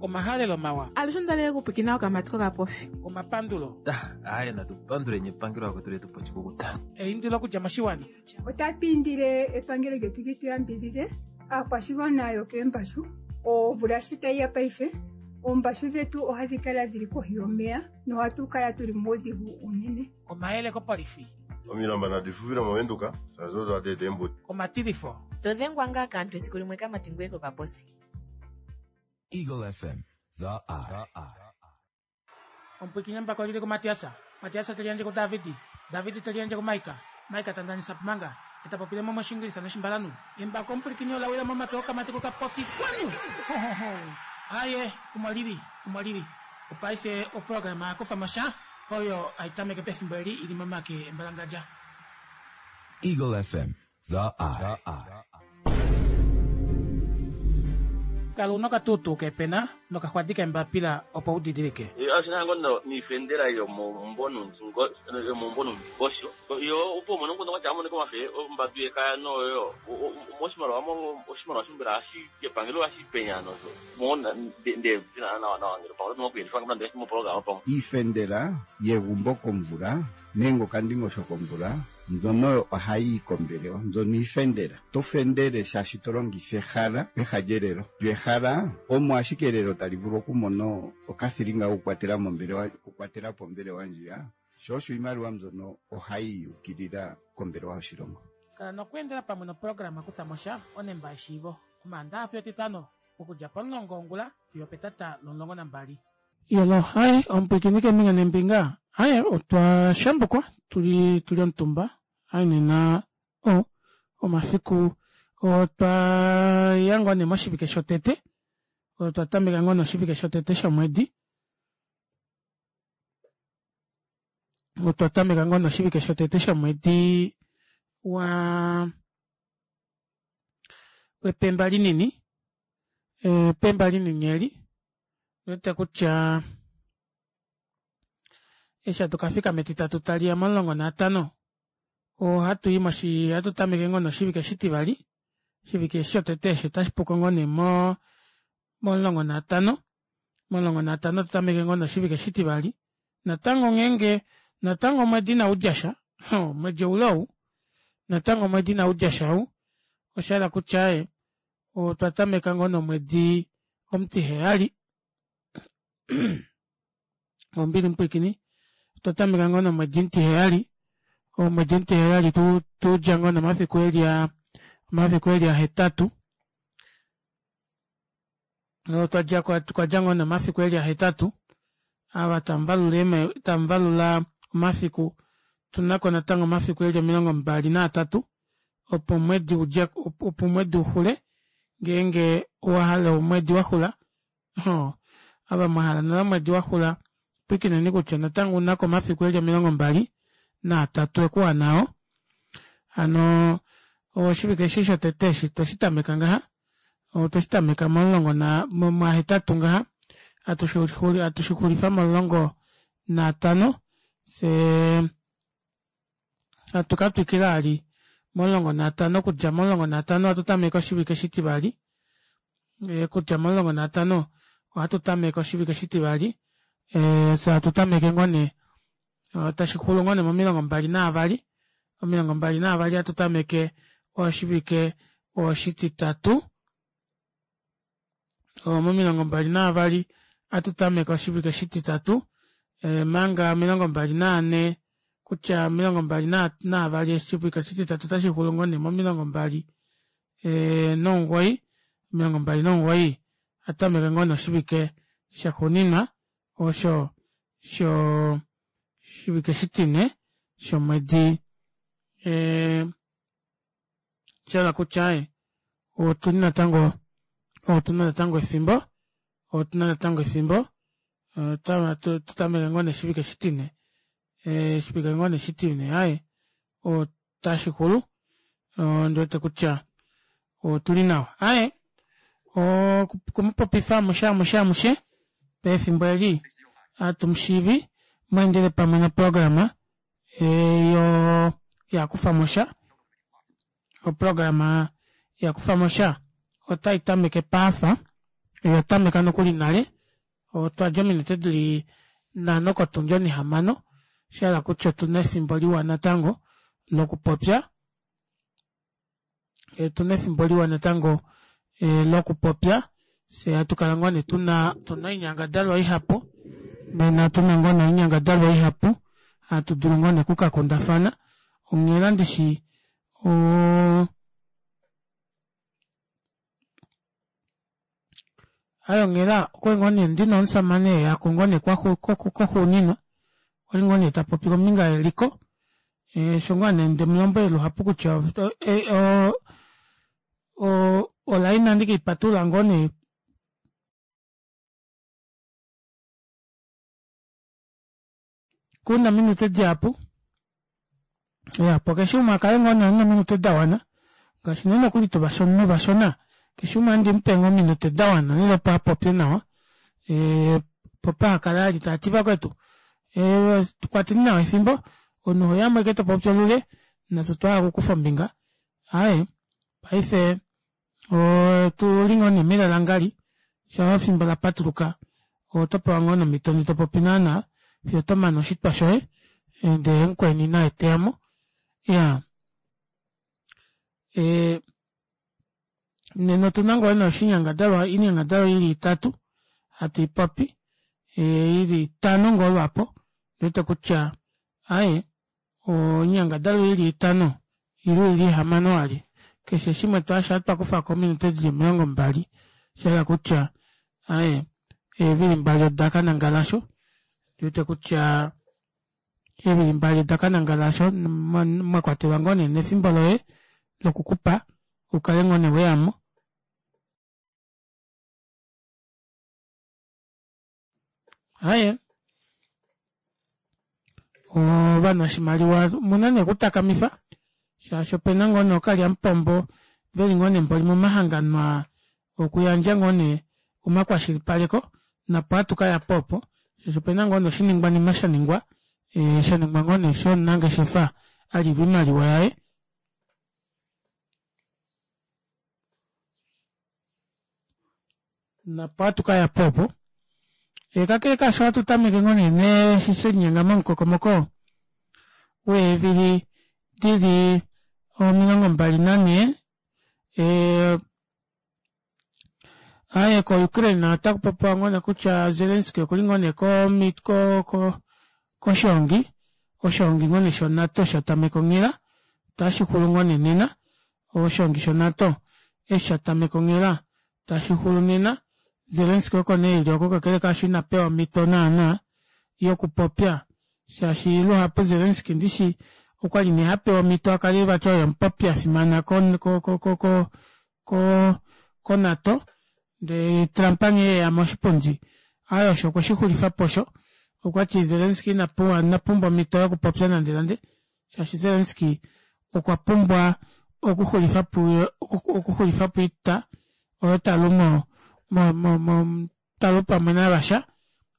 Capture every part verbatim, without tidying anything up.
Omahalelo mawa. Alushe ondalele okupwikina okamati kokapofi. Omapandulo. Aaye natu panduleni epangelo lakwetu letu po oshikukuta. Eindilo okudja moshiwana. Otatu indile epangelo lyetu li tu yambidhidhe aakwashigwana yokeembashu. Omvula shi tayi ya paife, oombashu dhetu ohadhi kala dhili kohi yomeya nohatu kala tuli muudhigu unene. Omayele kopolifi. Omilamba nadi fufile mOvenduka shaashi odo hadi eta eembudi. Omatilifo. To dhengwa ngaa kaantu esiku limwe kamati ngoye kokaposi. Eagle F M, The Eye. Omupwikinye mbako lili kuMatiasa. Matiasa te liyandje kuDavidi. Davidi te liyandje kuMaika. Maika ta ndanisa pumanga. Eta popile mo moshingilisa noshimbalanu. Embako omupwikinye ola wila momake okamati kokapofi. Kwanu! Ho, ho, ho. Aye, omo lili, omo lili. Opaife oprograma ya kufa mosha oyo hai tameke pefimbo eli ili momake embalangadja. Eagle F M, The Eye. Kala una okatuutuu kepena nokaxwadi kembapila opo u didilike. Oshinango niifendela yomomumvo nomundingosho yo opo umone nguno kwatya amonike omafe ombatu yekaya noyo moshimaliwa oshimaliwa shimbela hashi epangelo hashi penya nozo mona nde zina nawa nawa ngelo pamwe nokuyendifa ngamna moprograma pamwe iifendela yegumbo komvula nenge okandingosho komvula mbyono ohayi yi kombelewa mbyono iifendela to fendele shaashi to longitha ehala peha lyelelo lyo ehala omo ashike elelo tali vulu okumona okathilinga okukwatela mombelewa okukwatela po ombelewa ndjiya sho osho iimaliwa mbyono ohayi yukilila kombelewa yoshilongo. Kala nokweendela pamwe noprograma kutha mosha onemba yeshiivo Omaandaxa fiyo Etitano okudja pomulongo wongula fiyo opetata lomulongo nambali. Yolo, hai, omupwiikini keembinga neembinga, hai, otwa shambukwa, tuli, tuli omutumba, hai nena, o, omafiku, otwa ya ngoo nee moshivike shotete, otwa tameka ngoo noshivike shotete shomwedi, otwa tameka ngoo noshivike shotete shomwedi wa wepemba linini, epemba linini eli, wete kutya eshi hatu kafika metitatu taliya momulongo naatano ohatu i moshi ohatu tameke ngoo noshivike shitivali oshivike eshi shotete eshi otashi puko ngoo nee mo momulongo naatano momulongo naatano atu tameke ngoo noshivike shitivali natango ngeenge natango omwedi inaudjasha omwedi oule ou natango omwedi inaudjasha ou oshahala kutya ee otwa tameka ngoo nomwedi omutiheyali ombili mupwiikini otwa tameka ngoo nomwedi omutiheyali omwedi omutiheyali tudja ngoo nomafiku eli a omafiku eli ahetatu otwadja twadja ngoo nomafiku eli ahetatu ava tamuvalula tamuvalula omafiku tunako natango omafiku eli omilongo mbali naatatu opo omwedi udje opo omwedi uxule ngeenge owahala omwedi waxula ava mwahala nale omwedi waxula pwikineni kutya natango unako omafiku eli omilongo mbali naatatu ekuwanao hano oshivike eshi shotete eshi tweshi tameka ngaha otweshi tameka momulongo na mwahetatu ngaha hatu shixulifa momulongo naatano fyee hatu katwikila vali momulongo naatano okudja momulongo naatano ohatu tameke oshivike shitivali okudja momulongo naatano ohatu tameke oshivike shitivali fyee hatu tameke ngoo nee tashixulu ngoo nee momilongo mbali naavali omilongo mbali naavali ohatu tameke oshivike oshititatu momilongo mbali naavali ohatu tameke oshivike shititatu manga omilongo mbali naane kutya omilongo mbali naavali oshivike oshititatu otashi xulu ngoo nee momilongo mbali nomugoyi omilongo mbali nomugoyi ohatu tameke ngoo noshivike shaxuuninwa osho sho shivike shitine shomwedi shahala kutya otuli natango otuna natango efimbo otuna natango efimbo tutameke ngoo noshivike shitine oshivike ngoo nee shitine aaye otashixulu ondiwete kutya otuli nawa aaye okumupopifa amushe amushe amushe pefimbo eli hatumushiivi mweendele pamwe noprograma yo yakufamosha oprograma yakufamosha otai tameke paafa Oyatameka nokuli nale, otwadja ominute dili nhano kotundi onihamano, oshahala kutya otuna efimbo liwa natango lokupopya, otuna efimbo liwa natango lokupopya fyee hatukala ngoo nee tuna tuna oinyangadalwa ihapu nena tuna ngoo nee oinyangadalwa ihapu hatu dulu ngoo nee okukakundafana onghela ndishi oo aaye onghela okwali ngoo nee ndina omushamane eyako ngoo nee koxuuninwa okwali ngoo nee tapopi kombinga yeliko osho ngoo nee ndemulombwele luhapu kutya oo o oline ohandi keipatulula ngoo nee kuna ominute dihapu iyaa opo keshe umwe akale ngoo nee ena ominute dawana ngaashi nee nokuli tuvashona keshe umwe ohandi mupe ngoo ominute dawana lela opo apopye nawa opo pahakale vali taati vakwetu tukwateni nawa efimbo omunhu oheyamo ashike topopi olule nafye otwahala okukufa ombinga aaye paife otuli ngoo nee melalangali shaa efimbo lapatuluka otopewa ngoo nee omito ndee topopi naana fiyo otomane oshitwa shoye ndee mukweni naye teyamo iyaa ee nena otuna ngoo nee oshinyangadalwa oinyangadalwa ili itatu hatu ipopi ili itano ngoo lwaapo ondiwete kutya aaye oinyangadalwa ili itano ile ili ihamano vali keshe shimwe shaa twakufako ominute dili omilongo mbali oshahala kutya aaye eevili mbali odakanangala aasho ondiwete kutya eevili mbali odakanangala aasho mwakwatelwa ngoo nee nefimbo loye lokukupa ukale ngoo nee weyamo. Aaye ovanashimaliwa omuna nee okutakamifa shaashi opena ngoo nee ookalyamupombo veli ngoo nee mboli momahangano aa okuyandja ngoo nee omakwashilipaleko nopo hatu kayapo opo shaashi opena ngoo nee oshiningwanima shaningwa shaningwa ngoo nee shomunangeshefa alilwa oimaliwa yaye nopo hatu kayapo opo kakele kaasho ohatu tameke ngoo nee neeshi shelinyenga momukokomoko weevili dili omilongo mbali nanhee aaye ko ukraine otakupopiwa ngoo nee kutya zelensky okuli ngoo nee ko ko koshoongi oshoongi ngoo nee sho nato shatameka onghela otashixulu ngoo nee nena oshoongi sho nato eshi shatameka onghela tashixulu nena zelensky oko nee eli oko kakele kaasho inapewa omito naana yokupopya shaashi luhapu zelensky ndishi okwali nee hapewa omito akale vati oye omupopi afimana ko ko ko ko ko nato ndee trump nghee eya moshipundi aaye osho okweshixulifapo osho okwati zelensky inapewa inapumbwa omito yokupopya nande nande shaashi zelensky okwa pumbwa okuxulifapo okuxulifapo oita oyo talu mo mo mo talu pamwe na russia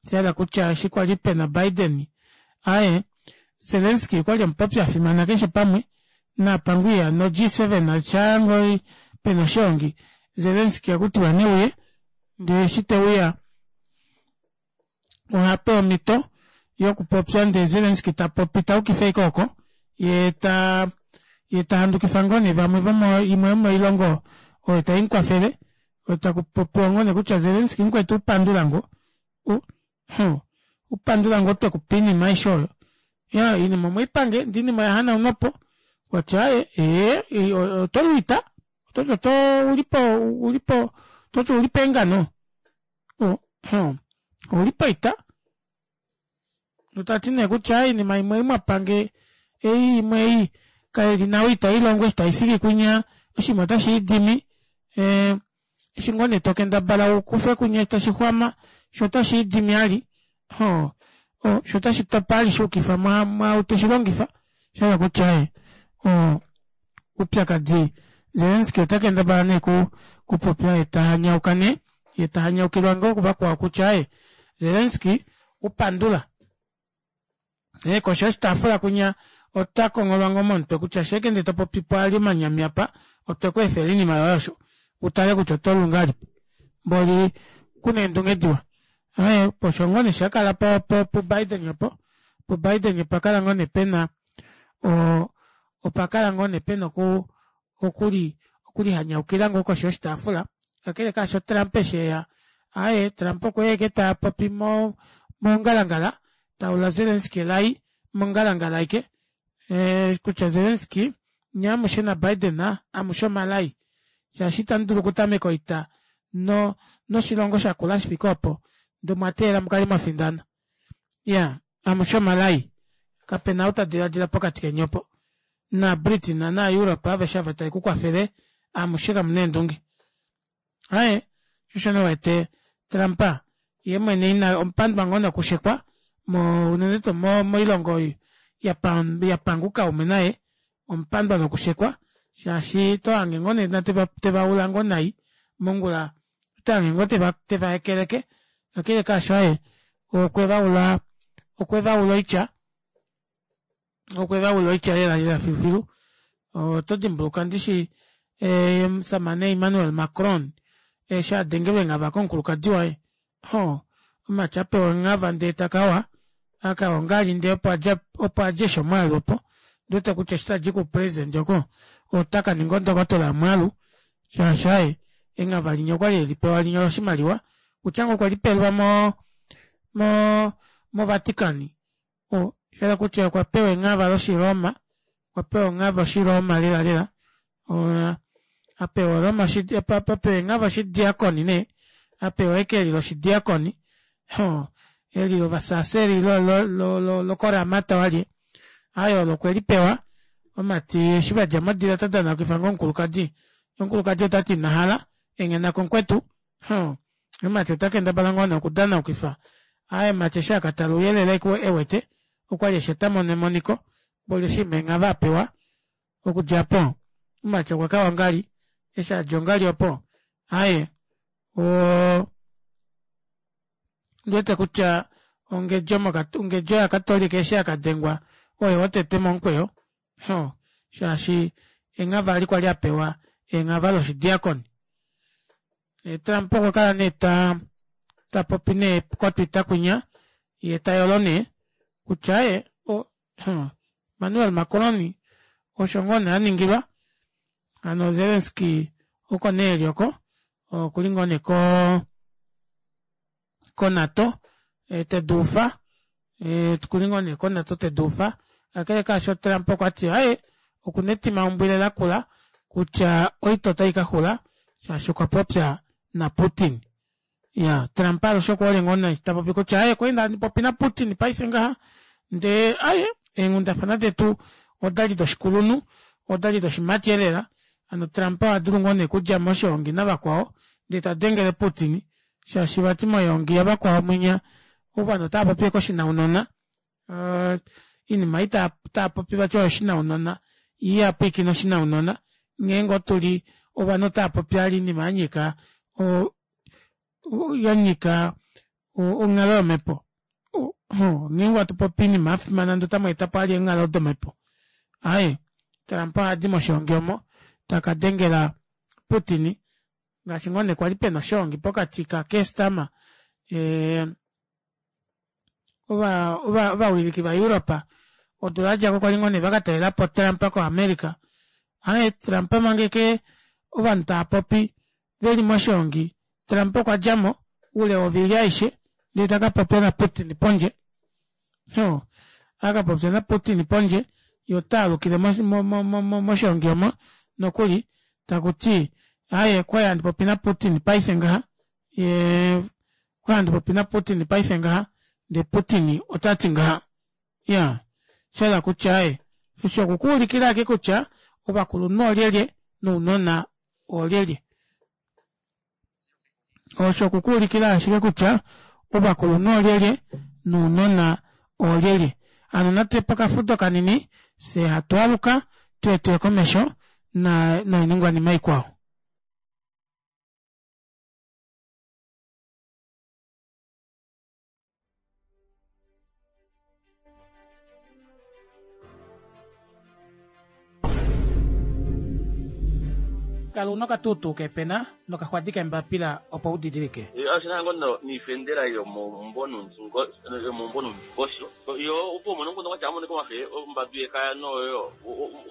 oshahala kutya eshi kwali pena biden aaye zelensky okwali omupopi afimana keshe pamwe naapangwiya no G seven shaangoo pena oshoongi zelensky ohakutiwa neuye ndee eshi teuya ohapewa omito yokupopya ndee zelensky tapopi tayukifa ashike oko yee taa yee tahandukifa ngoo nee vamwe vomo imwe yomoilongo oyo taimukwafele takupopiwa ngoo nee kutya zelensky mukwetu upandula ngoo upandula ngoo twekupa oinima aishe oyo iyaa oinima omweipange ndee oinima oyahanaunwapo okwati aaye ee otolu oita ototi oto oulipo oulipo ototi ouli peengano ouli poita tati nee kutya oinima imwe ei mwapange ei imwe ei kaili nawa itailongo eshi taifiki kwinya oshinima ota shiidimi eshi ngoo nee tokendabala ukufe kwinya tashi xwama shoo ota shiidimi vali shoo ota shitopa vali shayukifa mwaau teshilongifa oshahala kutya aaye oupyakadi zelensky ota kendabala nee okupopya yeetahanyauka nee yee tahanyaukilwa ngoo kuvakwao kutya aaye zelensky upandula ee koshi yoshitaafula kwinya ota kongholwa ngoo momutwe kutya shaike ndee topopipo vali omanyami apa otwekweefela oinima yoye osho utale kutya otolu ngahelipi Mboli kuna eendunge diwa. Aaye osho ngoo nee shakala puBiden opo puBiden opakala ngoo nee pena oo opakala ngoo nee pena okuu okuli okulihanyaukila ngoo koshi yoshitaafula kakele kaasho Trump eshi eya aaye Trump okweya ashike tapopi mo mongalangala taula Zelensky elai mongalangala aike ee kutya Zelensky nyee amushe na Biden amushe omalai shaashi itamudulu okutameka oita no noshilongo shakula shifike oopo ndee omwateelela mukale mwafindana. Iyaa amushe omalai kapena ou tadilaadila pokati keni opo na Britain na Europe aveshe ava tavekukwafele amushe kamuna eendunge. Aaye shoo osho nee uwete Trump yeemwene ina omupandwa ngoo nokushekwa mo unene tuu moilongo oyo yapanga oukaume naye omupandwa nokushekwa shaashi otohange ngoo nee tevaula ngoo nai mongula otohange ngoo tevahekeleke kakele kaasho aaye okwevaula okwevaula oitya okwevaula oitya lela lela filufilu. Oto dimbuluka ndishi omushamane Emmanuel Macron eshi adengelwa enghava komukulukadi waye hoo omumati apewa enghava ndee takawa akawa ongali ndee opo opo adja eshi omwaalu opo ondiwete kutya eshi tadi koupresident oko otakaninga ondokotola yomwaalu shaashi aaye enghava linya okwali elipewa linya oloshimaliwa kutya ngoo okwelipelwa mo mo moVatican oshahala kutya okwapewa enghava loshiroma okwapewa enghava oshiroma lela lela apewa oroma apewa enghava oshidiakoni nee apewa eke eli loshidiakoni eli lovasaaseri lokoramata walye aaye olo okwelipewa omumati eshi vadja modila otadanaukifa ngoo omukulukadi yee omukulukadi otati inahala enghenako mukwetu omumati otakendabala ngoo nee okudanaukifa aaye omumati eshi akatala ouyelele ewete okwali eshi otamono emoniko mboli oshiima enghava apewa okudja aapo omumati okwakawa ongali eshi adja ongali opo aaye oo ondiwete kutya ongedjo ongedjo yakatolika eshi yakadengwa oye wotete momukweyo shaashi enghava eli kwali apewa enghava loshidiakoni. Trump okwakala nee taa tapopi nee ko twitter kwinya yee tayolo nee kutya aaye Emmanuel Macron osho ngoo nee aningilwa hano Zelensky oko nee eli oko okuli ngoo nee koo koNato teduufa okuli ngoo nee koNato teduufa kakele kaasho Trump okwati aaye okuna etimaumbwile lakula kutya oita otaikaxula shaashi okwa popya naPutin. Iyaa Trump alushe okuhole ngoo nee tapopi kutya aaye okwali handi naPutin paife ngaha ndee aaye eenghundafana detu odali doshikulunhu odali doshimati elela hano Trump ohadulu ngoo nee okudja moshihongi navakwao ndee tadengele Putin shaashi vati moyoongi yavakwao mwinya ovanhu otavapopi ashike oshinaunona oinima ei taapopi vati oyo shinaunona yee ihapwiikine oshinaunona nghee ngoo tuli ovanhu otaapopi vali oinima yanyika yanyika onghalo yomepo ngeenge hatupopi oinima yafimana ndee otamweetapo vali eenghalo domepo aaye Trump ohadi moshihongi omo takadengela Putin ngaashi ngoo nee kwali pena oshoongi pokati ka Keir Starmer ovawiliki va Europe odula yadjako kwali ngoo nee vakatalelapo Trump ko America aaye Trump manga ashike ovanhu taapopi veli moshihongi Trump okwadjamo oule wovili aishe ndee takapopya na Putin pondje akapopya na Putin pondje yee otaalukile moshihongi omo nokuli takuti aaye okwali handi popi na Putin paife ngaha yee okwali handi popi na Putin paife ngaha ndee Putin otati ngaha iyaa shahala kutya aaye osho okukuulikila ashike kutya ovakulunhu oolyelye nounona oolyelye osho okukuulikila ashike kutya ovakulunhu oolyelye nounona oolyelye. Hano natuye pokafudo kanini fyee hatu aluka tuye tuye komesho noiningwanima ikwao. Kala una okatuutuu kepena nokaxwadi kembapila opo udidilike. Oshina ngo niifendela yomomumvo yomumvo nuundingosho yo opo umone nguno kwatya amone komafe ombadu yekaya noyo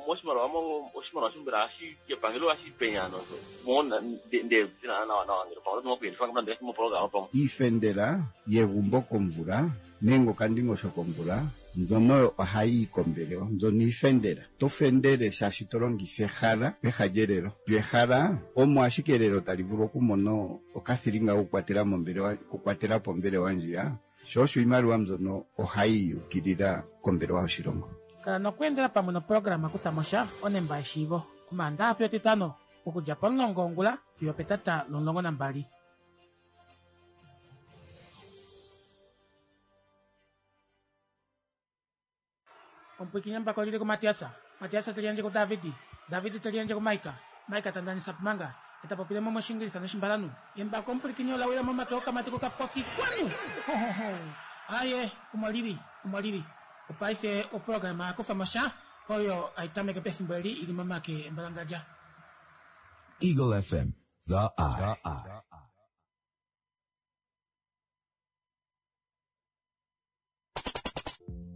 moshimaliwa oshimaliwa shombela hashi epangelo hashi penya nozo mona nde zina nawa nawa ngele pamwe otu nokuyendifa ngele moprograma pamwe Iifendela yegumbo komvula nenge okandingosho komvula mbyono ohayi yi kombelewa mbyono iifendela. To fendele shaashi to longitha ehala peha lyelelo. Lyo ehala omo ashike elelo tali vulu okumona okathilinga kokukwatela mombelewa okukwatela po ombelewa ndjiya sho osho iimaliwa mbyono ohayi yukilila kombelewa yoshilongo. Kala nokweendela pamwe noprograma kutha mo sha onemba yeshiivo omaandaxa fiyo etitano okudja pomulongo wongula fiyo petata lomulongo nambali. Omupwiikini mbako lili kuMatiasa, Matiasa teli yandje kuDavidi, Davidi teli yandje kuMaika, Maika tandanisa pumanga, eta popile mo moshingilisa noshimbalanu. Embako omupwilikini ola wila momake okamati kokapofi kwanu! Hohoho! Aye, omo lili, omo lili. Opaife oprograma yakufa mo sha oyo aitameke pefimbo eli ili momake embalangadja. Eagle F M, The Eye.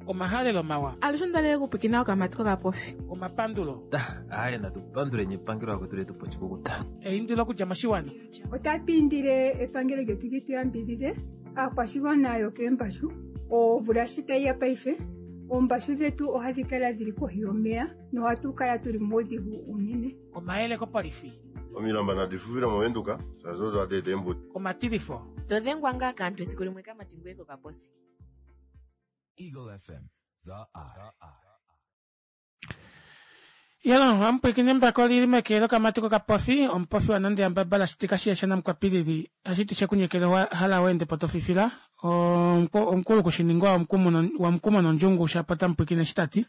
Omahalelo mawa. Alushe ondali okupwikina okamati kokapofi. Omapandulo. Aye, natu panduleni epangelo akwetu letu po oshikukuta. Eindilo okudja moshiwana. Otatu indile epangelo lyetu li tu yambidhidhe aakwashigwana yokeembashu omvula shi tayi ya paife oombashu dhetu ohadhi kala dhili kohi yomeya nohatu kala tuli muudhigu unene. Omayele kopolifi. Omilamba nadi fufile movenduka shaashi odo hadi eta eembuto. Omatilifo. To dhengwa ngaa kaantu esiku limwe kamati ngoye kokaposi. Eagle F M, The Eye. Yalo, amupwikini mbako lili meke lokamati kokapofi, omupofi wanande yambabala shitika shiyesha namukwapilili, ashiti shekunyekele hala wende potofifila, omukulu kushiningwa wamukumo nondjungu shapota mupwikini shitati.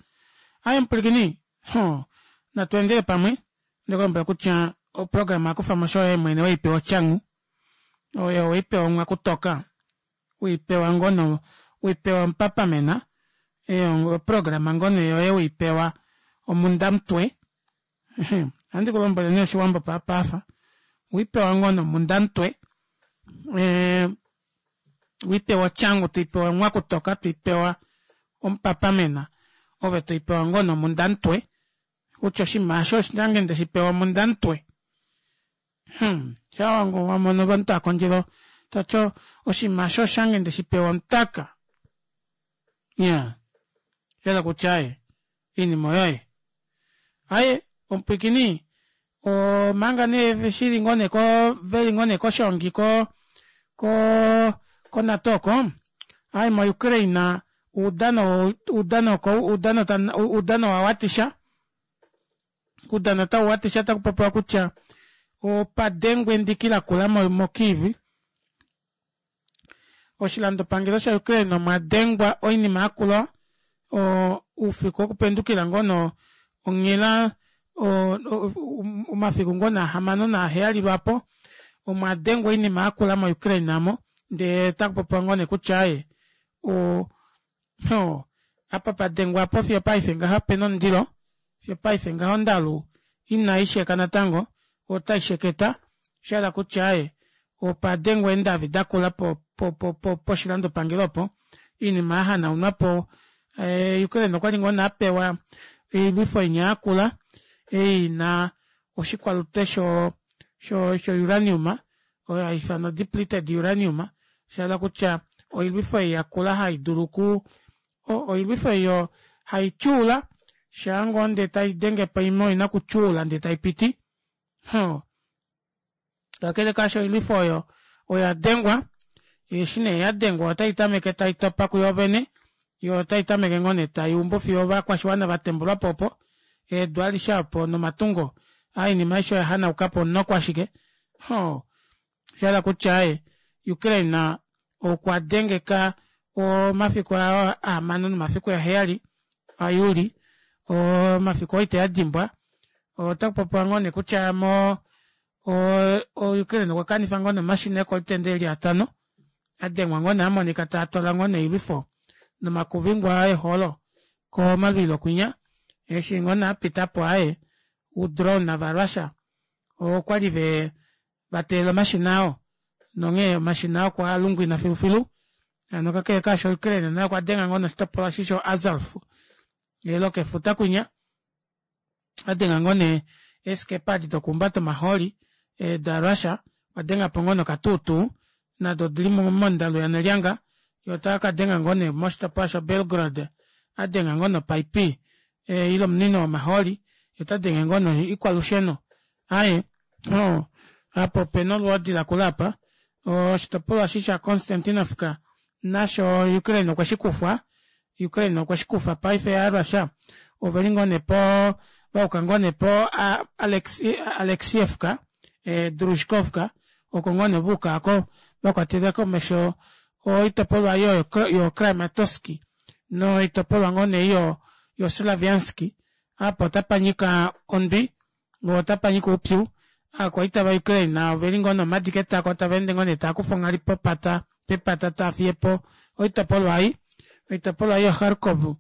Aye mupwikini, ho, natuendele pamwe, ndikulombwela kutya oprograma yakufa mo shoye mwene weipewa otyangu, oyo weipewa omwakutoka, weipewa ngono, weipewa omupapamena, eyo oprograma ngono yoye weipewa omundamutwe. Ohandi kulombwele nee oshiwambo paafa. Wipewa ngono omundamutwe, wipewa otyangu, toipewa omwakutoka, toipewa omupapamena, ove toipewa ngono omundamutwe, kutya oshinima aasho oshange ndeshipewa omundamutwe. Hmm, shawangu wamono ovanhu akondjelo tati oshinima aasho oshange ndeshipewa omutaka. Ya, shela kutya aye iinima oyoye. Aye, omupwikini omanga nee shili ngoo nee ko veli ngoo nee koshongi ko ko koNATO oko, aye mo Ukraine uudano uudano uudano uudano wawatisha uudano tau watisha takupopiwa kutya opadengwe endiki lakula mo Kiev. Oshilandopangelo sha Ukraine omwa dengwa oinima yakula oufiku wokupendukila ngono onghela omafiku ngono ahamano naaheyali lwapo omwa dengwa oinima yakula mo Ukraine amo, ndee takupopiwa ngoo nee kutya aye o apa padengwa apo fiyo paife ngaha pena omundilo, fiyo paife ngaha ondalu inaisheka natango otaisheketa, shahala kutya aye opadengwa eendavi dakula poshilandopangelo opo iinima yahanaunwapo. Ukraine okwali ngoo nee apewa oilwifo inya yakula ei ina oshikwalute sho sho uranium oyo haifanwa depleted uranium, shahala kutya oilwifo ei yakula haidulu ku oilwifo eyo haityuula shaa ngoo ndee taidenge po imwe oina okutyuula ndee taipiti. Kakele kaasho oilwifo oyo oya dengwa, eshi nee yadengwa otai tameke taitopa kuyo vene, yo otai tameke ngoo nee taiumbu fiyo ovakwashiwana vatembulwapo opo eedu alishe opo nomatungo oinima aishe oya hanaukapo noko ashike. Shahala kutya aye Ukraine okwa dengeka omafiku ahamano nomafiku aheyali aJuli, omafiku oo itayadimbwa. Otakupopiwa ngoo nee kutya mo Ukraine okwa kanifa ngoo nee omashina ekolutenda eli atano adengwa ngoo nee amonika taatwala ngoo nee oilwifo nomakuvingwa eholo komalwilo kwinya, eshi ngoo nee apitapo aye udrone vaRussia Okwali ve vateelela omashina oo nonghee omashina oo okwalungwina filufilu hano kakele kaasho Ukraine naye okwadenga ngoo nee oshitopolwa eshi sho Azov lokefuta kwinya adenga ngoo nee eeskepa edi dokuumbata omahooli da russia okwadengapo ngoo nee okatuutuu nado odili mondalu yanalyanga yee otakadenga ngoo nee moshitopolwa sha belgrod adenga ngoo nee opipe ile omunino womahooli yee otadenge ngoo nee oikwalusheno aaye oo apa opena olwoodi lakula aapa oshitopolwa eshi sha constantinovka nasho ukraine okweshikufwa ukraine okweshikufa paife ova russia oveli ngoo nee poo vayuka ngoo nee po alexievka drushkovka oko ngoo nee vayuka aako vakwatela komesho oitopolwa yo cramatoski noitopolwa ngoo nee yo slavianski aapo otapanyika ondwi poo otapanyika oupyu ovakwaita va ukraine oveli ngoo nee omadi ketako taveende ngoo nee taakufa onghali popata pepata taafiyepo oitopolwa ei oitopolwa ei yo kharkov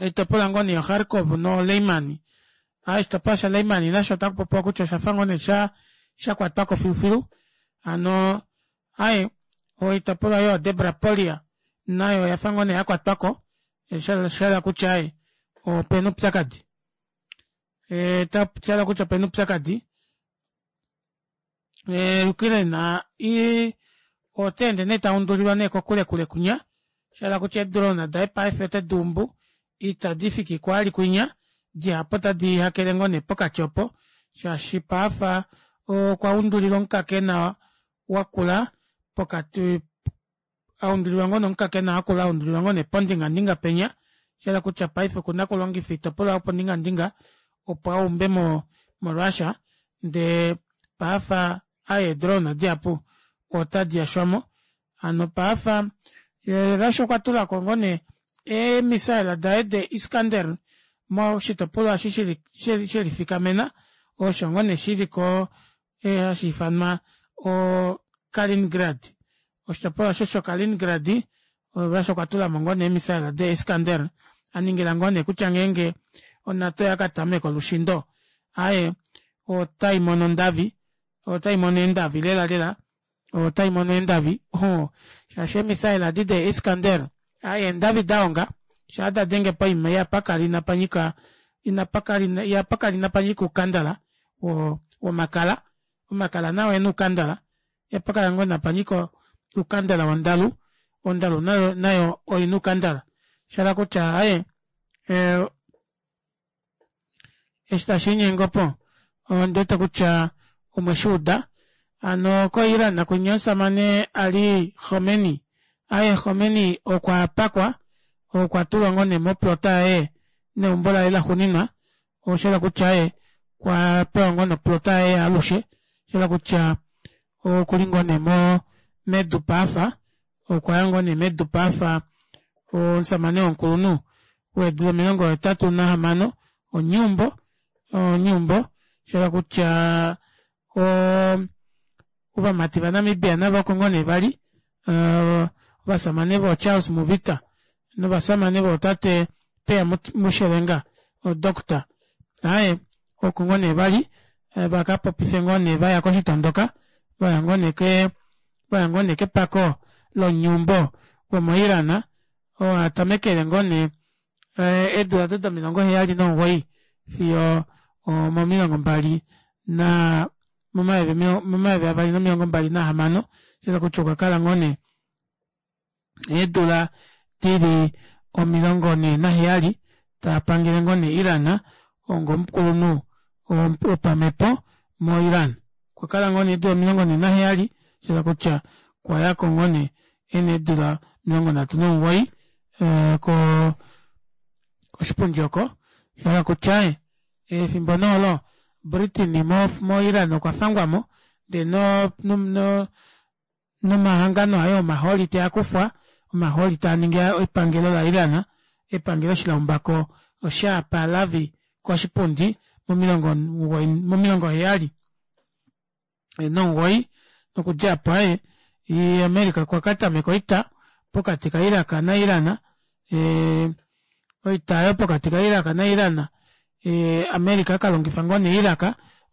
oitopolwa ngoo nee yo kharkov no layman oshitopolwa sha layman nasho otakupopiwa kutya oshafa ngoo nee shakwatwako filufilu hano aaye oitopolwa yoo debrapolia nayo oyafa ngoo nee yakwatwako shahala kutya aaye opena oupyakadi shahala kutya opena oupyakadi ukraine otaende nee taundulilwa kokule kule kwinya shahala kutya ee drone daye paife ota duumbu ita difiki oko ali kwinya dihapu ota dihakele ngoo nee pokati opo shaashi paife okwa undulilwa omukakena wakula pokati aundulilwa ngoo nee omukakena wakula aundulilwa ngoo nee pondingandinga penya shahala kutya paife okuna okulongifa oitopolwa yopondingandinga opo aumbe mo russia ndee paife ee drone dihapu ota diyashwamo hano paife russia okwatulako ngoo nee ee missile daye de iskander moshitopolwa eshi shelifikamena osho ngoo nee shiliko hashiifanwa o carlingrad oshitopolwa aasho sho kalingrad russia okwatulamo ngoo nee ee missile de iskander aningila ngoo nee kutya ngeenge o nato oyakatameka olushindo aaye otaimono ondavi otaimono eendavi lela lela otaimono eendavi ohoo shaashi ee missile edi de iskander aaye eendavi dahonga shaa dadenge poima ihapakala inapanyika inapakala ihapakala inapanyika oukandala womakala omakala nao okuna oukandala ihapakala ngoo inapanyika oukandala wondalu ondalu nayo oina oukandala shahala kutya aaye eshi tashiinyenge opo ondiwete kutya omweshuuda hano ko iran kwinya omushamane ali khomeni aaye khomeni okwapakwa okwatulwa ngoo nee moplota yaye neumbo laye laxuuninwa oshahala kutya aaye okwapewa ngoo nee oplota yaye yaalushe oshahala kutya okuli ngoo nee medu paife okwaya ngoo nee medu paife omushamane womukulunhu weedula omilongo hetatu nahamano omunyuumbo omunyuumbo shahala kutya oo ovamati va namibia navo oko ngoo nee vali ovashamane voo charles mubita novashamane vootate peya mushelenga o doctor aaye oko ngoo nee vali vakapopife ngoo nee vaya koshitondoka vaya ngoo nee kee vaya ngoo nee kepako lomunyuumbo womo iran oo atamekele ngoo nee eedula odo domilongo heyali nomugoyi fiyo omomilongo mbali naa momayovi avali nomilongo mbali nahamano shahala kutya okwakala ngoo nee eedula dili omilongo nhee naheyali tapangele ngoo nee iran onga omukulunhu wopamepo mo iran okwakala ngoo nee eedula omilongo nhee naheyali shahala kutya okwayako ngoo nee ena eedula omilongo nhatu nomugoyi koo koshipundi oko shahala kutya aaye efimbo nee olo britain mo iran okwa fangwamo ndee no no nomahangano aye omahooli teakufwa omahooli taaningi epangelo la iran epangelo eshi laumbako shah pahlavi koshipundi momilongo omugoyi momilongo heyali nomugoyi nokudja aapo aaye america okwakatameka oita pokati ka iraq na iran ee oita aayo pokati ka iraq na iran america akalongifa ngoo nee iraq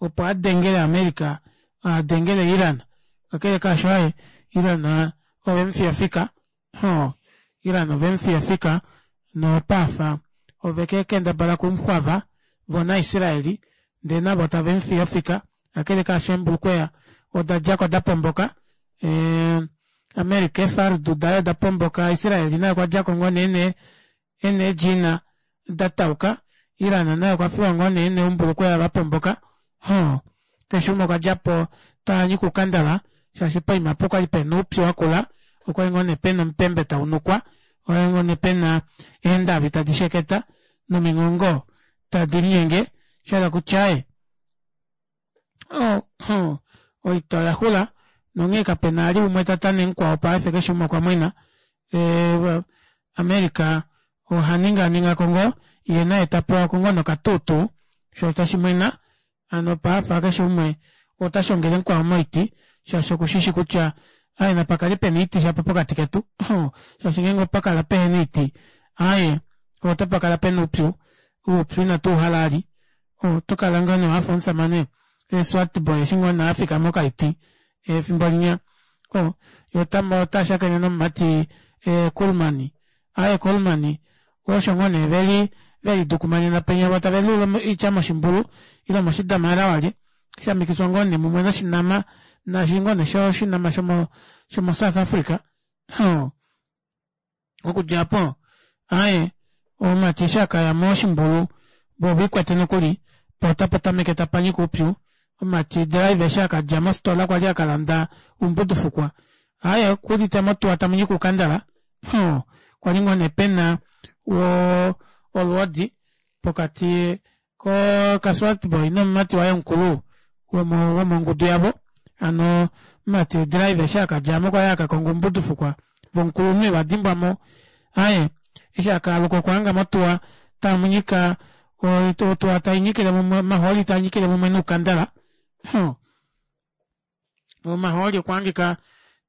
Opo adengele America adengele Iran kakele kaasho aaye Iran ovemufiya ofika hoo Iran ovemufiya ofika nopaafa ovekendabala okumuxwava voo na Israeli ndee navo tavemufiye ofika kakele kaasho eembulukweya odadjako dapomboka ee America eefardu daye odapomboka Israel naye okwadjako ngoo nee ena eedjina datauka Iran naye okwafiwa ngoo nee noumbulukweya vapomboka hoo keshe umwe okwadjapo tanyike oukandala shaashi poima aapo okwali pena oupyu wakula okwali ngoo nee pena omupembe taunukwa okwali ngoo nee pena eendavi tadi sheketa nominghongo tadi linyenge shahala kutya aaye oo oita oyaxula nonghee kapena vali umwe tatane mukwao paife keshe umwe okwamwena ee America ohaninganingako ngoo yee naye tapewako ngoo nee okatuutuu shoo tashimwena hano paife keshe umwe otashongele mukwao moiti shaashi okushishi kutya aaye napakale pena oiti shapo pokati ketu shaashi ngeenge opakala pehena oiti aaye otapakala pena oupyu oupyu ina tuuhala vali otokala ngoo nee wafa omushamane swartboy eshi ngoo nee afika mokaiti efimbo linya oo yee otashakene nomumati Coleman aaye Coleman osho ngoo nee veli velidukumanena penya voo taveluula oitya moshimbulu ile moshidamara walye shamikiswa ngoo nee mumwe noshinama naashi ngoo nee oshinama shomo South Africa oo okudja aapo aaye omumati eshi akaya moshimbulu voo oviikwete nokuli poo otapatameke tapanyika oupyu omumati driver eshi akadja mofitola kwali akalanda oumbudufukwa aaye okuudite motuwa tamunyika oukandala oo kwali ngoo nee pena woo olwoodi pokati ka swartboy nomumati waye mukulu womongudu yavo hano omumati driver eshi akadjamo kwali akakonga oumbudufukwa voo omukulunhu evadimbwamo aaye eshi akaaluka okwahanga motuwa tamunyika otuwa tainyikile mumwe omahooli taanyikile mumwe noukandala oo omahooli okwahangika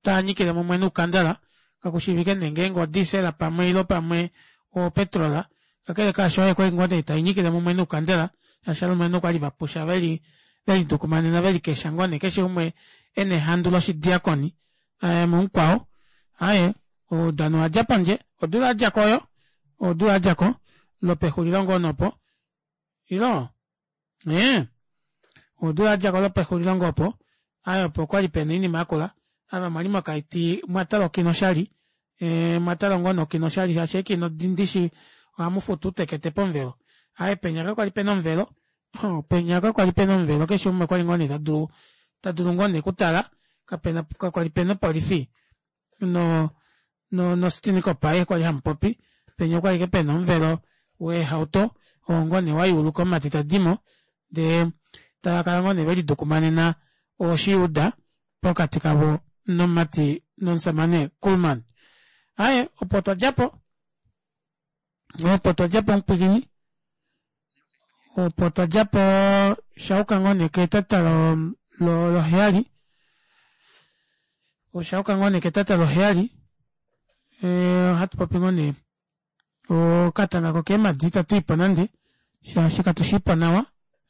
taanyikile mumwe noukandala kakushiivike nee ngenge o diesel pamwe ile pamwe o petrol kakele kaasho okwali ngoo nee tainyikile mumwe noukandela shaashi ovalumenhu okwali vapusha veli velidukumanena velikesha ngoo nee keshe umwe ena ehandu loshidiakoni mumukwao aaye oudano owadja pondje odula yadjako oyo odula yadjako lopexulilo ngoo nee opo ilo ee odula yadjako lopexulilo ngoo opo aaye opo okwali pena oinima yakula ava mwali mokaiti omwatala okino oshali ee omwatala ngoo nee okino oshali shaashi eekino ndishi ohamufutu uutekete pomuvelo aaye penya kakwali pena omuvelo penya kakwali pena omuvelo keshe umwe okwali ngoo nee tadulu tadulu ngoo nee okutala kapena kakwali pena opolifi no no aishe kwali hamupopi penya okwali ashike pena omuvelo weehauto oo ngoo nee wayuuluka omumati tadimo ndee tavakala ngoo nee velidukumanena oshiyuda pokati kavo nomumati nomushamane Coleman. Aaye opo twadjapo opo twadjapo mupwiikini opo twadjapo shayuka ngoo nee ketata loheyali oshayuka ngoo nee ketata loheyali ohatupopi ngoo nee okatanga kokeemadi ita tuipo nande shaashi katushiipo nawa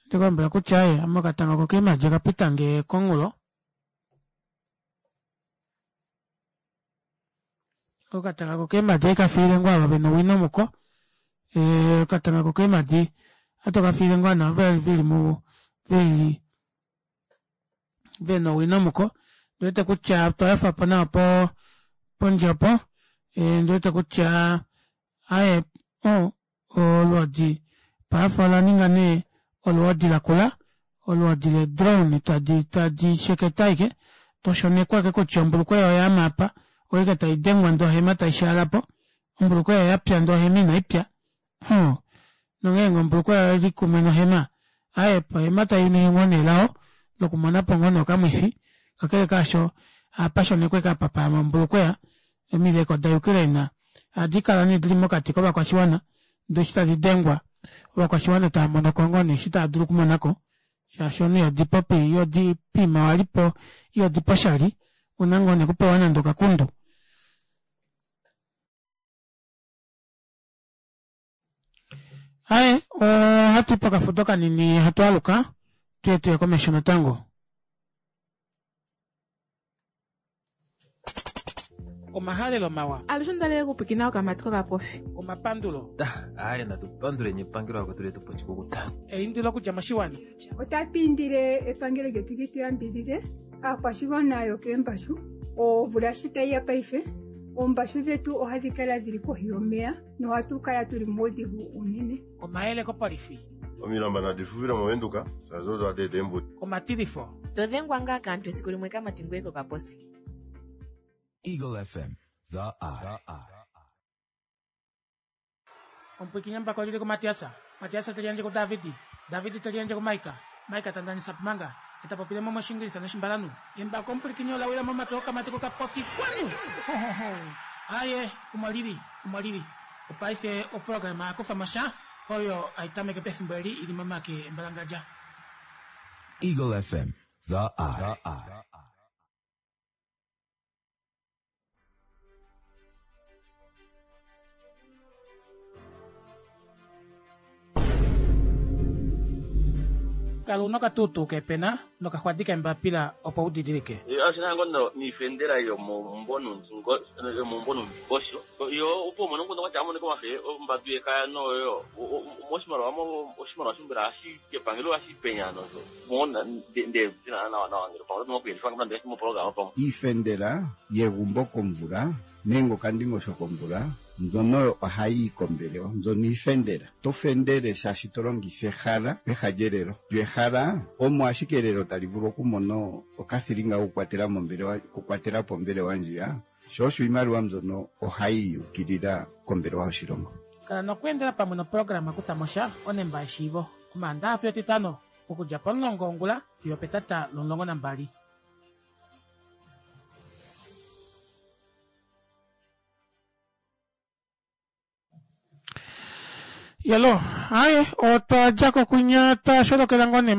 ohandikulombwele kutya aaye ame okatanga kokeemadi okapitange komunghulo okatanga kokeemadi ohandi ngoo ava vena owino muko okatanga kokeemadi ohatu kafiile ngoo nee ava veli veli vena owino muko ondiwete kutya otwa yofapo nawa pondje opo ondiwete kutya aaye olwoodi paife olaninga nee olwoodi lakula olwoodi lee drone tadi tadi sheketa ashike toshonekwa ashike kutya ombulukweya oyaama aapa oyo ashike taidengwa ndee ohema taishaalapo ombulukweya yapya ndee ohema inaipya oo nongeenge ombulukweya oili kumwe nohema aaye ohema tainingi ngoo nee elao lokumonapo ngoo nee okamwifi kakele kaasho ohapashonekwa ashike apa paama ombulukweya omileko da ukraine ohadikala nee dili mokati kovakwashiwana ndee eshi tadi dengwa ovakwashiwana taamonoko ngoo nee eshi taadulu okumonako shaashi omunhu ihodi popi ihodi poima walipo ihodipo oshali ouna ngoo nee okupewa nande okakundu. Aaye ohatui pokafudo kanini hatu aluka Tuye tuye komesho natango. Omahalelo mawa. Alushe ondali kupwikina okamati kokapofi. Omapandulo. Aye natupanduleni epangelo akwetu letu po chikukuta. Eindilo okudja moshiwana. Otatu indile epangelo lyetu li tu yambidhidhe aakwashigwana yokeembashu omvula shi tayi ya paife oombashu dhetu ohadhi kala dhili kohi yomeya nohatu kala tuli muudhigu unene. Omayele kopolifi. Omilamba nadi fufile movenduka shaashi odo hadi eta eembuto. Omatilifo. Todhengwa ngaa kaantu esiku limwe kamati ngoye kokaposi. Eagle F M, The Eye. Omupwikinye mbako lili kuMatiasa. Matiasa teliandje kuDavidi. Davidi teliandje kuMaika. Maika tandanisa pumanga. Etapopile mo moshingilisa noshimbalanu. Embako omupwikinye olawila momake okamati kokapofi kwanu. Aye, omwalili, omwalili. Opaife oprograma yakufa mosha oyo aitameke pefimbo eli ili momake embalangadja. Eagle F M, The Eye. Kala una okatutu kepena nokaxwadi kembapila opo udidilike. Ashina ngono niifendela yomomumvo yomomumvo nomundingosho yo opo umone omukundu kwatya amonike omafe ombadu yekaya noyo moshimaliwa oshimaliwa shombela hashi epangelo hashi penya nozo mona nde zina nawa nawa ngelo pamwe nokuyelifa ngamna moprograma pamwe. Iifendela yegumbo komvula nenge okandingosho komvula mbyono ohayi yi kombelewa, mbyono iifendela. To fendele shaashi to longitha ehala peha lyelelo. Lyo ehala omo ashike elelo tali vulu okumona okathilinga kokukwatela mombelewa, okukwatela po ombelewa ndjiya. Sho osho iimaliwa mbyono ohayi yukilila kombelewa yoshilongo. Kala nokweendela pamwe noprograma kutha mosha onemba yeshiivo. Omaandaha fiyo Etitano okudja pomulongo wongula fiyo petata lomulongo nambali. Yalo, aye, otwa dja kokunya twasholokela ngoo nee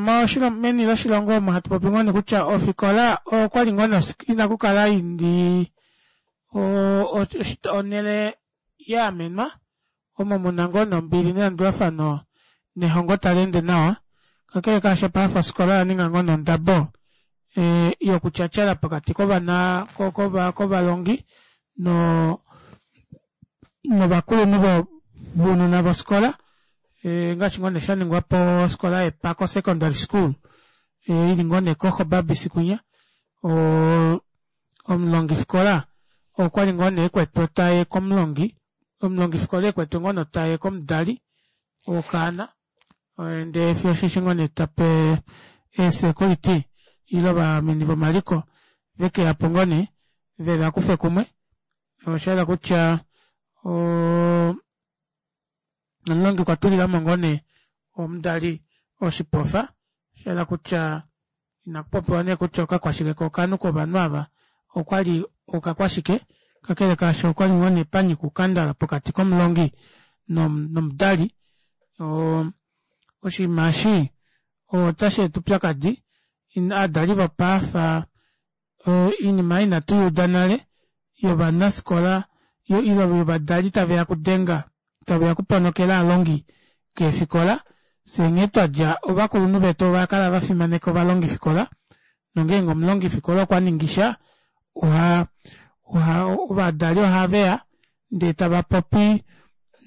meni loshilongo omo hatu popi ngoo nee kutya ofikola okwali ngoo nee inakukala ili onhele ya amenwa omo muna ngoo nombili nelandulafano nehongo tali ende nawa. Kakele kaasho paife ofikola oya ninga ngoo nondabo yokutyatyala pokati kovana kovalongi novakulunhu vounona vofikola ngaashi ngoo nee shaningwa pofikola yEpako Secondary School ili ngoo nee koHobabis kunya. Omulongifikola okwali ngoo nee ekwetwe taye komulongi, omulongifikola ekwetwe ngoo nee taye komudali wokaana ndee fiyo osheshi ngoo nee tape eesecurity ile ovameni vomaliko vekeyapo ngoo nee vevakufe kumwe. Oshahala kutya omulongi okwa tulilamo ngoo nee omudali oshipofa, oshahala kutya inakupopiwa nee kutya okakwashike kokanhu kovanhu ava okwali okakwashike, kakele kaasho okwali ngoo nee panyika ukandala pokati komulongi nomudali. Oshinima eshi otashi eta upyakadi, aadali vopaafa oinima inatu yuuda nale yovanafikola ile yovadali taveya okudenga taveya okuponokela ovalongi keefikola. Fyee nghee twadja ovakulunhu vetu ovakala vafimaneka ovalongifikola nongeenge omulongifikola okwaningisha oha ovadali ohaveya ndee tavapopi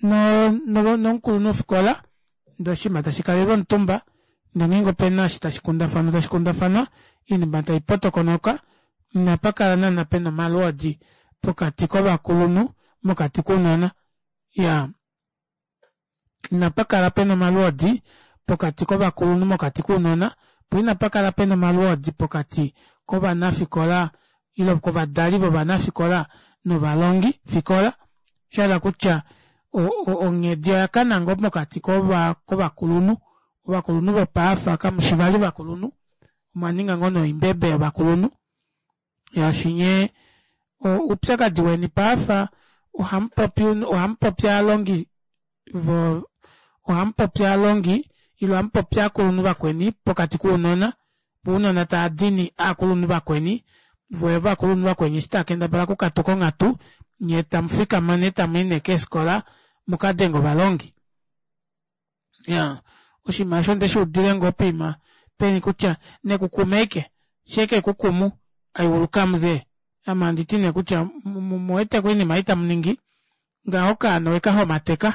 nomukulunhufikola ndee oshinima tashikalelwa omutumba ndee ngeenge opena eshi tashikundafanwa tashikundafanwa oinima taipotokonoka. Inapakala naana pena omalwoodi pokati kovakulunhu mokati kounona. Iyaa, inapakala pena omalwoodi pokati kovakulunhu mokati kounona, poo inapakala pena omalwoodi pokati kovanafikola ile kovadali vovanafikola novalongi fikola. Oshahala kutya onghedi oyakana ngoo mokati kovakulunhu. Ovakulunhu vopaafa kamushi vali ovakulunhu, omwaninga ngoo nee oimbebe yovakulunhu shaashi nyee oupyakadi weni paafa ohamupopi ohamupopi ovalongi vo ohamupopi ovalongi ile ohamupopi ovakulunhu vakweni pokati kounona, voo ounona tavadini ovakulunhu vakweni, voo ovakulunhu vakweni eshi taakendabala okukatuka onghatu nyee tamufikama nee tamuyi nee keefikola mukadenge ovalongi. Iyaa, oshinima aasho ondeshuudile ngoo poima peni kutya nekukume aike shee ekukumu I will come there ame handiti nee kutya omuweteko oinima ei tamuningi ngaho okaana owekahomateka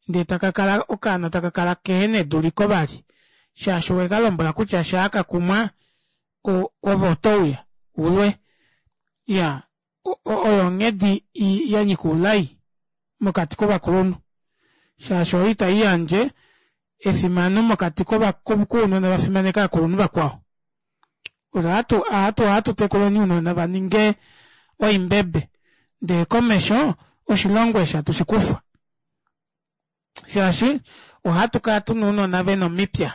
ndee takakala okaana takakala kehena eduliko vali shaashi owekalombwela kutya shaakakumwa ove otouya ulwe iyaa oyo onghedi yanyika oulai mokati kovakulunhu shaashi oyo ita iyandje efimano mokati kounona vafimaneke ovakulunhu vakwao ohatu tekuleni ounona vaninge oimbebe ndee komesho oshilongo eshi hatu shikufwa shaashi ohatukala tuna ounona vena omipya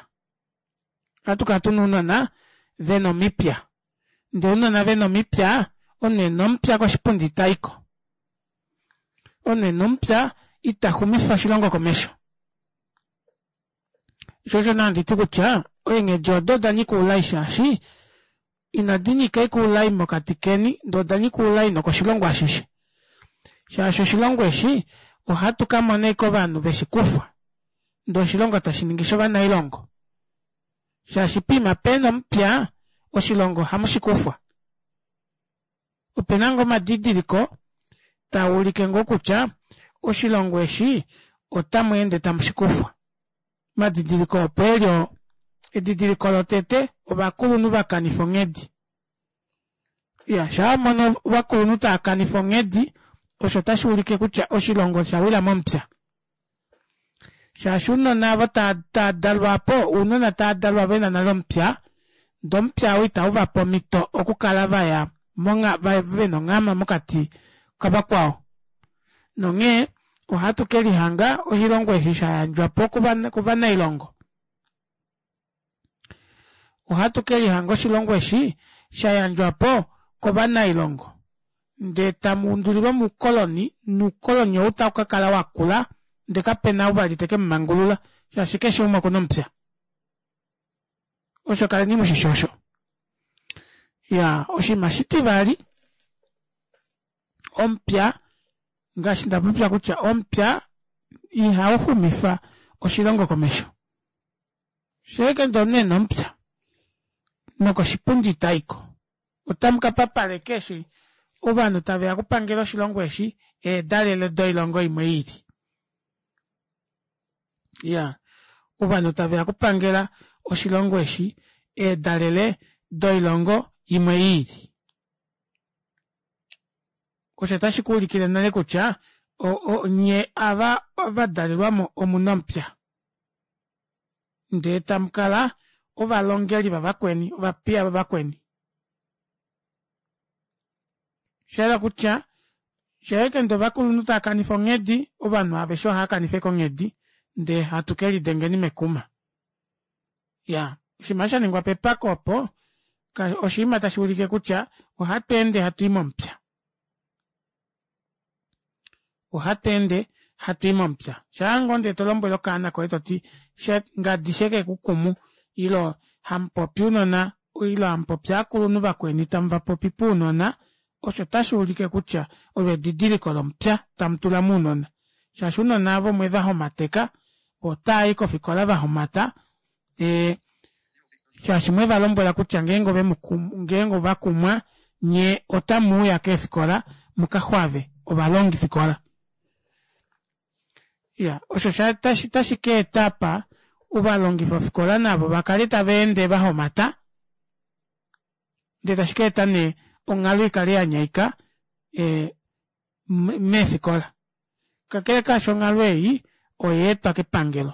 ohatukala tuna ounona vena omipya ndee ounona vena omipya omunhu ena omupya koshipundi itayiko omunhu ena omupya ita xumifa oshilongo komesho shoo osho nee handiti kutya eenghedi odo odanyika oulai shaashi inadinyika ashike oulai mokati keni ndee odanyika oulai nokoshilongo ashishe shaashi oshilongo eshi ohatu kamona ashike ovanhu veshikufwa ndee oshilongo tashiningi shovanailongo shaashi poima pena omupya oshilongo ohamushikufwa opena ngoo omadidiliko taaulike ngoo kutya oshilongo eshi ota mweende tamushikufwa omadidiliko opo eli oo edidiliko lotete ovakulunhu vakanifa onghedi iyaa shaawamono ovakulunhu taakanifa onghedi osho ota shuulike kutya oshilongo oshawila momupya shaashi ounona aavo taadalwa aapo ounona taadalwa vena nale omupya ndee omupya ou itauvape omito okukala vaya vena onghama mokati kavakwao nonghee ohatu kelihanga oshilongo eshi shayandjwapo kovanailongo ohatu kelihanga oshilongo eshi shayandjwapo kovanailongo ndee tamuundulilwa moukoloni noukoloni ou taukakala wakula ndee kapena ou vali tekemumangulula shaashi keshe umwe okuna omupya osho kaleni mushishi osho iyaa oshinima oshitivali omupya ngaashi ndapopya kutya omupya ihauxumifa oshilongo komesho shaike ndee omunhu ena omupya nokoshipundi itaiko otamukapapala ashike eshi ovanhu taveya okupangela oshilongo eshi eedalele doilongo imwe iili iyaa ovanhu taveya okupangela oshilongo eshi eedalele doilongo imwe iili osho ota shikuulikile nale kutya nyee ava vadalelwamo omuna omupya ndee tamukala ovalongeli vavakweni ovapiya vavakweni oshahala kutya shaike ndee ovakulunhu taakanifa onghedi ovanhu aveshe ohaakanifa ashike onghedi ndee hatu kelidengeni mekuma iyaa oshinima aasho shaningwa pepako opo oshinima tashuulike kutya ohatweende hatui momupya ohatweende hatui momupya shaangoo ndee tolombwele okaana koye toti ngadi shekekukumu ile hamupopi ounona ile hamupopi ovakulunhu vakweni tamuvapopi pounona osho ota shuulike kutya olo edidiliko lomupya tamutula mounona shaashi ounona aava omwevahomateka voo otavai kofikola vahomata ee shaashi mwevalombwela kutya ngeenge ovemukumu ngeenge ovakumwa nyee otamuuya keefikola mukaxwave ovalongifikola iya osho otashi kaeta apa ovalongi vofikola navo vakale tavaende vahomata ndee tashi kaeta nee onghalo ikale yanyaika ee meefikola kakele kaasho onghalo ei oyaetwa kepangelo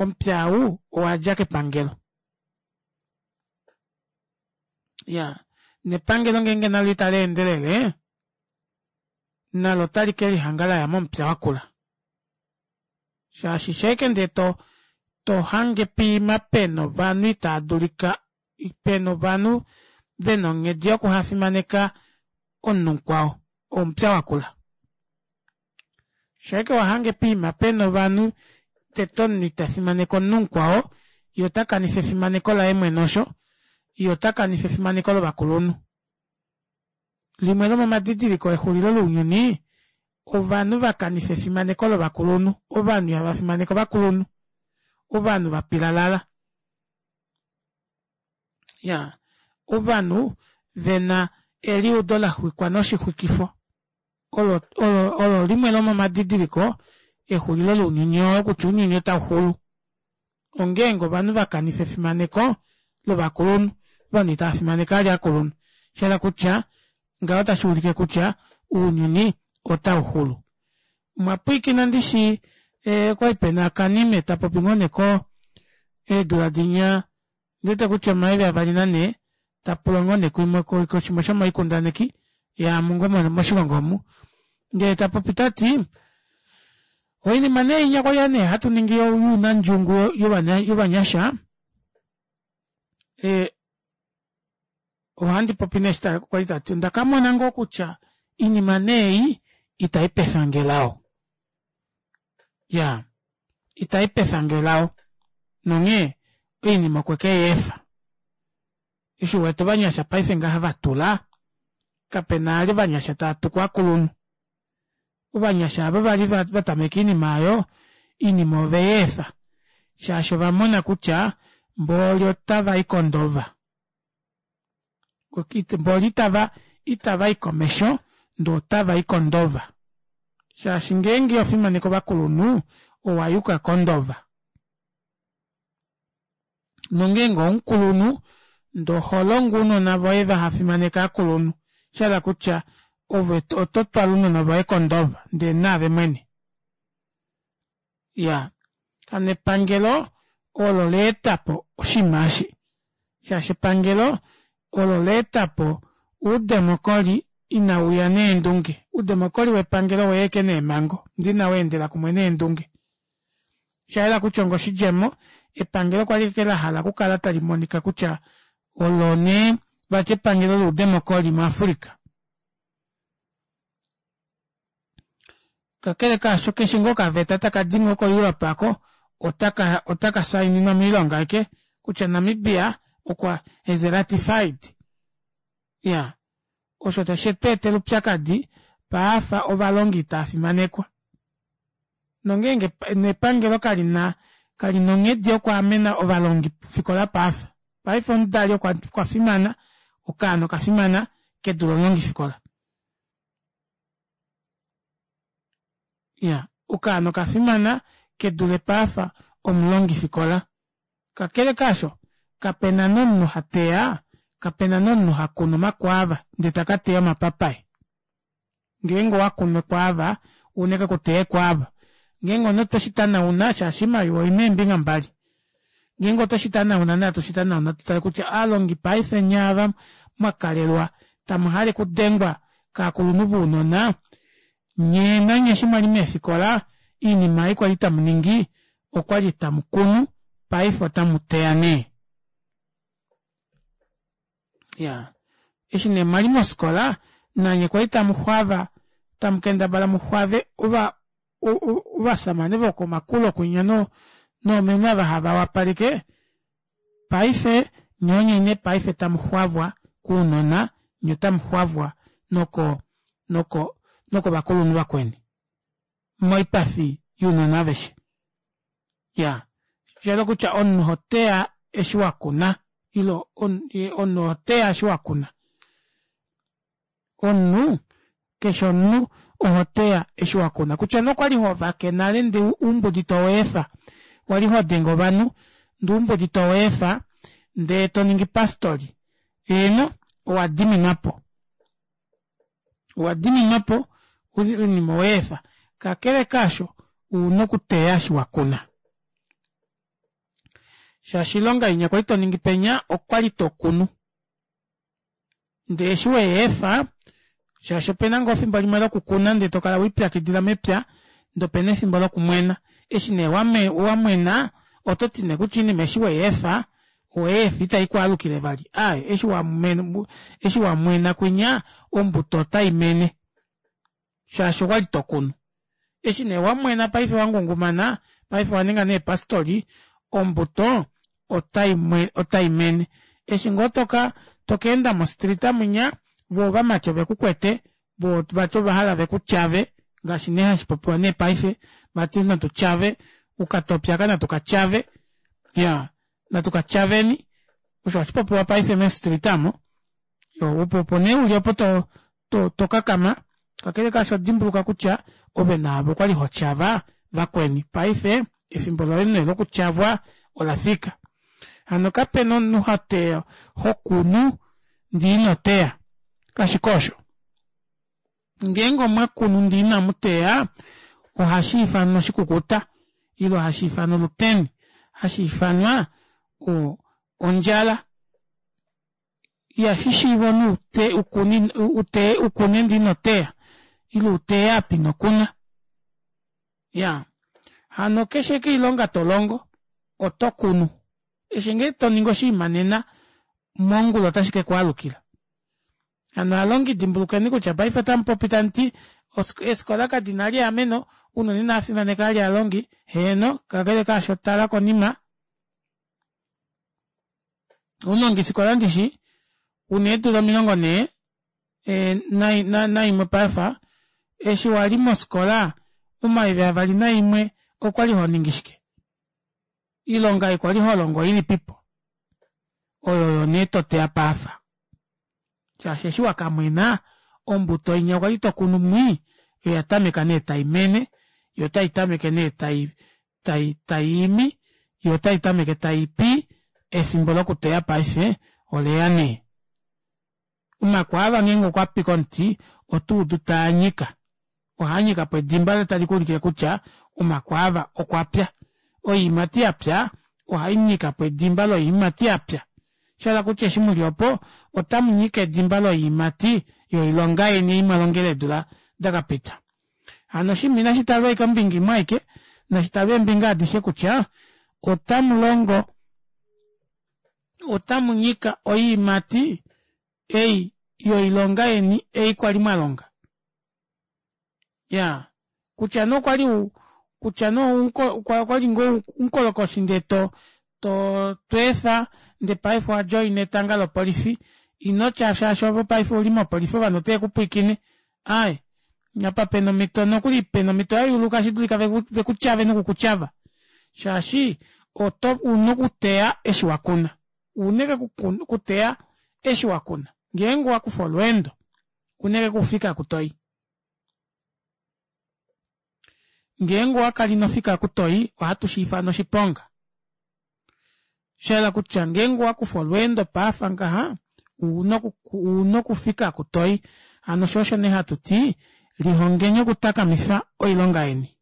omupya ou owadja kepangelo iyaa nepangelo ngeenge nalo ita leendelele nalo otali kelihanga laya momupya wakula shaashi shaike ndee to tohange poima pena ovanhu itaadulika pena ovanhu vena onghedi yokuhafimaneka omunhu mukwao omupya wakula shaike wahange poima pena ovanhu tete omunhu itafimaneke omunhu mukwao yee otakanifa efimaneko laye mwene osho yee otakanifa efimaneko lovakulunhu limwe lomomadidiliko exulilo lounyuni ovanhu vakanifa efimaneko lovakulunhu ovanhu ihavafimaneke ovakulunhu ovanhu vapilalala Ya ovanhu vena eliudo laxwikwa noshixwikifo olo olo olo limwe lomomadidiliko exulilo lounyuni oo kutya ounyuni otauxulu ongeenge ovanhu vakanifa efimaneko lovakulunhu ovanhu itavafimaneke vali ovakulunhu oshahala kutya ngaho otashuulike kutya ounyuni otauxulu omwapwiikina ndishi okwali pena okanime tapopi ngoo nee eedula dinya ondiwete kutya omayovi avali nanhee tapulwa ngoo nee kushimwe shomoikundaneki yaamu ngoo moshilongo omu ndee tapopi tati oinima nee inya kwali nee hatuningi younandjungu yovanyasha ee ohandi popi nee kwali tati ondakamona ngoo kutya oinima nee ei itaipefange elao iyaa itaipefange elao nonghee oinima okwekeyeefa eshi uwete ovanyasha paife ngaha vatula kapena vali ovanyasha taatuku ovakulunhu ovanyasha aava vali vatameka oinima aayo oinima oveyeefa shaashi ovamona kutya mboli otavai kondova mboli itava itavai komesho ndee otavai kondova shaashi ngeenge ihofimaneke ovakulunhu owayuka kondova nongeenge oumukulunhu ndee oholongo ounona voye vahafimaneke ovakulunhu oshahala kutya ove ototwala ounona voye kondova ndee naave mwene iyaa hano epangelo olo laetapo oshinima eshi shaashi epangelo olo laetapo oudemocry inauya neendunge oudemocry wepangelo oweya ashike neemango ndee inaweendela kumwe neendunge oshayela kutya onga oshidjemo epangelo kwali ashike lahala okukala talimonika kutya olo nee vati epangelo loudemocry mu africa kakele kaasho keshe ngoo okaveta takadi ngoo ko europe aako otaka otaka saininwa moilonga ashike kutya Namibia okwa has ratified iya osho tashi tweetela oupyakadi paafa ovalongi itafimanekwa nongeenge nepangelo kalina kalina onghedi yokwaamena ovalongifikola paafa paife omudali okwafimana okaana okafimana kedule omulongifikola iya okaana okafimana kedule paafa omulongifikola kakele kaasho kapena nomunhu hateya kapena nomunhu hakunu omakwaava ndee takateya omapapai ngeenge owakunu ekwaava ouna ashike okuteya ekwaava ngeenge omunhu otoshitanauna shaashi oimaliwa oina eembinga mbali ngeenge otoshitanauna natu shitanaune tutale kutya ovalongi paife nyee ava mwakalelwa tamuhale okudengwa kovakulunhu vounona nyee nanye eshi mwali meefikola oinima ei kwali tamuningi okwali tamukunu paife otamuteya nee iyaa eshi nee mwali mofikola nanye kwali tamuxwava tamukendabala muxwave ova ovashamane vokomakulo kwinya noomeme ava hava wapaleke paife nyee onye nee paife tamuxwavwa kounona nyee otamuxwavwa noko noko nokovakulunhu vakweni moipafi younona aveshe iyaa oshahala kutya omunhu ohoteya eshi wakuna ile omunhu ohoteya eshi wakuna omunhu keshe omunhu ohoteya eshi wakuna kutya nee okwali hovake nale ndee oumbudi toweefa wali hodenge ovanhu ndee oumbudi toweefa ndee toningi pastori eheno owadiminwapo owadiminwapo oinima oweefa kakele kaasho ouna okuteya eshi wakuna shaashi oilonga inya kwali toningi penya okwali tokunu ndee eshi weyeefa shaashi opena ngoo efimbo limwe lokukuna ndee tokala welipyakidila mepya ndee opena efimbo lokumwena eshi nee wamwena ototi nee kutya oinima eshi weyeefa oweyeefa ita ikwaalukile vali aaye eshi wamwena kwinya ombuto otaimene shaashi okwali tokunu eshi nee wamwena paife wangungumana paife owaninga nee pastori ombuto otaimene eshi ngoo toka tokaenda mo street mwinya voo ovamati ovekukwete voo vati ovahala vekutyave ngaashi nee hashipopiwa nee paife vati natu tyave ukatopye aaka natu katyave iyaa natu katyaveni Osho hashi popiwa paife mee-street aamo. Opo opo nee uli opo to to tokakama kakele kaasho dimbuluka kutya ove naave okwali hotyava vakweni paife efimbo loye nee lokutyavwa olafika. Hano kapena omunhu hoteya hokunu ndee inoteya kashiko osho. Ngeenge omwakunu ndee inamuteya ohashiifanwa oshikukuta ile hashiifanwa oluteni hashiifanwa ondjala. Ihashishiiva omunhu uteye ukune ndee inoteya ile uteye apa inokuna. Iyaa hano keshe ashike oilonga tolongo oto kunu eshi ngee toningi oshinima nena mongula ota shikekwaalukila. Hano ovalongi dimbulukweni kutya paife otamupopi tamuti eefikola kadina vali eameno ounona inavafimaneka vali ovalongi heeno kakele kaasho tala konima omulongifikola ndishi una eedula omilongo nhee naimwe paife eshi wali mofikola momayovi avali naimwe okwali honingi shike oilonga ei kwali holongo oilipipo oyo oyo nee toteya paife shaashi eshi wakamwena ombuto inya kwali tokunu mwii oyatameka nee taimene yoo otaitameke nee tai tai taiimi yoo otaitameke taipi efimbo lokuteya paife oleya nee. Omakwaava ngeenge okwapi komuti otoudu taanyika ohaanyikapo edimba tali kuulikile kutya omakwaava okwapya. Oyiimati yapya ohainyikapo edimba loyiimati yapya shahala kutya eshi muli opo otamunyika edimba loyiimati yoilonga yeni ei mwalongele eedula dakapita. Hano oshinima inashitalwa ashike ombinga imwe aike nashitalwe eembinga adishe kutya otamulongo otamunyika oyiimati ei yoilonga yeni ei kwali mwalonga. Iyaa kutya nee okwali kutya nee okwali ngoo umukolokoshi ndee to to tweefa ndee paife owa joina etanga lopolifi inotya shaashi ove paife ouli mopolifi ovanhu otave kupwiikine aaye apa pena omito nokuli pena omito yayuuluka tashidulika vekutyave noku kutyava shaashi oto una okuteya eshi wakuna una ashike okuteya eshi wakuna ngeenge owakufa olweendo una ashike okufika oku toyi ngeenge owakala inofika oku toyi ohatu shiifana oshiponga shayela kutya ngeenge owakufa olweendo paafa ngaha ouna okufika oku toyi hano shoo osho nee hatuti lihongeni okutakamifa oilonga yeni.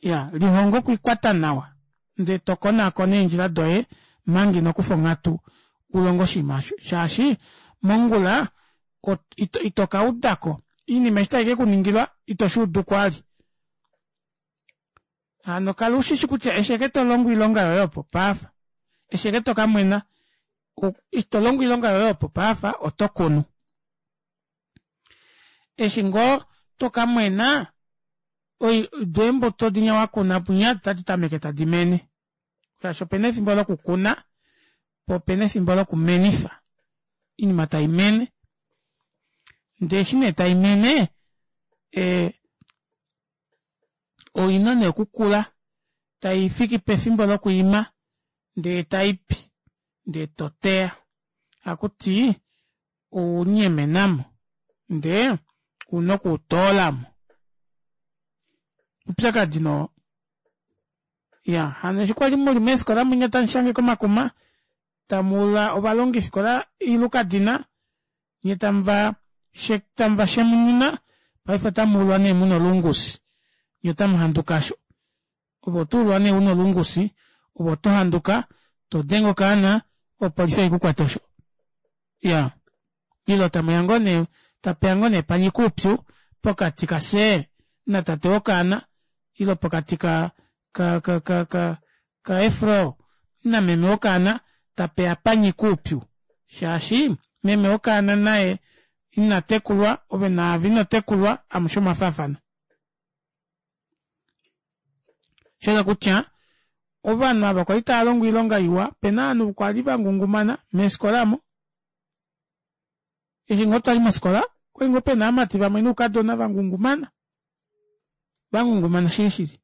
Iyaa lihonga okwiikwata nawa ndee tokonaakona eendjila doye omanga inokufa onghatu ulonge oshinima aasho shaashi mongula ito kaudako oinima eshi taikekuningilwa ito shuudu kwali. Hano kala ushishi kutya eshi ashike tolongo oilonga yoye opo paife eshi ashike tokamwena eshi tolongo oilonga yoye opo paife oto kunu. Eshi ngoo tokamwena doo eembuto dinya wakuna munya otadi tameke tadi mene shaashi opena efimbo lokukuna poo opena efimbo lokumenifa oinima taimene ndee eshi nee taimene ee oina nee okukula taifiki pefimbo lokwiima ndee taipi ndee toteya ohakuti ounyemenamo ndee una okuutoolamo. Oupyakadi nee oo. Iyaa hano eshi kwali muli meefikola munya tamushange komakuma tamuula ovalongifikola oilukadina nyee tamuva tamuva shemununa paife otamuulwa nee muna olungusi nyee otamuhanduka aasho ove otuulwa nee una olungusi ove otohanduka todenge okaana opolifi haikukwata osho iyaa ile tamuya ngoo nee tapeya ngoo nee panyika oupyu pokati kafye natate wokaana ile pokati ka ka ka ka kaefro nameme wokaana tapeya panyika oupyu shaashi meme wokaana naye inatekulwa ove naave inotekulwa amushe omwafaafana. Shayela kutya ovanhu ava kwali tavalongo oilonga iwa opena ovanhu kwali vangungumana meefikola aamo eshi ngoo twali mofikola okwali ngoo pena ovamati vamwe noukadona vangungumana vangungumana shili shili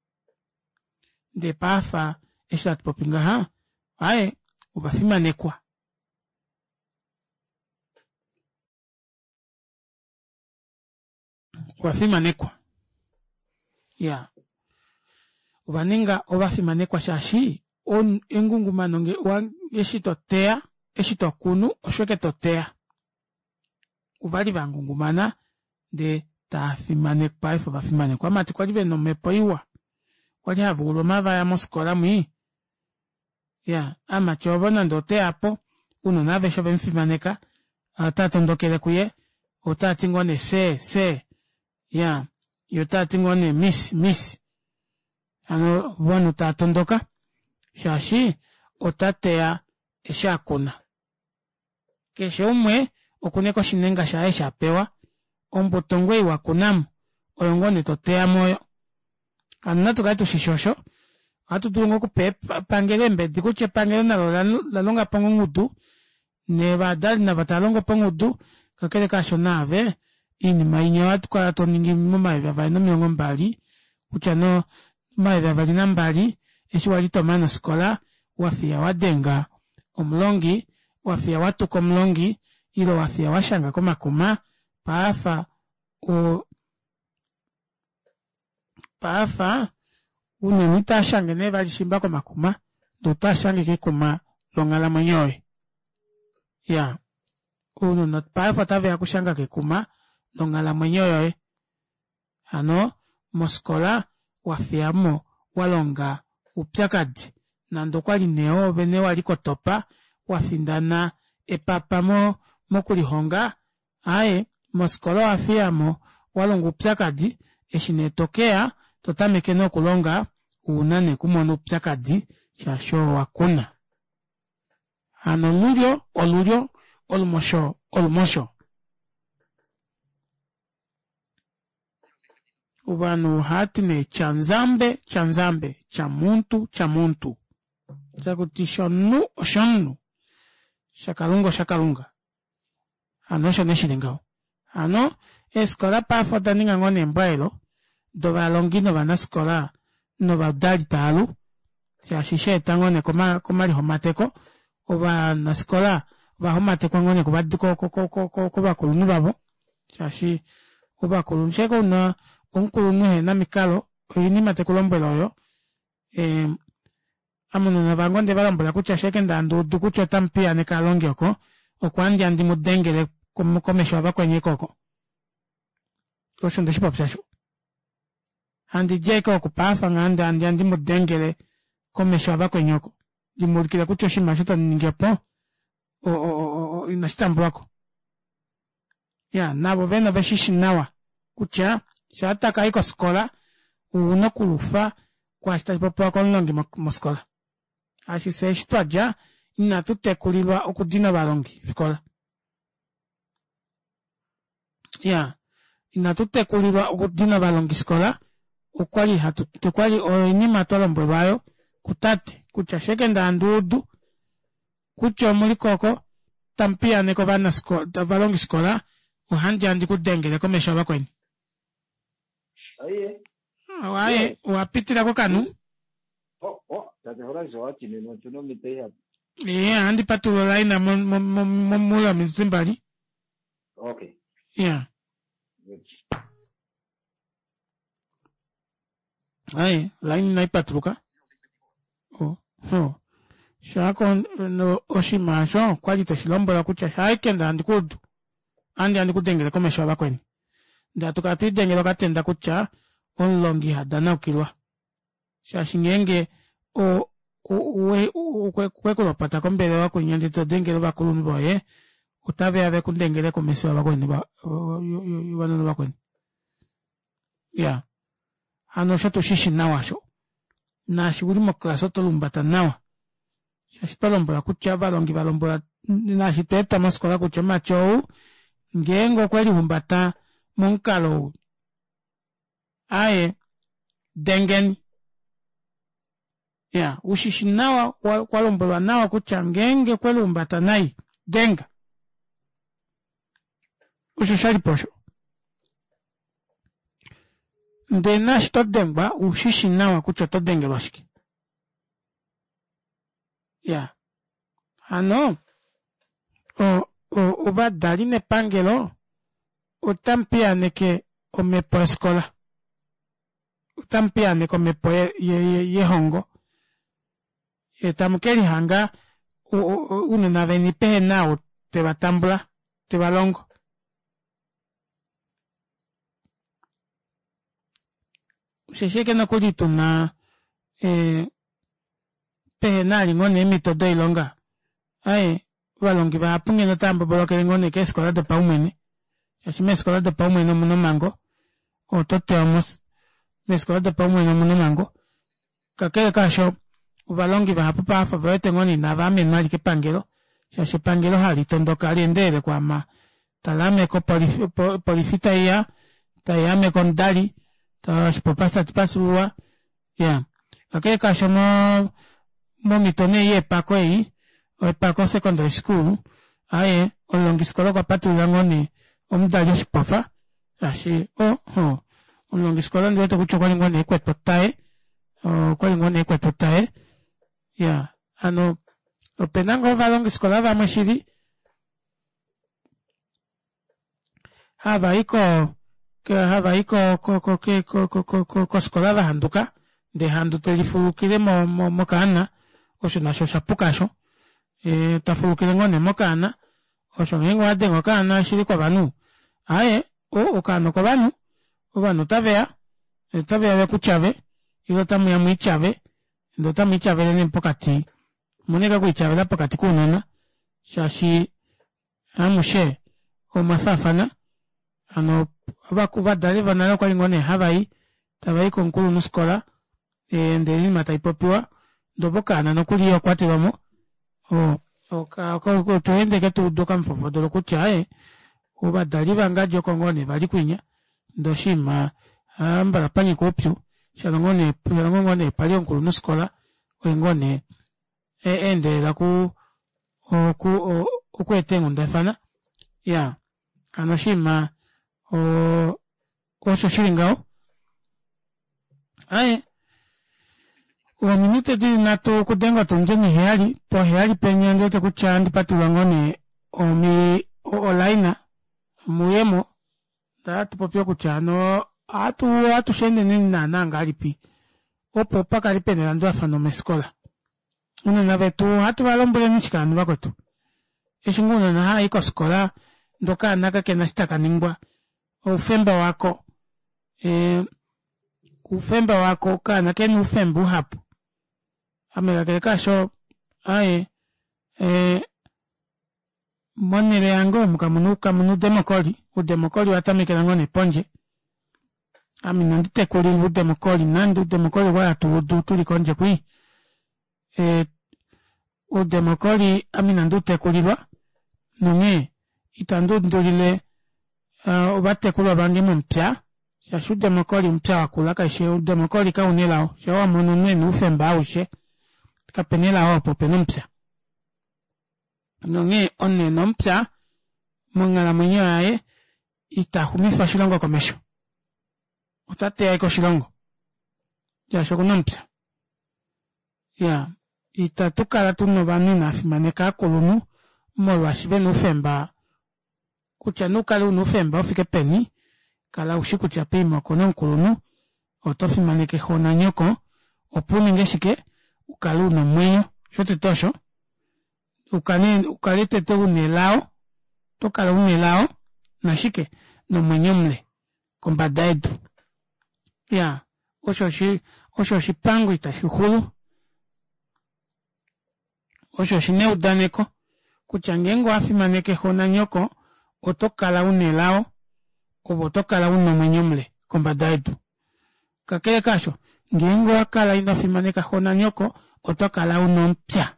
ndee paife eshi hatupopi ngaha Aaye, ovafimanekwa. Ovafimanekwa. Iyaa, ovaninga ovafimanekwa shaashi engungumano eshi toteya eshi tokunu osho ashike toteya. Ovali vangungumana ndee taafimanekwa paife ovafimanekwa ovamati kwali vena omepo iwa kwali havaulwa omavaya mofikola mwii iyaa aamati ovo nande oteyapo ounona aveshe ovemufimaneka otaatondokele kuye otaati ngoo nee sir sir iyaa yee otati ngoo nee miss miss hano ovanhu taatondoka shaashi otateya eshi akuna keshe umwe okuna ashike oshinenga shaye eshi apewa ombuto ngoo ei wakunamo oyo ngoo nee toteyamo oyo hano natukale tushishi osho ohatu dulu ngoo okupa epangelo eembedi kutya epangelo nalo olalongapo ngoo ongudu novadali navo tavalongopo ongudu kakele kaasho naave oinima inya ohatukala toningi momayovi avali nomilongo mbali kutya nee omayovi avali nambali eshi wali tomane ofikola wafiya wadenga omulongi wafiya watuka omulongi ile wafiya washanga komakuma paafa oo paafa ounona itaashange nee vali shimba komakuma ndee otaashange kekuma longhalamwenyo yoye iyaa ounona paife otaveya okushanga kekuma longhalamwenyo yoye hano mofikola wafiyamo walonga oupyakadi nande okwali nee oove wali kotopa wafindana epapa mokulihonga aaye mofikola owafiyamo walonga oupyakadi eshi nee tokeya totameke nee okulonga ouna nee okumona oupyakadi shaashi oo wakuna hano olulyo olulyo olumosho olumosho ovanhu ohaati nee chanzambe chanzambe chamuntu chamuntu takuti shomunhu oshomunhu shakalunga oshakalunga hano osho nee shili ngaho hano eefikola paife odaninga ngoo nee embwaelo dovalongi novanafikola novadali taalu shaashi shaeta ngoo nee komalihomateko ovanafikola ovahomatekwa ngoo nee kovakulunhu vavo shaashi ovakulunhu shaike una omukulunhu ehena omikalo oinima tekulombwele oyo ee ame ounona vange ondevalombwela kutya shaike nduudu kutya otamupiyaaneke ovalongi oko oko handi ya ndimudengele komesho yavakweni oko osho ndeshipopya osho handidi ashike oku paafa ngaha ndee handiya ndimudengele komesho yavakweni oko ndimuulikile kutya oshinima osho tamuningi opo inashitambulwako iyaa navo vene oveshishi nawa kutya shaa takayi kofikola ouna okulufa kwaashi tashipopiwa komulongi mofikola shaashi fyee eshi twadja inatu tekulilwa okudina ovalongi fikola iyaa inatu tekulilwa okudina ovalongifikola okwali hatu okwali oinima twalombwelwa aayo kutate kutya shaike ndee handuudu kutya omuliko oko tamupiyaaneke ovanafikola ovalongifikola ohandiya ndikudengele komesho yavakweni aaye owapitila kokanhu iyaa ohandi patulula olaina moule womizuzu mbali iyaa aaye olaina inaipatuluka shaako oshinima aasho okwali tweshilombwelwa kutya shaike ndee handikuudu ohandiya ndikudengele komesho yavakweni ndee hatukala twelidengela okatenda kutya omulongi ihadanaukilwa shaashi ngeenge okwekulopota kombelewa kwinya ndee todengele ovakulunhu voye otaveya vekudengele komesho yavakweni yovanona vakweni iyaa hano osho tushishi nawa osho naashi uli moclass oto lumbata nawa shaashi twalombwelwa kutya ovalongi valombwelwa naashi twaetwa mofikola kutya omumati ou ngeenge okwelihumbata momukalo ou aaye dengeni iya ushishi nawa kwalombwelwa nawa kutya ngeenge okwelihumbata nai denga osho shalipo osho ndee naashi todengwa ushishi nawa kutya oto dengelwa shike Iyaa hano ovadali nepangelo otamupiyaaneke omepo yofikola otamupiyaaneke omepo yelongo yee tamukelihanga ounona veni pehena ou tevatambula tevalongo. Osheshi ashike nokuli tuna ee pehena vali ngoo nee eemito doilonga aaye ovalongi vahapu ngeno otava mbobolokele ngoo nee keefikola dopaumwene shaashi meefikola dopaumwene omuna omhango ove oto tewa moos meefikola dopaumwene omuna omhango kakele kaasho ovalongi vahapu paife ovewete ngoo nee inavaamenwa vali kepangelo shaashi epangelo hali tondoka haleendelele okwaama talaame kopolifi opolifi taiya tayaame komudali oshipofa tashi patululwa iyaa kakele kaasho moo momito nee ei yepako ei epako secondary school aaye omulongifikola okwa patululila ngoo nee omudali oshipofa shaashi oo hoo omulongifikola ondiwete kutya okwali ngoo nee ekwete otaye okwali ngoo nee ekwete otaye iyaa hano opena ngoo ovalongifikola vamwe shili havayi koo havayi ko- ko- ko kofikola vahanduka ndee ehandu telifulukile mokaana osho nasho oshapuka aasho tafulukile ngoo nee mokaana osho ngeenge owadenge okaana shili kovanhu aaye okaana okovanhu ovanhu otaveya otaveya vekutyave ile otamuya mwiityave ndee otamwiityavele nee pokati omuna ashike okwiityavela pokati kounona shaashi amushe omwafaafana hano ovadali vonale okwali ngoo nee havayi tavayi komukulunhufikola ndee oinima taipopiwa ndee opo okaana nokuli ihokwatelwamo oo otweenda ashike tuudu okamufofodolo kutya aaye ovadali vangadi oko ngoo nee vali kwinya ndee oshiima hambala panyika oupyu shalo ngoo nee pali omukulunhufikola oye ngoo nee aendelela okuu oku okweeta eenghundafana iyaa hano oshiima oo osho shili ngaho aaye ominute dili nhatu okudenga otundi oniheyali poheyali penya ondiwete kutya ohandi patulula ngoo nee oline muyemo ndee ohatupopi kutya hano ohatu ohatu sheende naana ngahelipi opo pakale pena elandulafano meefikola ounona vetu ohatu valombweleni shike hano vakwetu eshi ngoo ounona havayi kofikola ndee okaana kakena eshi takaningwa oufemba wako ee oufemba wako okaana okena oufemba uhapu ame kakele kaasho aaye ee monele yange omu kamuna oudemocry oudemocry owatamekela ngoo nee pondje ame ina nditekulilwa oudemocry nande oudemocry okwali hatuudu tuli kondje kwii ee oudemocry ame inandi utekulilwa nonghee ita nduundulile ovatekulwa vange momupya shaashi oudemocry omupya wakula kaifi oudemocry kauna elao shaa wamono omunhu ena oufemba aushe kapena elao opo opena omupya nonghee omunhu ena omupya monghalamwenyo yaye ita xumifa oshilongo komesho otateya ashike oshilongo shaashi okuna omupya iyaa ita tukala tuna ovanhu inavafimaneka ovakulunhu molwaashi vena oufemba kutya nee ukale una oufemba ufike peni kala ushi kutya poima opena omukulunhu oto fimaneke xoo nanyoko opo uninge shike ukale una omwenyo shotete osho ukale tete una elao otokala una elao nashike nomwenyo mule kombada yedu iyaa osho oshipango ita shixulu osho oshina eudaneko kutya ngeenge owafimaneke xoo nanyoko otokala una elao ove otokala una omwenyo mule kombada yedu kakele kaasho ngeenge owakala inofimaneka xoo nanyoko otokala una omupya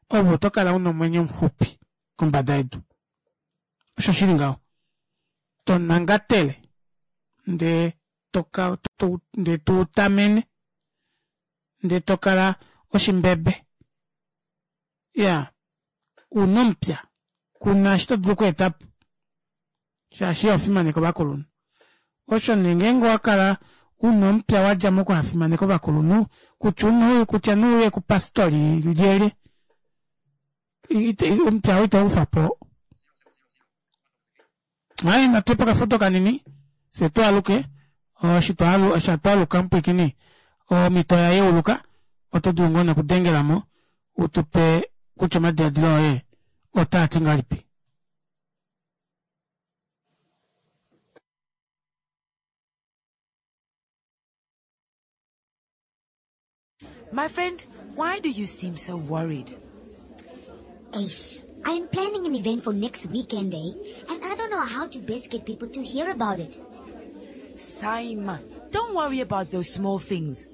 ove otokala una omwenyo muxupi kombada yedu osho shili ngaho tonangatele ndee ndee tuutamene ndee tokala oshimbebe iyaa una omupya kuna eshi todulu okweetapo shaashi ihofimaneke ovakulunhu osho nee ngeenge owakala una omupya wadja mokuhafimaneka ovakulunhu kutya nee uye kupastori lyelye Omuti ou itaukufapo. Ai natuye pokafudo kanini fyee twaaluke eshi twaaluka mupwiikini omito oya yeuluka oto dulu ngoo nee okudengelamo utupe kutya omadilaadilo oye otaati ngahelipi. My friend, why do you seem so worried? Ace, I am planning an event for next weekend, eh? And I don't know how to best get people to hear about it. Saima, don't worry about those small things.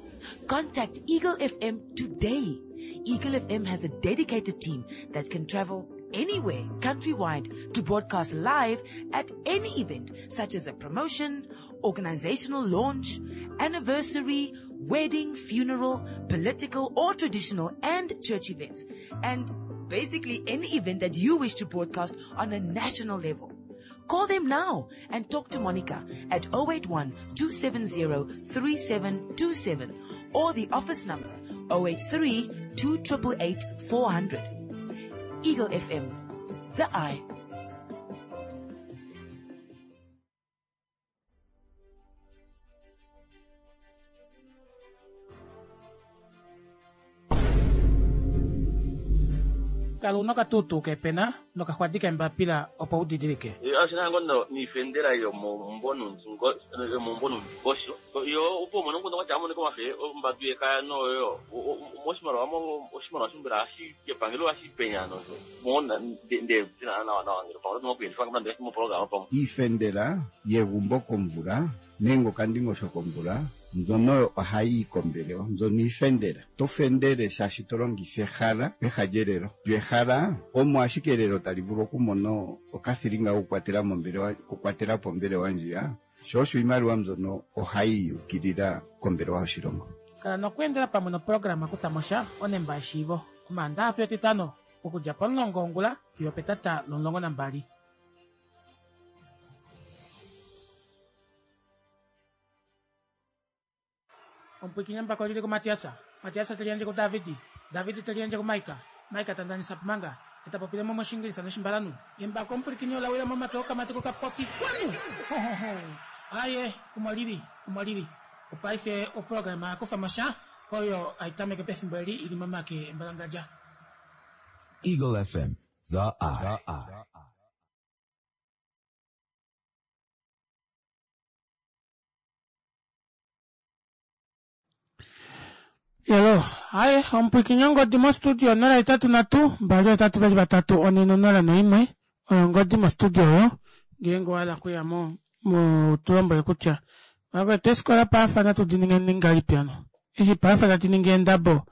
Contact Eagle F M today. Eagle F M has a dedicated team that can travel anywhere countrywide to broadcast live at any event, such as a promotion, organizational launch, anniversary, wedding, funeral, political or traditional and church events, and basically any event that you wish to broadcast on a national level. Call them now and talk to Monica at oh eight one, two seven zero, three seven two seven or the office number oh eight three, two triple eight, four hundred. Eagle F M, the eye. Kala una okatutu kepena nokaxwadi kembapila opo udidilike. Ashina ngono niifendela yomomumbo yomomumbo nomundingosho yo opo umone omukundu kwatya amonike omafe ombadu yekaya noyo moshimaliwa oshimaliwa shimbela epangelo ohashi penya mona nde nawa nawa ngele pamwe otomakuyendifa nande moprograma pamwe. Iifendela yegumbo komvula nenge okandingosho komvula mbyono ohayi yi kombelewa, mbyono iifendela. To fendele shaashi to longitha ehala peha lyelelo. Lyo ehala omo ashike elelo tali vulu okumona okathilinga kokukwatela mombelewa, okukwatela po ombelewa ndjiya. Sho osho iimaliwa mbyono ohayi yukilila kombelewa yoshilongo. Kala nokweendela pamwe noprograma kutha mosha onemba yeshiivo. Omaandaxa fiyo Etitano okudja pomulongo wongula fiyo petata lomulongo nambali. Omupwiikini mbako lili ku Matiasa. Matiasa teliendje ku Davidi. Davidi teliendje ku Maika. Maika tandanisa pumanga. Etapopile mo moshingilisa noshimbalanu. Embako omupwiikini olawila momake okamati kokapofi kwanu. Ho, ho, ho. Aye, umwalili, umwalili. Opaife oprograma yakufa mosha oyo aitameke pefimbo eli ili momake embalangadja. Eagle F M, the eye. Yelo, aye, omupwiikini ongodi mostudio nola itatu natu, mbali otatu veli vatatu, one nonola noimwe, oyo ongodi mostudio oyo, ngeenge owahala okuya mo, mo tulombwele kutya, vakwetu eefikola paafa natu di ninge ngahelipi hano? Eshi paafa tadi ningi eendabo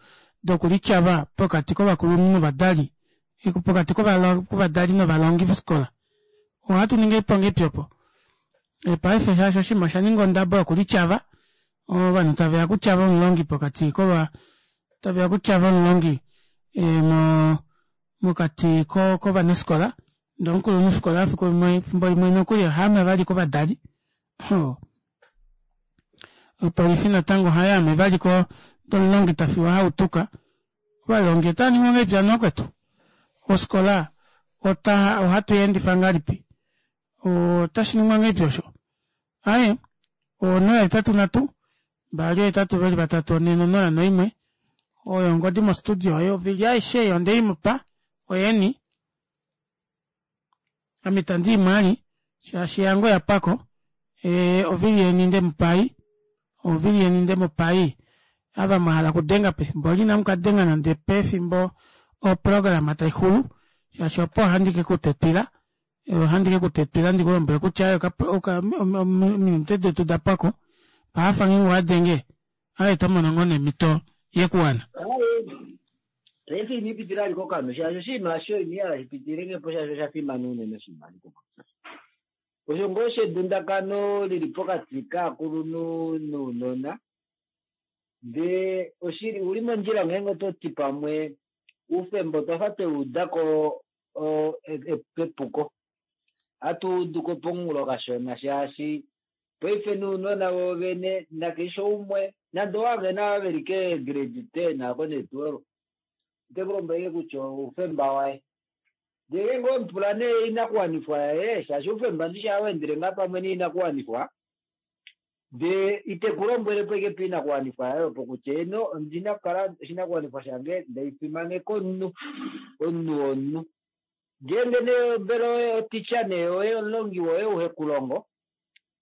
dokulityava pokati kovakulunhu novadali, pokati kovadali novalongi vofikola. Ohatu ningi oiponga opo. Paife shaashi oshinima osha ninga ondabo yokulityava, ovanhu taveya kutyava omulongi pokati kova taveya kutyava omulongi mo mokati kovanafikola, ndee omukulunhufikola efimbo limwe nokuli ohaame vali kovadali. Opolifi natango ohayaame vali ko omulongi tafiwa hautuka. Ovalongi otava ningi ngahelipi hano vakwetu? Ofikola ota ohatu endifa ngahelipi? Otashi ningwa ngahelipi osho? Aye, onola hetatu nhatu mbali hetatu veli vatatu one nonola noimwe oyo ongodi mostudio oyo ovili aishe eyo ndeimupa oyeni. Ame itandi imwali shaashi yange oyapwako. E, ovili yeni ndemupai, ovili yeni ndemupai. Ava mwahala okudenga pefimbo eli inamukadenga nande pefimbo oprograma taixulu, shaashi opo ohandi kekutetwila, ohandi kekutetwila ndikulombwele kutya ominute detu dapwako. Paafa ngeenge owadenge aye tomono ngoo nemito yekuwana. Paife ina ipitila aliko kano shaashi oshinima osho ina hala shipitile po shaashi osha fimana unene oshinima aliko. Osho ngoo shedundakano lili pokati kaakulunhu nounona, ndee oshili uli mondjila ngeenge oto ti pamwe oufemba otwa fa tweuudako pepuko. Hatu uduko pomunghulo kashona shaashi paife nounona voovene nakeshe umwe nande owavena veli ke grade ten ako ne twelve ote ku lombwele kutya oufemba waye. Ndele ngoo omupula nee oinakuwanifwa yaye, shaashi oufemba ndishi ohau endele ngaa pamwe noinakuwanifwa, ndee ite ku lombwele po ashike poinakuwanifwa yaye opo kutya eno ondina okukala oshinakuwanifwa shange ndaifimaneka omunhu, omunhu womunhu. Ngeenge nee mbela oye oticha nee oye omulongi woye ou hekulongo,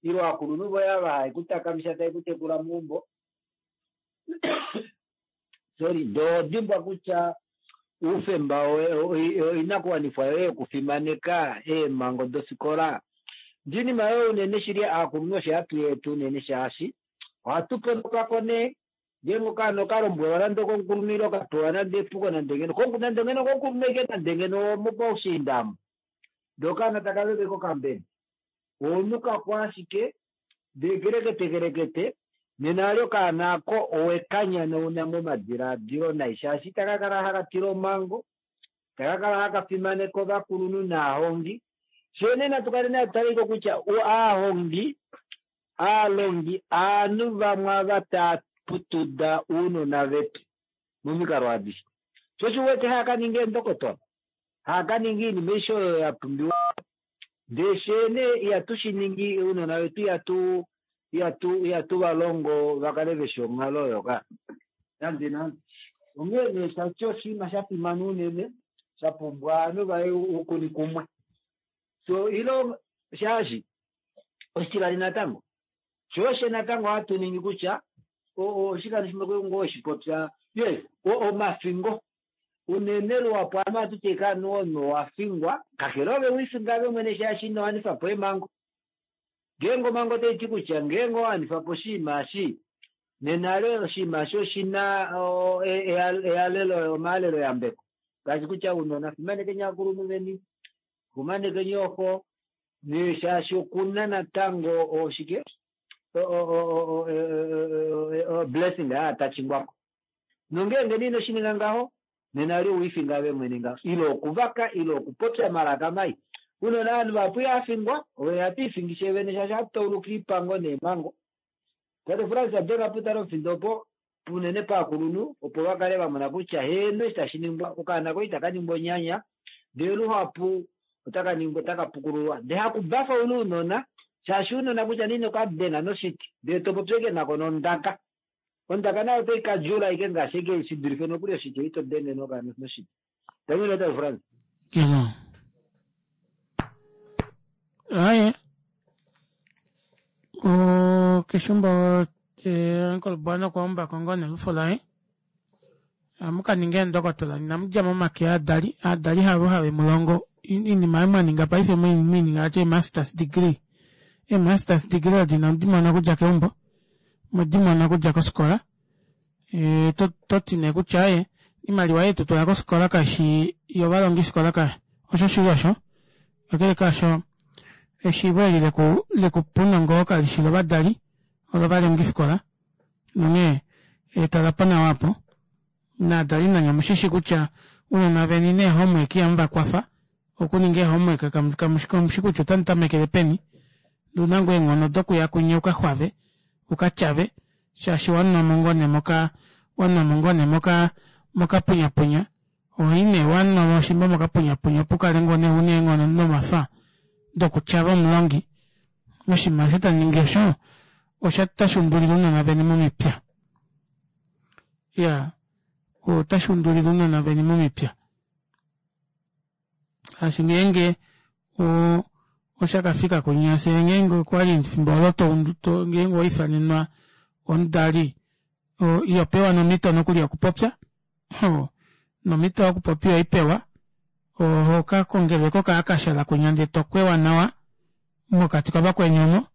ile ovakulunhu voye ava have kutakamifa tave kutekula meumbo, sorry, ndee oho dimbwa kutya oufemba oinakuwanifwa yoye yokufimaneka eemhango dofikola. Ndee oinima oyo unene shili aakulunhu osho hatu yeeta unene shaashi ohatu ponokako nee ngeenge okaana okalombwelwa nande okomukulunhu ile okapewa nande epuko nande ngeno nande ngeno okomukulunhu ashike nande ngeno omopaushiinda omo ndee okaana taka veve kokambele oonukako ashike ndee kelekete kelekete nena ali okaana ako owekanyanauna momadilaadilo nai shaashi itaka kala haka tila omhango, itaka kala haka fimaneka ovakulunhu naahongi. Fyee nee natu kale natu taleko kutya aahongi, aalongi aanhu vamwe ava taa putuda ounona vetu momikalo adishe. Sho osho uwete hava kaninga eendokotola, hava kaninga oinima aishe oyo ya pumbiwa. Ndee fyee nee ihatu shi ningi, ounona vetu ihatu ihatu ihatu va longo va kale veshi onghalo oyo ka nande nande. Onghee nee tati oshinima sha fimana unene sha pumbwa ovanhu vaye oukuni kumwe. So ilo shaashi oshitivali natango sho osho natango hatu ningi kutya oshikando shimwe ngoo weshipopya yes omafingo unene luhapu ovanhu ohatu ti ashike anuwa omunhu owafingwa kakele ove wiifinga ove mwene shaashi ino wanifa po eemhango. Ngeenge omhango otai ti kutya ngeenge owa wanifa po oshinima eshi nena le oshinima eshi oshina eyalelo omayalelo yambeko ngaashi kutya ounona fimanekeni ovakulunhu veni, fimanekeni ooxo nee shaashi okuna natango oshike blessing aa tachingwako. Nongeenge nee inoshininga ngaho nena li owiifinga ove mwene ngaho ile okuvaka ile okupopya omalaka mai. Unona ovanhu vahapu ihafingwa ove ihatu ifingishe vene shaashi ohatu tauluka oipango neemhango. Tate Frans denga putale omufindo opo unene paakulunhu opo vakale vamona kutya heeno eshi tashi ningwa okaana koye itaka ningwa onyanya ndee luhapu otaka ningwa otaka pukululwa ndee hakubafa una ounona shaashi ounona kutya nee inokadenga noshiti ndee topopi ashike nako nondaka ondaka nayo otai kadjula ashike ngaashi ashike shidulife nokuli oshiti ito denge nokaana noshiti. Tangi tate Frans. Kelo. Aye. O keshumbo Uncle Bwana okwa umbako ngoo nelufo laye. Amu kaninga eendokotola inamu dja momake aadali, aadali havo have mulongo oinima oyo mwaninga paife mwiininga ati masters degree. Ee-masters degree odo inamu dimona okudja keumbo, omwedimona okudja kofikola. E, to, toti nee kutya aye oimaliwa ei tutula kofikola kaishi yovalongifikola kai osho shili osho. Kakele kaasho eshiivo eli leku lekupa ounongo kalishi lovadali olovalongifikola nonghee talapo nawa aapo. Naadali nanye omushishi kutya ounona veni nee homework ihamu vakwafa okuninga ee-homework kamushi kutya otamu tamekele peni ndee ouna ngoo eenghono dokuya kunye ukaxwave ukatyave shaashi wanwamo ngoo nee moka wanwamo ngoo nee moka mokapunyapunya ohoi nee wanwamo shimba mokapunyapunya opo ukale ngoo nee una eenghono nomafa dokutyava omulongi moshinima osho tamuningi osho otashi undulile ounona veni momipya. Iyaa otashi undulile ounona veni momipya shaashi ngeenge o oshakafika kunya fyee ngeenge okwali efimbo olo to ngeenge owaifanenwa omudali ihopewa nomito nokuli yokupopya hoo nomito yokupopya ihoipewa oho kakongelwa ashike okahakashala kunya ndee tokwewa nawa mokati kavakweni omo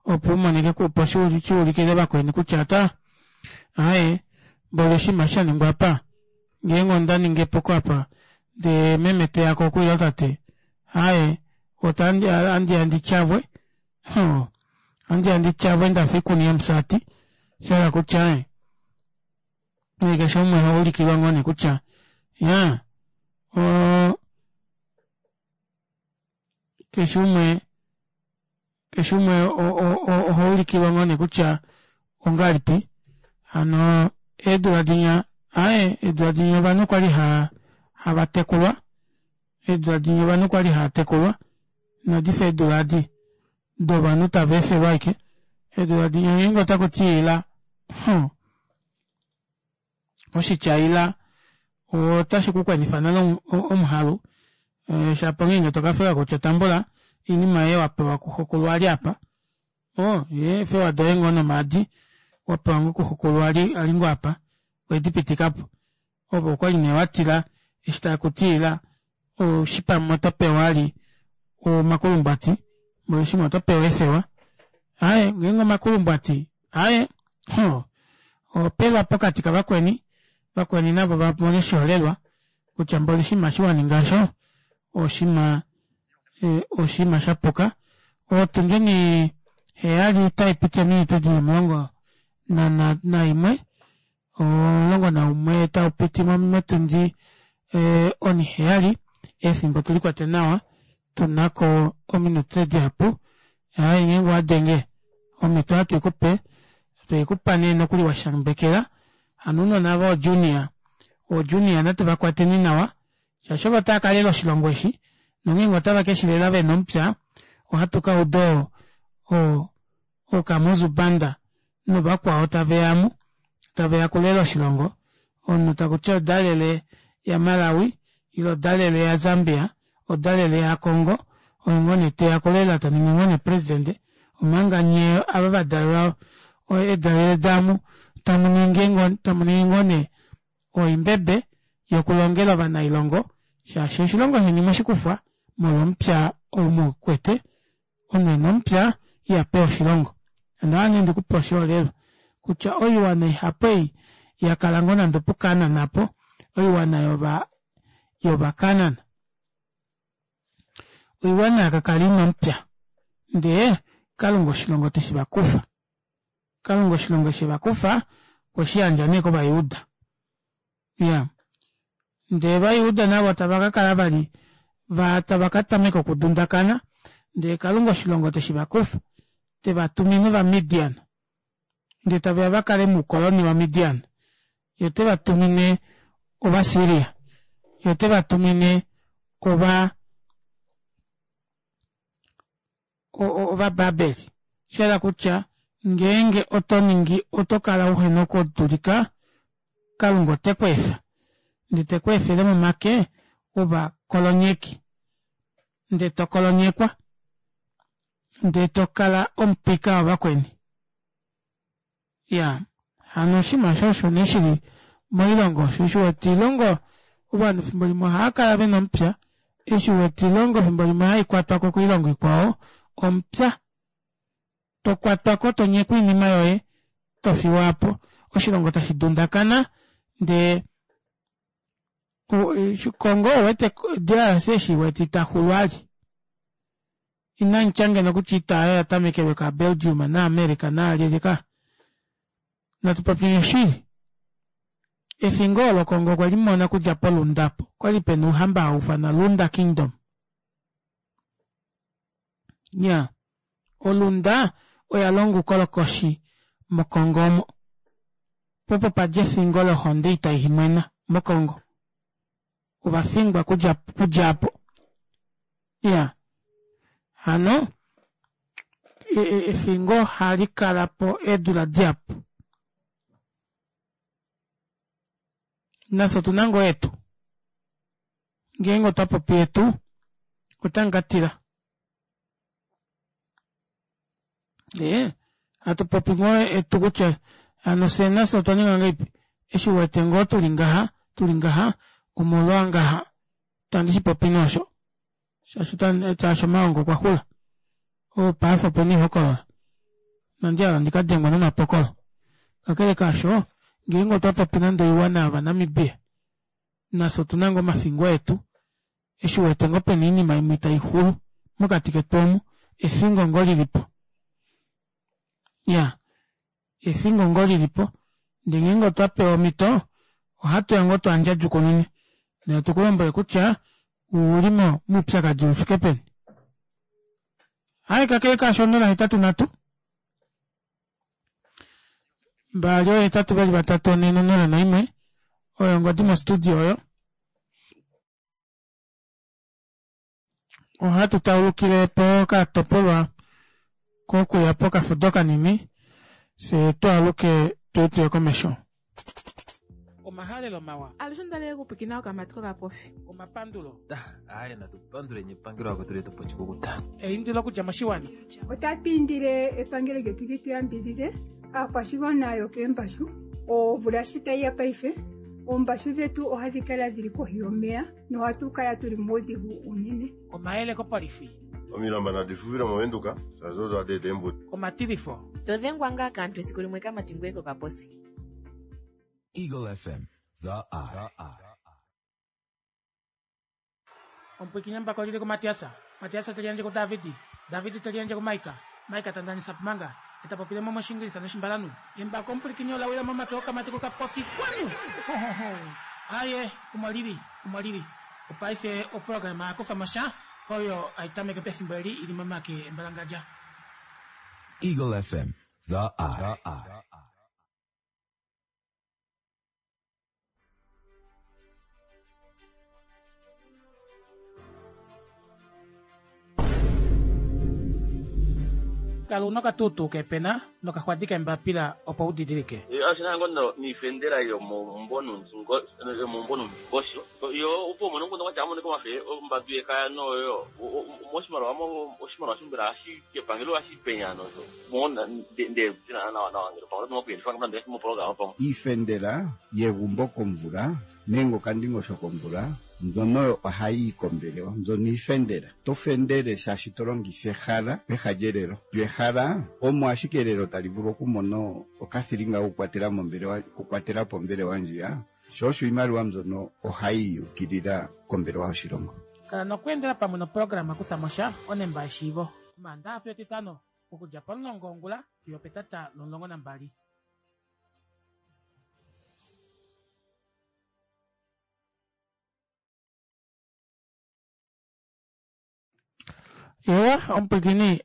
opo umonike opo shuulikile vakweni kutya ata aaye mboli oshinima eshi shaningwa apa ngeenge onda ningi epuko apa ndee meme teyako oku ile tate aaye ohandiya ndityavwe hoo ohandiya ndityavwe ndafa oikuni yomusati shahala kutya aaye keshe umwe ohaulikilwa ngoo nee kutya iyaa oo keshe umwe keshe umwe ohaulikilwa ngoo nee kutya ongahelipi hano eedula dinya aaye eedula dinya ovanhu okwali hava tekulwa Eedula dinya ovanhu okwali haatekulwa inadifa eedula adi dovanhu tava efelwa ashike. Eedula dinya ngeenge otakuti ila huh oshitya ila otashi kukwenifa nale omuhalu shapo ongeenge tokafewa kutya tambula oinima yoye wapewa kuxokulu ali aapa oo eefewa doye ngoo nomaadi wapewa ngoo kuxokulu ali ngoo aapa wedipitikapo ove okwali nee watila eshi takuti ila eshi pamwe otopewa vali omakulumbwati mboli otopewa eefewa aaye ngeenge omakulumbwati aaye hoo ohopelwa pokati kavakweni vakweni navo vamone oshiholelwa kutya mboli oshinima eshi waninga aasho oshinima oshinima shapuka. Otundi oniheyali otaipiti ominute dili omulongo naimwe omulongo naumwe taupiti motundi oniheyali efimbo tulikwete nawa tunako ominute dihapu aaye ngeenge owadenge omito ohatu ikupe tweikupa nee nokuli washambekela hano ounona aava voo junior oo junior natu vakwateni nawa shaashi ovo taakalela oshilongo eshi nongeenge otave keshilela vena omupya ohatu kauda oo ookamuzu banda novakwao taveya aamu taveya okulela oshilongo omunhu takuti odalele ya malawi ile odalele ya zambia odalele ya congo oye ngoo nee teya okulela taningi ngoo nee president omanga nyee ava vadalelwa eedalele daamu tamuningi ngoo nee oimbebe yokulongela ovanailongo shaashi oshilongo sheni mweshikufwa molwo omupya ou muukwete omunhu ena omupya ihapewa oshilongo ondahala nee ndikupe oshiholelwa kutya oiwana ihapu ei yakala ngoo nande opu canaan aapo oiwana yova yova canaan oiwana yakakala ina omupya ndee kalunga oshilongo teshivakufa kalunga oshilongo eshi evakufa okweshiyandja nee kovajuda iyaa ndee ovajuda navo tava kakala vali tava katameka okudundakana ndee kalunga oshilongo teshivakufa tevatumine ovamidian ndee taveya vakale moukoloni wa midian yee otevatumine ovasyria yee otevatumine ova ovababeli shahala kutya ngeenge otoningi otokala uhena okudulika kalunga otekweefa ndee tekweefele momake ovakolonyeki ndee tokolonyekwa ndee tokala omupika wavakweni iyaa hano oshinima aasho osho nee shili moilongo shoo osho uwete oilongo ovanhu efimbo limwe ohaakala vena omupya eshi uwete oilongo efimbo limwe haikwatwako koilongo ikwao omupya tokwatwako tonyekwa oinima yoye tofiwa aapo oshilongo tashi dundakana ndee congo ouwete D R C eshi uwete itaxulu vali inamutya ngeno kutya oita aayo oya ka belgium na america naalyelye kaa natu popyeni oshili efingo olo congo okwelimona okudja polunda apo okwali pena ouhamba hauufanwa lunda kingdom iyaa olunda oyalonga oukolokoshi mo congo omo poo opo padja efingo lohonde itaimwena mo congo ovafingwa okudja aapo iyaa hano efingo ohali kalapo eedula dihapu nafye otuna ngoo yetu ngeenge otwa popi yetu otamukatila ee hatu popi ngoo etu kutya hano fyee nafye otwa ninga ngahelipi eshi uwete ngoo tuli ngaha tuli ngaha omolwa ngaha itandi shipopi nee osho shaashi shaashi omaongo okwa xula paife opena oihokolola inandi hala ndikadengwe nomapokolo kakele kaasho ngeenge otwa popi nande oiwana yovanamibia nafye otuna ngoo omafingo etu eshi uwete ngoo pena oinima imwe itaixulu mokati ketu omu efingo ngoo lilipo iyaa efingo ngoo lilipo ndee ngeenge otwa pewa omito ohatuya ngoo twaandjadjukunune ndee hatu kulombwele kutya ouli moupyakadi ufike peni. Aaye kakele kaasho onola hetatu nhatu mbali oohetatu veli vatatu onhe nonola naimwe oyo ongodi mo studio oyo. Ohatu taulukile pokatopolwa kokuya pokafudo kanini fyee twaaluke tuye komesho. Omahalelo mawa. Alushe ondali okupwiikina okamati kokapofi. Omapandulo. Aaye natu panduleni epangelo lakwetu letu po oshikukuta. Eindilo okudja moshiwana. Otatu indile epangelo lyetu li tu yambidhidhe aakwashigwana yokeembashu omvula shi tayi ya paife oombashu dhetu ohadhi kala dhili kohi yomeya nohatu kala tuli muudhigu unene. Omayele kopolifi. Omilamba nadi fufile movenduka shaashi odo hadi eta eembuto. Omatilifo. Todhengwa ngaa kaantu esiku limwe kamati ngoye kokaposi. Eagle F M, The Eye. Omupwiikini embako lili kuMatiasa, Matiasa teliandje kuDavidi, Davidi teliandje kuMaika, Maika tandanisa pumanga, etapopile mo moshingilisa noshimbalanhu. Embako omupwilikini ola wila momake okamati kokapofi kwanu! Aye, omo lili, omo lili. Opaife oprograma ya kufa mo sha oyo hai tameke pefimbo eli ili momake embalangadja. Eagle F M, The Eye. Kala una okatuutuu keepena nokaxwadi keembapila opo u didilike. Oshina ngoo noifendela yomomumbo nomundingosho yo opo umone omukundu kwatya amonike omafe ombadu yekaya noyo moshimaliwa oshimaliwa mbela epangelo ohashi penya nosho ndee nawa nawa ngele pamwe oto ngele mopologama pamwe. Iifendela yegumbo komvula nenge okandingosho komvula mbyono ohayi yi kombelewa mbyono iifendela to fendele shaashi to longitha ehala peha lyelelo lyo ehala omo ashike elelo tali vulu okumona okathilinga kokukwatela mombelewa okukwatela po ombelewa ndjiya sho osho iimaliwa mbyono ohayi yukilila kombelewa yoshilongo. Kala nokweendela pamwe noprograma Kutha mo sha onemba yeshiivo. Omaandaxa fiyo Etitano okudja pomulongo wongula fiyo opetata lomulongo nambali. Ewa, omupwiikini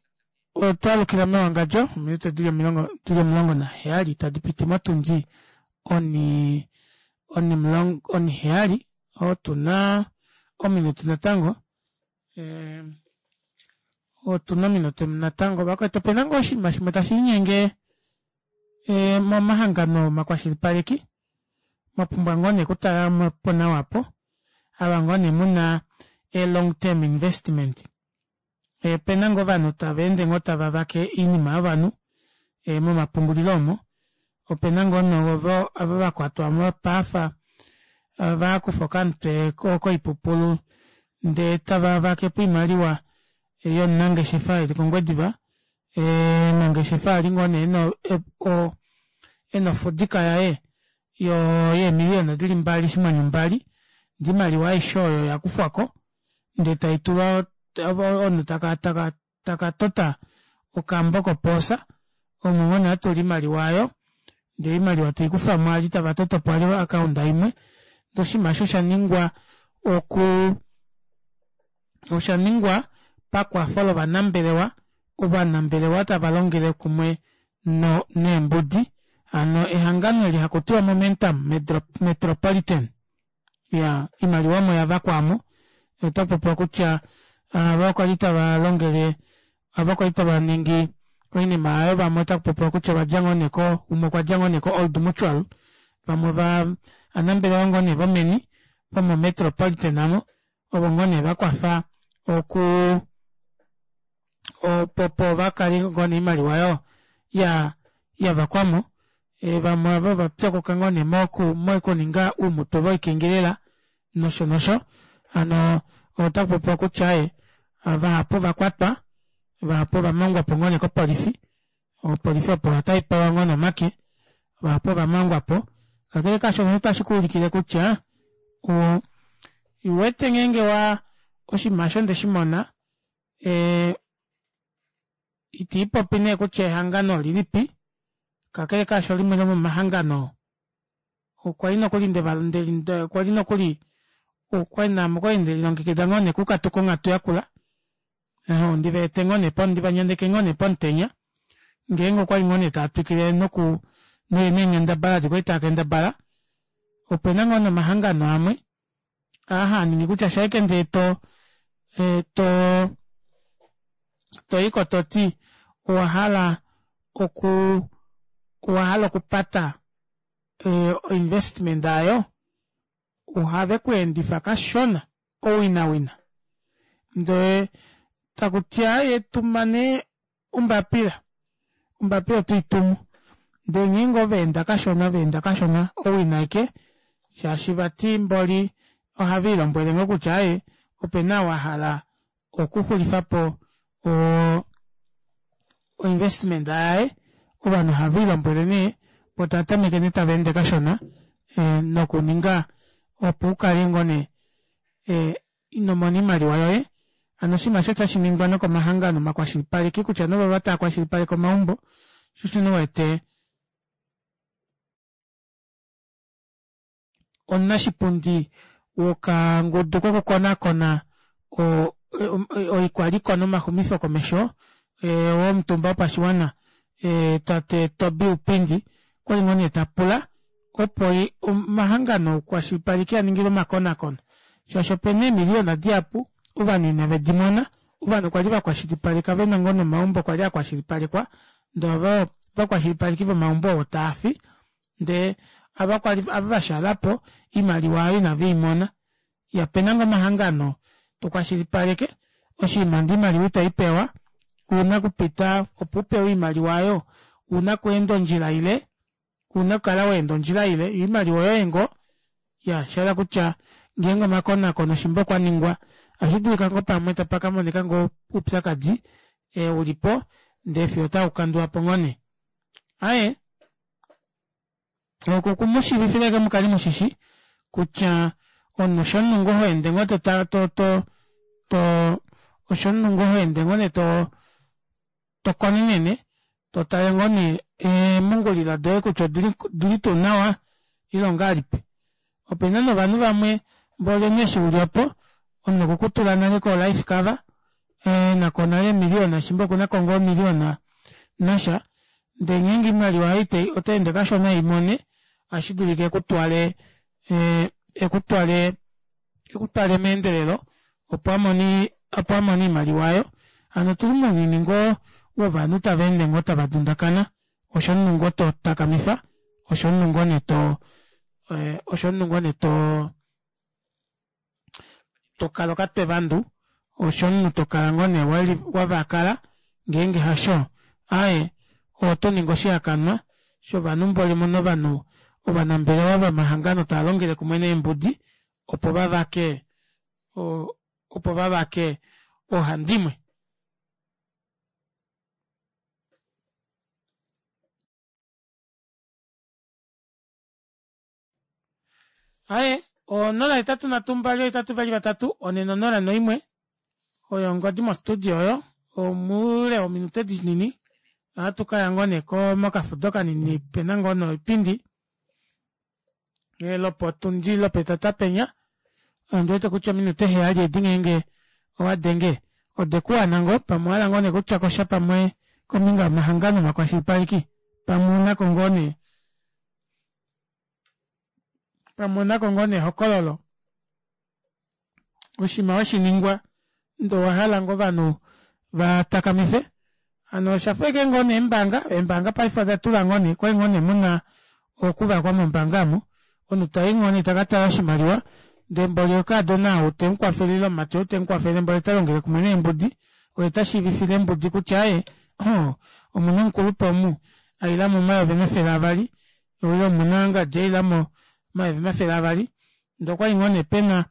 otwa alukila mewangadjo ominute dili omilongo dili omulongo naheyali tadi piti motundi oni onimulongo oniheyali otuna ominute natango e, otuna ominute natango vakwetu opena ngoo oshinima shimwe tashiinyenge e, momahangano omakwashilipaleki mwapumbwa ngoo nee okutala po nawa apo ava ngoo nee muna e long term investment opena ngoo ovanhu tava ende ngoo tava vake oinima yovanhu e, momapungulilo omo opena ngoo novo ava vakwatwa mopaafa vakufa okamutwe koipupulu ndee tava vakepo oimaliwa yomunangeshefa eli kOngwediva omunangeshefa ali ngoo nee ena ofudika yaye yeemiliyona dili mbali oshinghwanyu mbali ndee oimaliwa aishe oyo oyakufwako ndee taitulwa omunhu taka taka takatota okambo kopoosa omo ngoo nee atula oimaliwa aayo ndee oimaliwa teikufamo ali tava totopo vali o account imwe ndee oshinima aasho oshaningwa oku oshaningwa pakwafo lovanambelewa ovanambelewa tava longele kumwe no neembudi hano ehangano eli hakutiwa Momentum Metropolitan ya oimaliwa omo yavakwa aamo otakupopiwa kutya ava kwali tava longele ava kwali tava ningi oinima aayo vamwe otakupopiwa kutya ovadja ngoo nee ko umwe okwadja ngoo nee ko Old Mutual vamwe ova anambelewa ngoo nee vomeni vomo Metropolitan amo ovo ngoo nee vakwafa oku opo vakale ngoo nee oimaliwa oyo ya yavakwamo e, vamwe ava ovapyokoka ngoo nee moku mokuninga oumutwe voikengelela nosho nosho hano otakupopiwa kutya ee vahapu ovakwatwa vahapu ovamangwapo ngoo nee kopolifi opolifi opo otaipewa ngoo nee omake vahapu ovamangwapo kakele kaasho otashi kuulikile kutya o uwete ngeenge wa oshinima aasho ndeshimona ee itiipopi nee kutya ehangano olilipi kakele kaasho limwe lomomahangano okwali nokuli ndeva okwali nokuli okwali naame okwali ndelilongekida ngoo nee okukatuka onghatu yakula ndivaete ngoo nee ndivanyandeke ngoo nee pomutenya ngeenge okwali ngoo nee taatwikile noku neenghendabala adi kwali taakendabala opena ngoo nee omahangano amwe aa haaningi kutya shaike ndee to e, to toyiko toti owahala oku owahala okupata e, investment ayo ohave kweendifa kashona owinawina ndee takuti aaye tuma nee ombapila ombapila otoitumu ndee ngeenge ovaenda kashona vaenda kashona owina aike shaashi vati mboli ohaviilombwele ngoo kutya aaye opena ou ahala okuxulifapo oo investment yaye ovanhu ohaviilombwele nee voo tavatameke nee tavaende kashona ee nokuninga opo ukale ngoo nee ee inomona oimaliwa yoye hano oshinima aasho otashiningwa nokomahangano omakwashilipaleki kutya nee ovovo taakwashilipaleke omaumbo shoo osho nee uwete omunashipundi wokangudu kokukonakona oikwaliko nomaxumifo komesho womutumba wopashiwana tate Tobie Ipindi okwali ngoo nee tapula opo omahangano oukwashilipaleki aningilwe omakonakono shaashi opena eemiliyona dihapu ovanhu ina vedimona ovanhu kwali vakwashilipaleka vena ngoo nomaumbo kwali akwashilipalekwa ndee ovo ovakwashilipaleki vomaumbo ovo taafi ndee ava kwali ava vashaalapo oimaliwa aayo inaveimona iya opena ngoo omahangano tokwashilipaleke oshinima ndee oimaliwa itoipewa ouna okupita opo upewe oimaliwa aayo ouna okweenda ondjila ile ouna okukala waenda ondjila ile yoo oimaliwa oyoye ngoo iya oshahala kutya ngeenge omakonakono shimba okwaningwa ohashidulika ngoo pamwe tapakamonika ngoo oupyakadi ulipo ndee fiyo otaukandulwapo ngoo nee aaye oku okumushiivifila ashike mukale mushishi kutya omunhu oshomunhu ngoo hoende ngoo to to to oshomunhu ngoo hoende ngoo nee to tokonenene totale ngoo nee eemungulilo doye kutya odili tuu nawa ile ongahelipi opena nee ovanhu vamwe mboli omunhu eshi uli opo omunhu okwekutula nale ko life cover enako nale eemiliyona shimba okunako ngoo omiliyona nasha ndee ngeenge oimaliwa aayo otaende kashona eimone ohashidulika ekutwale ekutwale ekutwale meendelelo opo amone opo amone oimaliwa aayo hano otuli mounyuni ngoo wovanhu tavaende ngoo tava dundakana osho omunhu ngoo totakamifa osho omunhu ngoo nee to osho omunhu ngoo nee too tokala okatwe vandu osho omunhu tokala ngoo nee wavakala ngeenge hasho aaye otoningi oshihakanwa shovanhu mboli muna ovanhu ovanambelewa vomahangano taalongele kumwe neembudi opo vavake opo vavake oohandimwe. Aaye onola hetatu nhatu mbali ohetatu vali vatatu onhe nonola noimwe oyo ongodi mo studio oyo omoule wominute dinini ohatu kaya ngoo nee mokafudo kanini pena ngoo noipindi lopotundi lopetata penya ondiwete kutya ominute heyali edi ngeenge owadenge odekuwana ngoo pamwe owahala ngoo nee okutyakosha pamwe kombinga yomahangano omakwashilipaleki pamwe ounako ngoo nee pamwe ounako ngoo nee ehokololo oshinima weshiningwa ndee owahala ngoo ovanhu vatakamife hano oshafa ashike ngoo neembaanga eembaanga paife odatula ngoo nee okwali ngoo nee muna okuvakwa mombaanga omu omunhu tayi ngoo nee takatala oshimaliwa ndee mboli okaadona ou temukwafele ile omumati ou temukwafele mboli otalongele kumwe neembudi oye tashiivifile eembudi kutya aaye oo omuna omukulupe omu ailamo omayovi omafele avali ile omuna ngadi ailamo omayovi omafele avali ndee okwali ngoo nee pena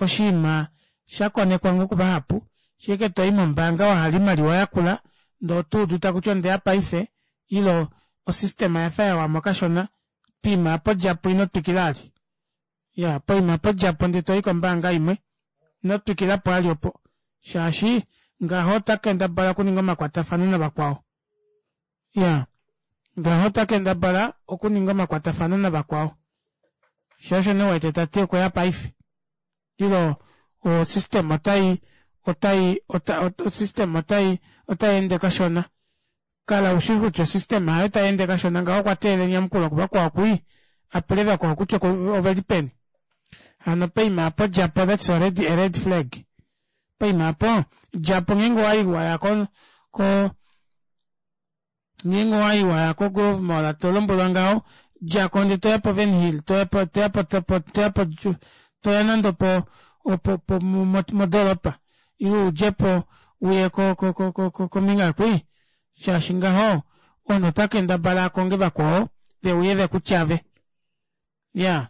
oshinima shakonekwa ngoo kuvahapu shike toyi mombaanga wahala oimaliwa yakula ndee otuudu takuti ondeya paife ile osystema oyafa yawamo kashona poima aapo djapo ino twikila vali iya poima aapo djapo ndee toyi kombaanga imwe ino twikilapo vali opo shaashi ngaho otakendabala okuninga omakwatafano navakwao iya ngaho otakendabala okuninga omakwatafano navakwao shoo osho nee uwete tati okweya paife ile o system otai otai osystem otai otayeende kashona kala ushi kutya osystem aayo tayeende kashona ngaho okwa teelela enyamukulo kuvakwao kwii apule vakwao kutya oveli peni hano poima aapo djapo that's already a red flag Poima aapo djapo ngeenge owayi waya ko ko ngeenge owayi waya ko grove mall tolombwelwa ngaho djako ndee toya po wernhil toya po toya po toya nande opo opo modoropa ile udjepo uye ko- ko- ko kombinga aakwii shaashi ngaho omunhu otakendabala akonge vakwao veuye vekutyave iyaa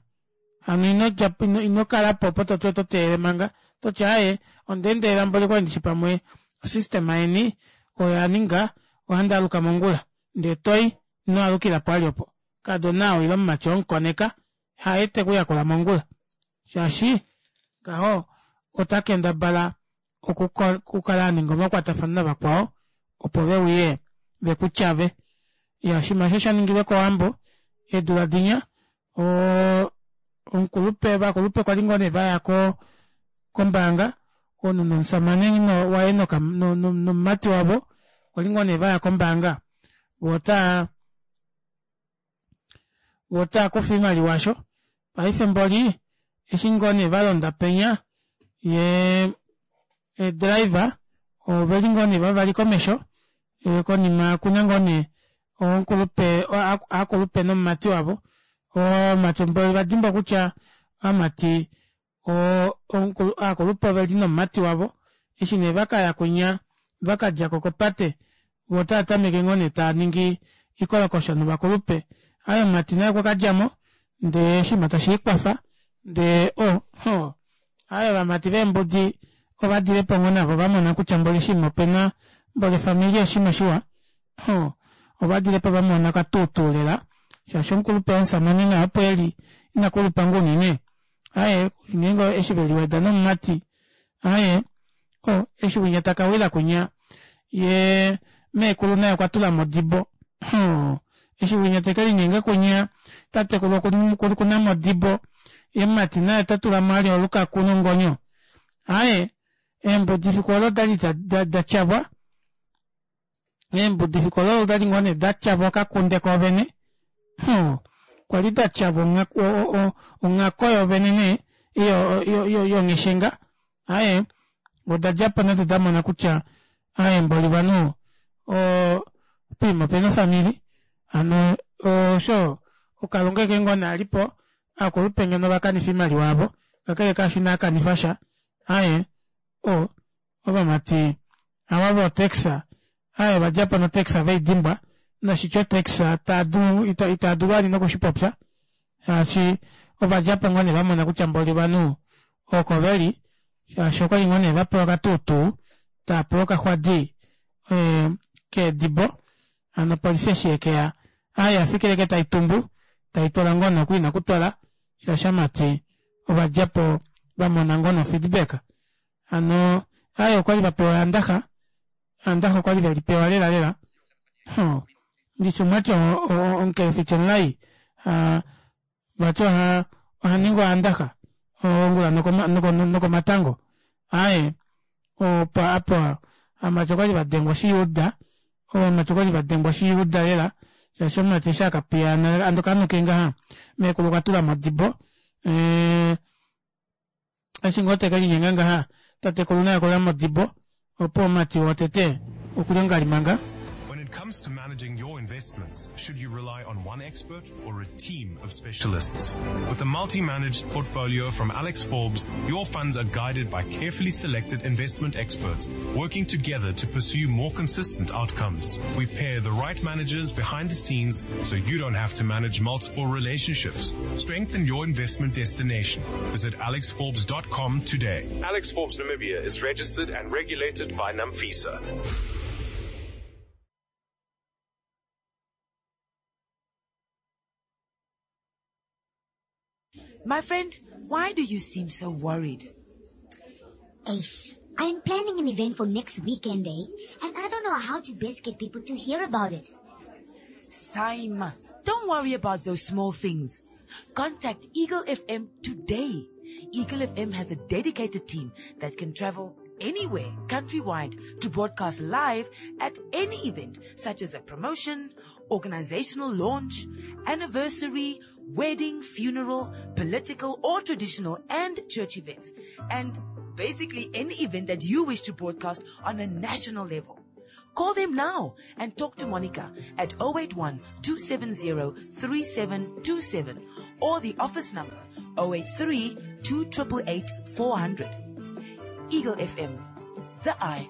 hano inodjapo inokalapo opo toti oto teelele manga toti aaye ondeendelela mboli okwali ndishi pamwe o system yeni oyaninga ohandaaluka mongula ndee toyi inowaalukila opo wali opo kaadona ou ile omumati oo omukoneka haye tekuyakula mongula shaashi ngaho ota kendabala okukala aninga omakwatafano navakwao opo veuye vekutyave iyaa oshinima aasho oshaningilwe kowambo eedula dinya oo omukulupe ovakulupe kwali ngoo nee vaya ko kombaanga omunhu nomushamane waye nomumati wavo kwali ngoo nee vaya kombaanga voo otaa voo otaakufa oimaliwa aasho paife mboli eshi ngoo nee valonda penya yee ee driver oveli ngoo nee vavali komesho konima okuna ngoo nee omukulupe aakulupe nomumati wavo ovamati mboli ovadimbwa kutya ovamati aakulupe oveli nomumati wavo eshi nee vakaya kwinya vakadjako kopate voo otatameke ngoo nee taaningi oikolokosha novakulupe aaye omumati naye okwakadjamo ndee oshinima tashiikwafa ndee oo hoo aaye ovamati veembudi ovadilepo ngoo navo vamona kutya mboli oshinima opena mboli ofamili oshinima shiwa hoo ovadilepo vamona okatuutuu lela shaashi omukulupe womushamane naye opo eli inakulupa ngoo unene aaye ngeenge eshi veliweda nomumati aaye oo eshi winya takawila kwinya yee meekulu naye okwatulamo odibo hoo eshi winya tekelinyenga kwinya tatekulu okunamo odibo yee mumati naye otatulamo vali olukaku nongonyo aaye eembudi efiku oolo odali datyavwa eembudi efiku oolo odali ngoo nee datyavwa okakunde koovene hoo kwali datyavwa onghako yoovene nee yongheshenga aaye odadjapo nado damona kutya aaye mboli ovanhu oo poima opena ofamili hano osho okalunga ashike ngoo nee alipo aakulupe ngeno ovakanifa oimaliwa yavo kakele kaasho inaakanifasha aaye oo ovamati ava vo taxi aaye ovadjapo no taxi veidimbwa noshitya o taxi itaadulu itaadulu vali nokushipopya shaashi ovadjapo ngoo nee vamona kutya mboli ovanhu oko veli shaashi okwali ngoo nee vapewa okatuutuu taapewa okaxwadi keedibo hano opolifi eshi yekeya aaye oyafikila ashike taitumbu taitwala ngoo nee oku ina okutwala shaashi ovamati ovadjapo vamona ngoo nee o feedback hano aaye okwali vapewa eyandaxa eyandaxa okwali velipewa lela lela hoo ndishi omwati omukelefiti omulai vati ohaningi oyandaxa ongula nokomatango aaye opo ovamati okwali vadengwa oshiyuuda ovamati okwali vadengwa oshiyuuda lela shaashi omumati eshi akapiyaana ando kanuke ngaha meekulu okwatulamo odibo ee eshi ngoo tekelinyenga ngaha tatekulu naye okulamo odibo opo omumati wotete okuli ongalimanga. When it comes to managing your investments, should you rely on one expert or a team of specialists? With a multi-managed portfolio from Alex Forbes, your funds are guided by carefully selected investment experts working together to pursue more consistent outcomes. We pair the right managers behind the scenes so you don't have to manage multiple relationships. Strengthen your investment destination. Visit alexforbes dot com today. Alex Forbes Namibia is registered and regulated by NAMFISA. My friend, why do you seem so worried? Ace, I'm planning an event for next weekend, eh? And I don't know how to best get people to hear about it. Saima, don't worry about those small things. Contact Eagle F M today. Eagle F M has a dedicated team that can travel anywhere countrywide to broadcast live at any event, such as a promotion, organizational launch, anniversary, wedding, funeral, political or traditional and church events. And Basically, any event that you wish to broadcast on a national level. Call them now and talk to Monica at oh eight one, two seven zero, three seven two seven or the office number oh eight three, two triple eight, four hundred. Eagle F M, the eye.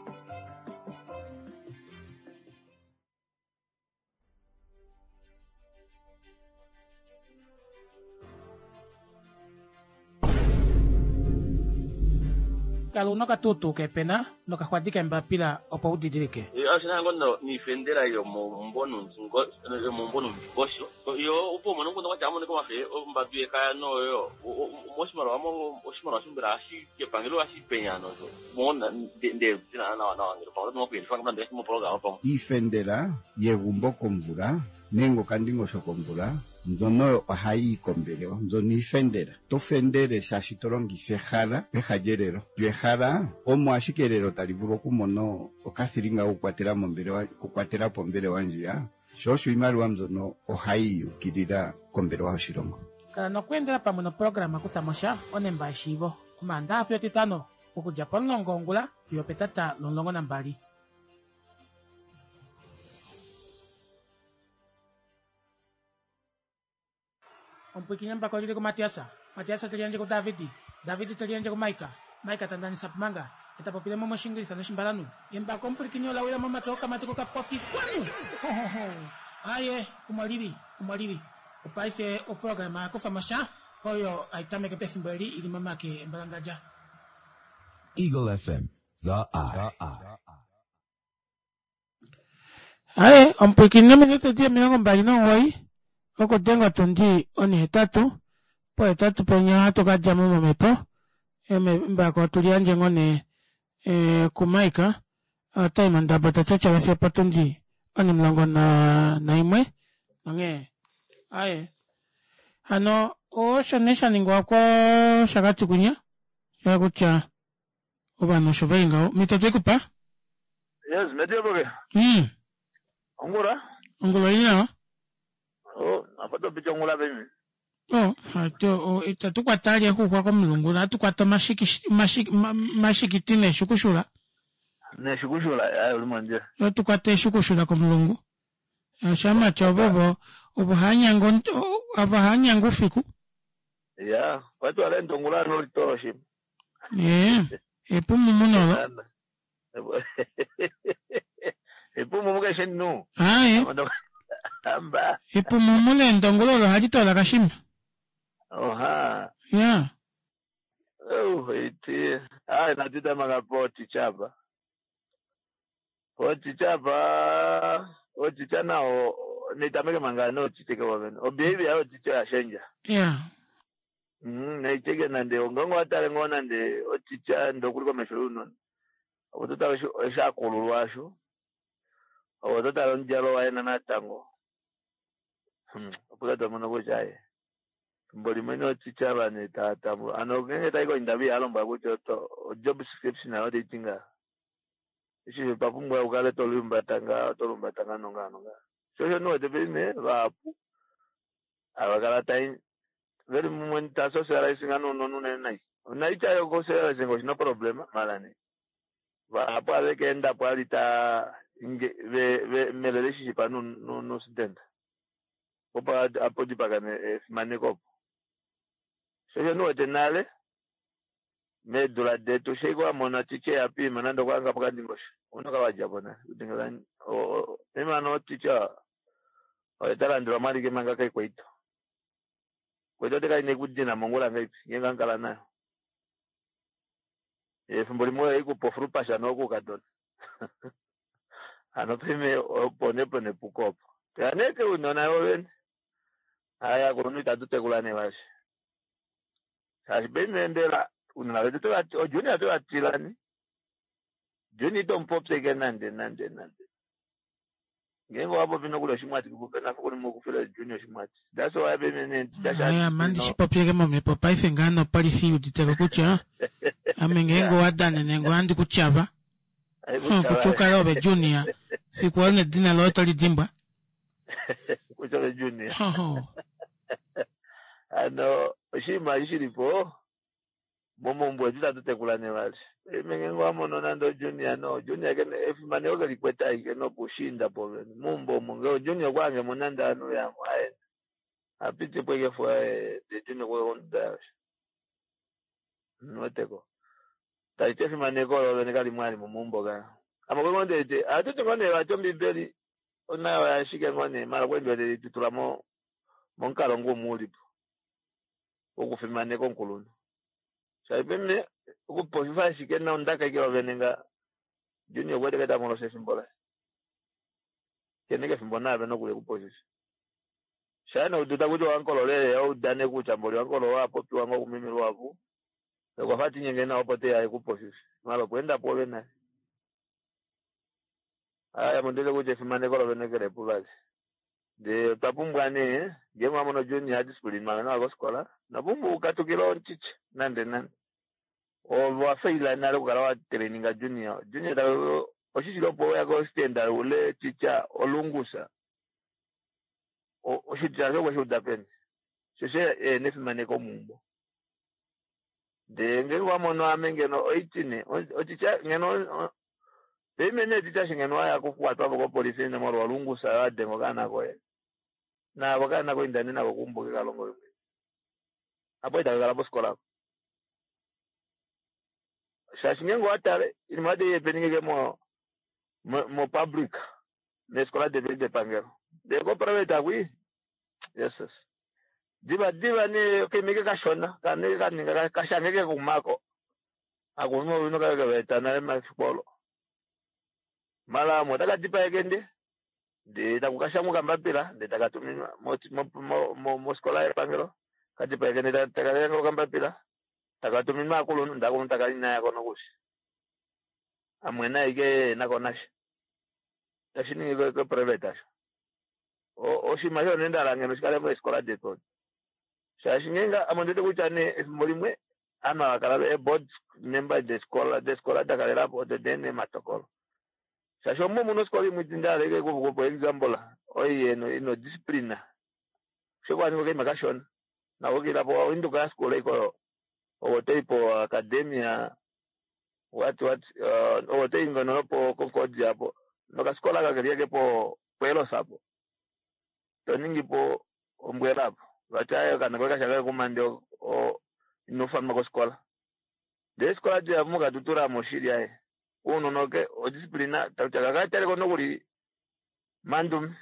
Kala una okatutu kepena nokaxwadi kembapila opo u didilike. Oshina ngoo niifendela yomomumbo yomomumbo nomundingosho yo opo umone omukundu kwatya amoneka omafe ombadu yekaya noyo moshimaliwa oshimaliwa shombela hashi kepangelo hashi penya nozo mona nde tina nawa nawa ngelo pamwe tinokuendifwa ngamna moprograma pamwe. Iifendela yegumbo komvula nenge okandingosho komvula mbyono ohayi yi kombelewa, mbyono iifendela. To fendele shaashi to longitha ehala peha lyelelo. Lyo ehala omo ashike elelo tali vulu okumona okathilinga kokukwatela mombelewa, okukwatela po ombelewa ndjiya. Sho osho iimaliwa mbyono ohayi yukilila kombelewa yoshilongo. Kala nokweendela pamwe noprograma kutha mo sha onemba yeshiivo. Omaandaha fiyo Etitano okudja pomulongo wongula fiyo petata lomulongo nambali. Omupwikinye mbako lili ku Matiasa. Matiasa te liyandje ku Davidi. Davidi te liyandje ku Maika. Maika ta ndanisa pumanga. Eta popile mo moshingilisa noshimbalanu. Embako omupwikinye ola wila momake okamati kokapofi. Kwanu! Ho, ho, ho. Aye, omo lili, omo lili. Opaife oprograma ya kufa mo sha, oyo hai tameke pefimbo eli ili momake embalangadja. Eagle F M, the eye. Aye, omupwikinye ominute di omilongo mbali nomugoyi, okudenga otundi onihetatu, pohetatu penya ohatu ka dja mo momhepo, embako otu liyandje ngoo nee, e, kuMaika, otai mondabo ta tyatyala fiyo potundi onimulongo na, naimwe, onghee, aye, hano, osho nee sha ningwa kOshakati kunya, sha kutya ovanhu osho veli ngaho. Mito twe kupa? Yes, metiyopoke. Mm. Ongula? Ongula oili nawa? Oh, apa to pita ongula pemi. Oh, ato, oh, itatu kwata ali exuxwa komulungu, ohatu kwata omashiki, omashiki, ma-, mashikiti neeshukushula. Neeshukushula, aye, uli mondjila. Ohatu kwata eeshukushula komulungu. Oshamatya ovo, ovo, ovo hanyanga ont-, ovo hanyanga ufiku. Ya, kwati wala endo ongula no litolo shima. Eh, epumumu nolo. Epumumu keshe nu. Aye. Amba. Epumumu leendongo lolo ohali toola kashima. Oha. Ya. Oh, iti. Ai, natita manga poti chapa. Poti chapa. Oti chana o nitameke manga no chiteke wavene. O behavior ya oti cha shenja. Ya. Mm, naicheke nande ongongo atale ngona nde oti cha ndo kuliko meshuru no. Otota osha kululwasho. Otota lonjalo waena natango. Hmm, okula mono kuchaye. Mboli mwene oticha bane tata mu. Ano ngenge taiko indabi alomba kuti oto job description ayo itinga. Ishi papumbwa ukale tolumba tanga tolumba tanga nonga nonga. Shosho no tepine vapu. Abakala tai veri mumwe ta socializing ano no no nai. Naicha yo socializing no problema malani. Vapu aveke enda po alita inge ve ve meleleshi pa no no no student. Opa apo dipakane fimaneko. Shosho no tenale medula detu sheko amona tiche yapima nando kwanga pakandingosha. Unoka wajabona utingala o emano ticha oetalandira mali ke manga kai kweito. Kweito teka ine kudina mongola ngai ngenga nkala nayo. Efimbo limwe ikupo pasha no kukadona. Ano pime opone pone pukopo. Taneke unona yoven. Aya kunu tatutekula ne vashi. Sashi benendela unona vetu to o junior to atilani. Junior to mpopse ke nande nande nande. Ngengo wapo vino kula shimwati kupena kuli mukufela junior shimwati. That's why bemene dasha. Aya mandi shipopyeke momepo paife ngano polisi uditeko kutya. Ame ngengo wadane nengo andi kuchava. Kuchuka robe junior. Sikuone dina loto lidimbwa. Kuchava junior. Ho. Ano shima ishilipo. Momaumbo etu itatu tekula nee vali. Paife ngeenge owa mono nande ojunior no junior kena efimaneko ke likwete ashike nopuushiinda povene. Meumbo omo ngee ojunior okwa hange mo nande ovanhu yamwe aye apiti po ashike fo ndee junior okwa ya konduda yaye osho. Omuweteko? Taliti efimaneko olo vene kalimo vali momaumbo ka. Ame okwali ngoo ndewete ohatuti ngoo nee vati ombibeli onayo oyashike ngoo nee maala okwali ndiwete taitutula mo momukalo ngoo umwe ulipo wokufimaneka omukulunhu. Shaashi paife okupopifa ashike nondaka ashike yoovene nga Junior okuwete ke tamolosha efimbo laye. Kene kefimbo naave nokuli ekupopifa. Shaa nee udu takuti wankolo lele oudane kutya mboli wankolo owa popiwa ngoo kumeme luhapu okwafa tinyenge nawa opo teya ekupopife maala okweenda pwoove nale. Aya ame ondiwete kutya efimaneko lovene kelepo vali. Ndee otwa pumbwa nee ngeenge wamono Junior adisciplinwa nawa kofikola ino pumbwa ukatukile omuticha nande nande. Ove owafaila nale okukala watraininga Junior. Junior ta oshishili opo weya ko standard ule teacher olungusa. Oshitya osho okweshi uda peni? Shosho ehena efimaneko meumbo. Ndee ngeenge wamono ame ngeno oitine otitya ngeno paife nee titya eshi ngeno waya kukwatwapo kopolifi molwa olungusa wadenga okaana koye naavo okaana koye inda nee nako keumbo kekalonge mwene apo itaka kala pofikola apo shaashi ngeenge owatale oinima oyo tayi happening mo mo public meefikola detu depangelo ndee ko private akwii jesus diva diva nee okaima ike kashona kane kaninga kashange kekumako akulunhu kave kevaeta nale mafiku olo mala amwe otaka dipaeke nde ndee taku kashangwa okambapila ndee taka tuminwa mofikola yepangelo kadipaeke ndee taka shanga okambapila taka tuminwa aakulunhu ndee aakulunhu takali inayako nokuli amwena ashike enako nasha tashi ningi ko private asho oshinima osho nee ndahala ngeno shikale meefikola detu odo shaashi ngeenge ame ondiwete kutya nee efimbo limwe ovanhu hava kala ee-board member defikola defikola dakalelapo odo deena ematokolo shaashi omo muna ofikola imwe ndahala ashike kupa example oyo ina odiscipline osho kwaninga okaima kashona nako kilapo Windhoek High School ashike oyo owo toyi po academia what what owo toyi ngeno nopo Concordia apo nokafikola aka keli ashike po Eros apo toningipo ombwela apo vati aaye okaana koye kashanga kekumande ino ufanwa kofikola ndee eefikola dihapu muKatutura oshili aaye ounona odiscipline takutya kakataleko nokuli mandume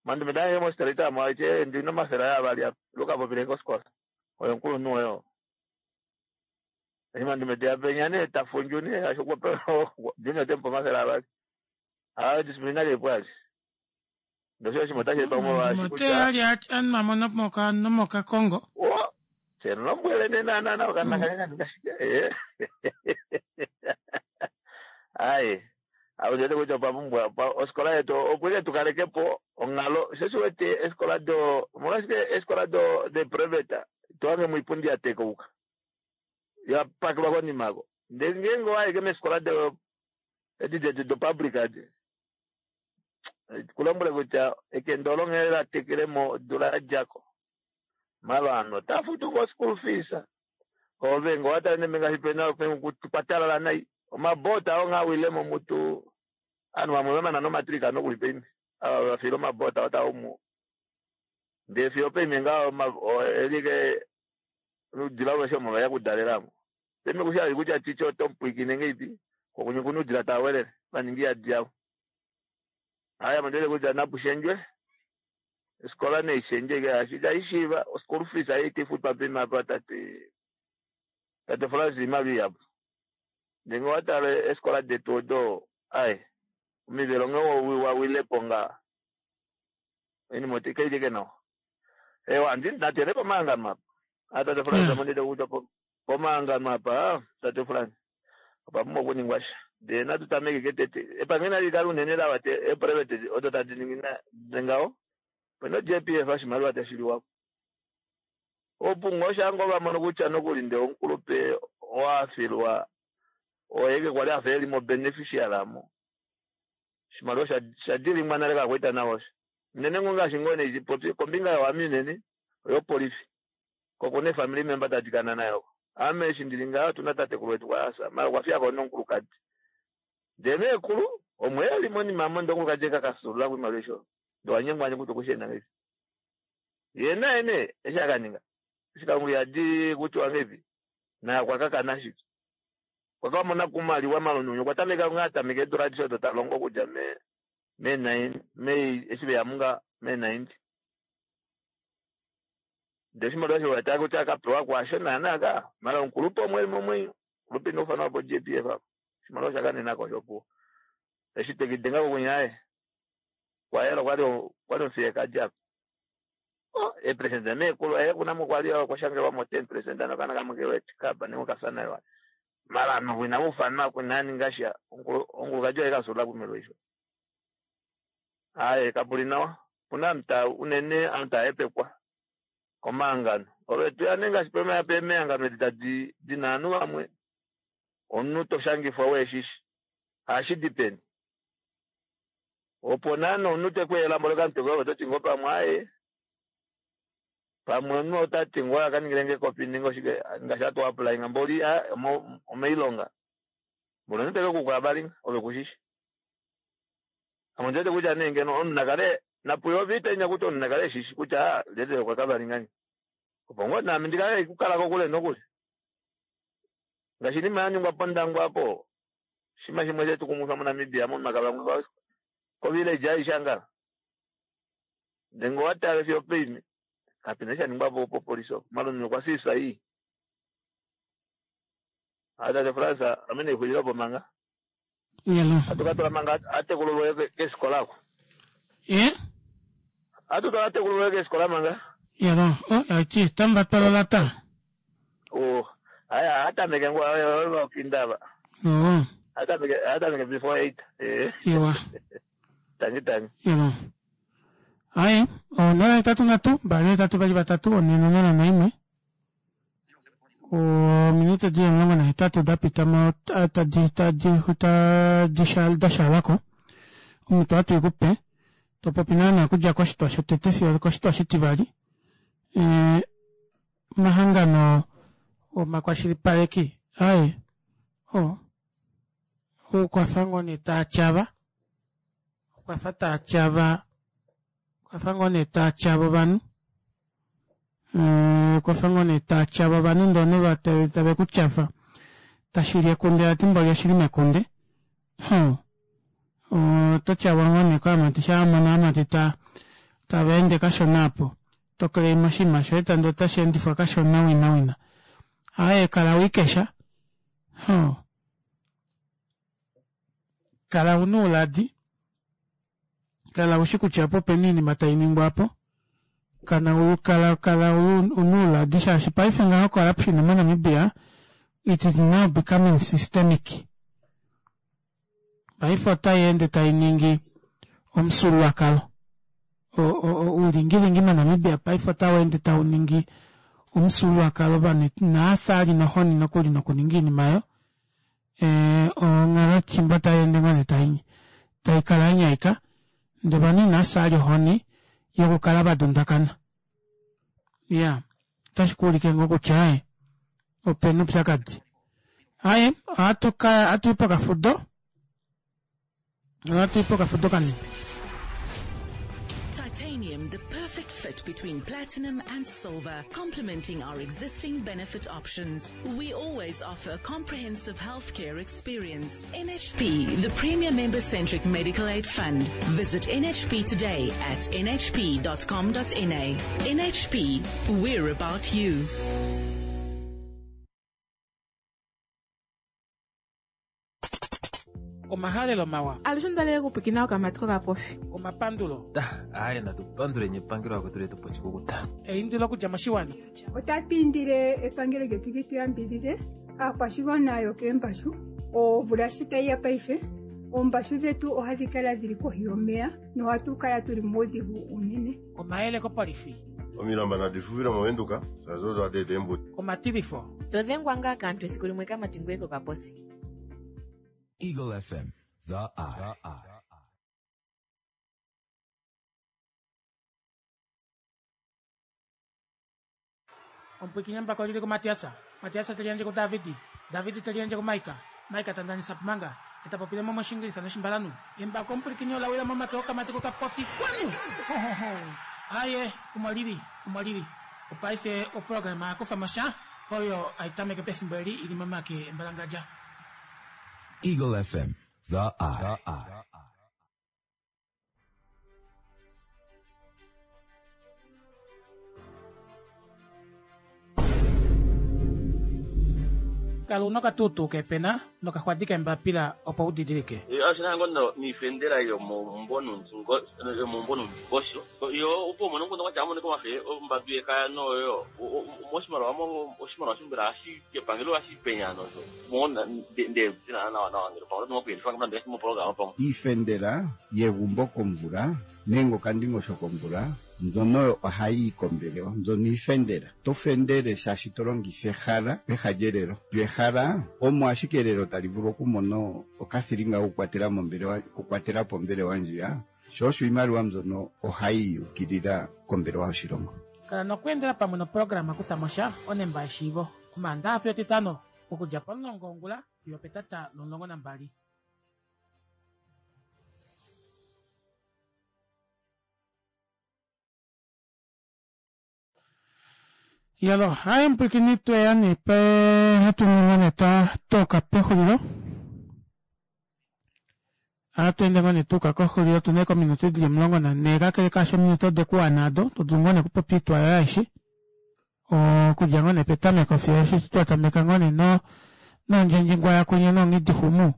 mandume taenge mo street amo aiti ndina omafele aye avali apa ila ukapopile kofikola oyo omukulunhu woye oo eshi mandume teya penya nee tafundju nee shaashi okwapewa junior otemupe omafele avali aa discipline kaipo ali ndosho oshinima otashi etwa molwaashi kutya ali anwamo nomokakongo semulombwele nee naana okaana kange kaninga shike aye ame ondiwete kutya otwa pumbwa ofikola yetu opo ike tukalekepo onghalo sho oshiwete eefikola do omolwashike eefikola do de private tohange moipundi ya tekauka ya pakelwa konima ako ndee ngeenge owayi ike meefikola do edi detu do public edi kulombwele kutya ekende olo nghee latekele modula yadjako mala ovanhu otava futu ngoo school fees ove ngee owatale nee ngaashi pena kwatalala nai omabota oo nghee awilemo mutu ovanhu vamwe vamana nomatric nokuli paife ava vafila omabota otaumu ndee fiyo paife ngaho elike oudila aveshe omo veya okudalelamo paife kushi kutya titye otomupwiikine ngeipi kokunye okuna oudila tawelele vaninga iyadi yavo aya ame kutya napushendjwe ofikola neishendje ike shaashi itaishiiva school fees ayi itaifutwa paife apa tate tate Frans oimaliwa ihapu ndee ngee owatale eefikola detu odo ai omivelo nghee wawilepo nga oinima kaili ike nawa ewa natuyeni pomahangano apa a tate Frans ame ondiwete kutya pomahangano apa tate Frans opa pumbwa okuningwa sha ndee natu tameke tete epangelo nali kale unene lawate ee private odo tadi ningi ngaho opena J P F oshimaliwa tashi liwako opo ngoo shango vamono kutya nokuli ndee omukulupe owafilwa oyeke kwali afa eli mo beneficiary amo oshimaliwa shadilimwa nale kakwaita nawa osho unene ngoo ngaashi ngoo nee popi kombinga yowami unene oyopolifi kokuna efamily member tadikana nayo Ame eshi ndili ngaho otuna tatekulu wetu kwasa mara okwa fiyako nomukulukadi. Ndee meekulu omwe eli monima mo ndee omukulukadi ekakasulula koimaliwa esho ndee wanyengwanye kutya okushienda ngahelipi. Yee naye nee eshi akaninga eshi Kalunga ihadi kutiwa ngahelipi naye okwa kakana ashike. Okwa kamona kumaliwa malununyu okwa tameka ngaa atameka eedula adishe odo talongo okudja me me nine May eshi veya munga me ninety. Ndee oshimaliwa osho wataka kutya akapewa kwaasho naana ka mara omukulupe omwe eli momwenyo omukulupe ina ufanwa po J P F apo oshimaliwa osha kanenako osho opuwo. Eshi tekidenga kokunya aye kwayela okwali okwali omufiyekadi apa. Oh, eepresenta meekulu aye kunamo kwali okwa shangelwamo ten percent nokana kamwe kewete kaba nenge okafya nayo. Mara noku inaufanwa kunaninga sha omukulukadi oye kasula koimaliwa isho. Aye kapuli nawa opuna ovanhu taa unene ovanhu taahepekwa komahangano. Ove tuya nee ngaashi pemehangano edi tadi dina ovanhu vamwe omunhu toshangifwa weeshishi ohashidi peni. Opo naana omunhu tekweela mboli okamutwe koye ove ototi ngoo pamwe aaye pamwe omunhu otati ngoo akaningilenge ekopi nenge oshike ngaashi hatu applyinga mboli omoilonga mboli omunhu tekekukola vali ove kushishi. Ame ondiwete kutya nee ngeno omunhu nakale napuye ovita kutya omunhu nakale eshishi kutya lyelye okwa kavalinga opo ngoo naame ndikale kukala kokule nokuli. Ngaashi inima yaningwa pOndangwa apo oshinima shimwe shetukumwifa moNamibia momaka vamwe kovillage aishe angala. Ndee ngee owatale fiyo opeime kapena eshi shaningwapo popolisi opo malume okwa siisa ii. Tate Frans ame naixulilepo manga. Hatu katula manga atekululwe keefikola oko. Ye? Hatu twala atekululwe keefikola manga. Yalo, oh, aiti, tamba twala lata. Oh, aya atameke ngoo okindaba. Oh. Atameke atameke before eight. Eh. Iwa. Tangi tangi. Yalo. Aye, onola hetatu nhatu, mbali hetatu vali vatatu, one nonola naimwe. Ominute dili omulongo nahetatu dapita mo tadi tadi tadi dashalako. Omunhu ohatu ikupe topopi naana okudja koshitwa shotete fiyo koshitwa shitivali. E, omahangano omakwashilipaleki aye o okwafa ngoo nee taatyava okwafa taatyava okwafa ngoo nee taatyava ovanhu okwafa ngoo nee taatyava ovanhu ndee ovanhu tave kutyafa tashili ekunde vati mboli oshili mekunde. Hmm. Oto tyavwa ngoo nee koamati shaa amati ta tava ende kashona apo toclaima oshinima shoye ndee otashi endifwa kashona wina wina. Aaye kala wikesha. Hmm. Kala una ouladi, kala ushi kutya opo opena oinima tainingwa apo, kana kala kala una ouladi shaashi paife ngaho corruption moNamibia it is now becoming systemic. Paife otai tainingi omufyuululwakalo. Oulingilingi moNamibia paife otau ende tauningi omufyuululwakalo ovanhu inaasali nohoni nokuli nokuninga oinima oyo. Eh onghalo fimbo tai ende ngoo nee taikala yanyaika ndee ovanhu inaasali ohoni yokukala vadundakana. Iya, otashi kuulike ngoo kutya aye opena oupyakadi. Aye, ohatu ka ohatuyi pokafudo. Ohatuyi pokafudo kanini. Titanium, the perfect fit between platinum and silver, complementing our existing benefit options. We always offer a comprehensive healthcare experience. N H P, the premier member-centric medical aid fund. Visit N H P today at n h p dot com dot n a. N H P, we're about you. Omahalelo mawa. Alushe ondali kupwikina okamati kokapofi. Omapandulo. Aye natupanduleni epangelo akwetu letu po oshikukuta. Eindilo okudja moshiwana. Otatu indile epangelo lyetu li tu yambidhidhe aakwashigwana yokeembashu omvula shi tayi ya paife oombashu dhetu ohadhi kala dhili kohi yomeya nohatu kala tuli muudhigu unene. Omayele kopolifi. Omilamba nadi fufile moVenduka shaashi odo hadi eta eembuto. Omatilifo. Todhengwa ngaa kaantu esiku limwe kamati ngoye kokaposi. Eagle F M, the eye. Omupwikinyambako lili kuMatiasa. Matias teliyandje kuDavid, David teliyandje kuMaika, Maika tandanisa Pumanga, eta popile mo moshingilisa noshimbalanhu. Embako omupulikini ola wila momake okamati kokapofi kwanu! Hohoho! Aye, omo lili, omo lili. Opaife oprograma yakufa mo sha, oyo hai tameke pefimbo eli ili momake embalangadja. Eagle F M, The Eye. Kala una okatuutuu kepena nokaxwadi kembapila opo u didilike. Oshina ngoo no niifendela yomomumbo yomomumbo nomundingosho yo opo umone omukundu kwatya amonike omafe ombadu yekaya noyo moshimaliwa oshimaliwa shombela hashi epangelo hashi penya nosho mona nde zina nawa nawa ngele pamwe oto moku nande moprograma pamwe. Iifendela yegumbo komvula nenge okandingosho komvula mbyono ohayi yi kombelewa mbyono iifendela to fendele shaashi to longitha ehala peha lyelelo lyo ehala omo ashike elelo tali vulu okumona okathilinga kokukwatela mombelewa okukwatela po ombelewa ndjiya sho osho iimaliwa mbyono ohayi yukilila kombelewa yoshilongo. Kala nokweendela pamwe noprograma Kutha mo sha onemba yeshiivo Omaandaxa fiyo Etitano okudja pomulongo wongula fiyo opetata lomulongo nambali. Yalo, haye mpwikini tweya nee pe hatu ninga nee twa toka pexulilo. Ohatu ende ngoo nee tuuka koxulilo tuna ashike ominute dili omulongo nanhee kakele kaasho ominute ode kuwana ado to dulu ngoo nee okupopya oitwa yoye aishe okudja ngoo nee petameko fiyo eshi twa tameka ngoo nee no nondjendjingwa yakunye nonghidixumu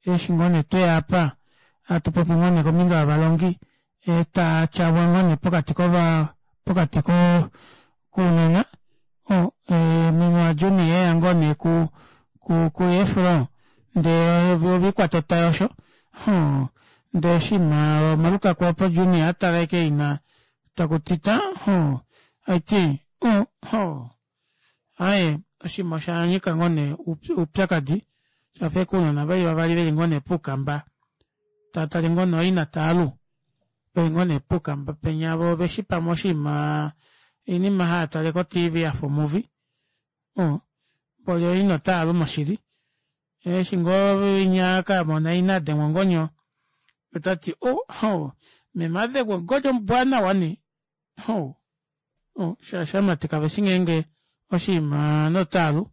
eshi ngoo nee tweya apa hatu popi ngoo nee kombinga yovalongi eta tyavwa ngoo nee pokati kova pokati ko kounona o meme waJuni eya ngoo nee ku ku ku Efro ndee ovikwata otayosho hoo ndee oshinima omalukaku opo Juni atala ashike ina takutita hoo aiti o hoo aaye oshinima oshanyika ngoo nee oupyakadi shafa ashike ounona veli vavali veli ngoo nee puukamba taatale ngoo nee oina taalu veli ngoo nee puukamba penya voo oveshi pamwe oshinima oinima haatale ko T V yafa omuvi o mboli oina otaalu moshili eshi ngoo winya akamona ina adengwa ongonyo otati o ho meme adengwa ongonyo mbwaanawa nee ho shaashi ovamati kaveshi ngeenge oshinima notaalu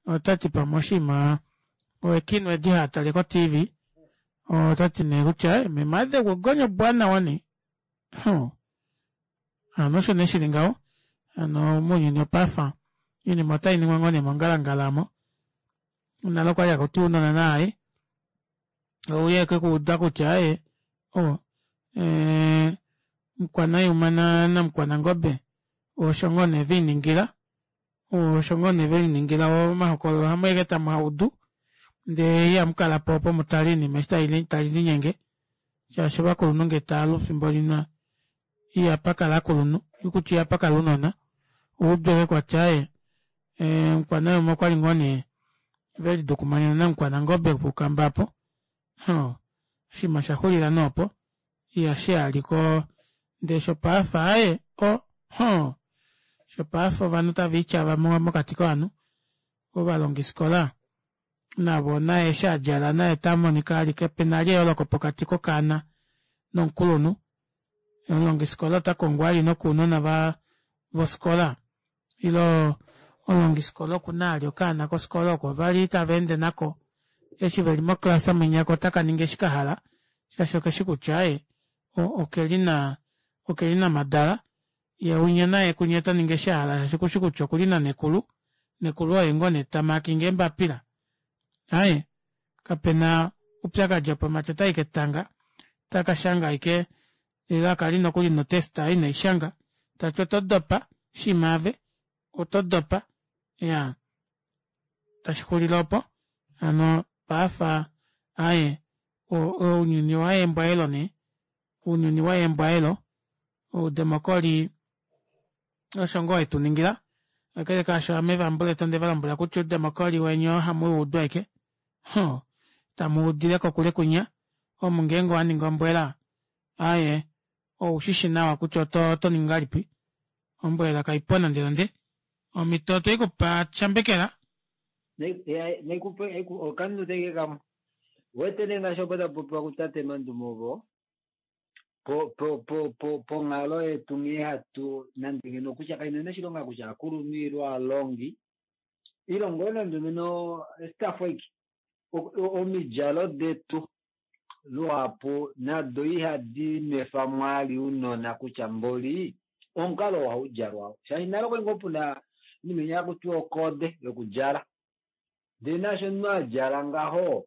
otati pamwe oshinima oekinwa edi haatale ko T V otati nee kutya meme adengwa ongonyo mbwaanawa nee ho hano osho nee shili ngaho hano mounyuni opafa oinima otainingwa ngoo nee mongalangala aamo nale okwali hakuti ounona naaye ouye kekuuda kutya aaye o ee mukwanayuma namukwanangobe osho ngoo nee veiningila osho ngoo nee veliningila omahokololo ohamu eke tamu audu ndee ihamukalapo opo mutale oinima eshi tali linyenge shaashi ovakulunhu ngee taalu fimbo limwe ihapakala ovakulunhu kutya ihapakala ounona oudu ashike kwati aaye mukwanayuma okwali ngoo nee velidukumanena namukwanangobe puukamba aapo hoo oshinima oshaxulila nee opo ihashiyaliko ndee shopaife aaye o hoo shopaife ovanhu taviityava mokati kovanhu ovalongifikola navo naye eshi adjala naye otamonika ali kapena vali eyooloko pokati kokaana nomukulunhu omulongifikola otakongwa ali nokounona vofikola ile omulongifikola okuna ali okaana kofikola oko vali tavaende nako eshi veli moclass mwinya ko otakaningi eshi kahala shaashi okeshi kutya aaye okelina okelina madala yee winya naye kunya otaningi eshi ahala shaashi okushi kutya okuli nanekulu nekulu oye ngoo nee tamakinga eembapila aaye kapena oupyakadi opo mati otayi ketanga otakashanga ashike elaka li nokuli notest ineishanga tati oto dopa shima ave oto dopa iyaa tashixulile opo hano paafa aaye ounyuni owaya embwaelo nee ounyuni waya embwaelo oudemocry osho ngoo wetuningila kakele kaasho ame vambuletu ondevalombwela kutya oudemocry weni oo ohamuwuudu ashike huh tamuudile kokule kwinya omu ngeenge owaningi ombwela aaye oushishi nawa kutya otoningi ngahelipi ombwela kaipo nande nande Omhito otweikupa shambekela. Naikupe okanute ke kamwe. Wete nee ngaashi opo tapopiwa kutate Mandume ovo po po po po ponghalo yetu nghee hatu nande ngeno kutya kaina oshilonga kutya akulunhu ile alongi ile ngoo nande ngeno staff ike omidjalo detu luhapu nado ihadi nwefa mwali unona kutya mboli omukalo ohaudjalwa shaashi nale okwali ngoo puna inima hakutiwa okode yokudjala ndee naasho omunhu adjala ngaho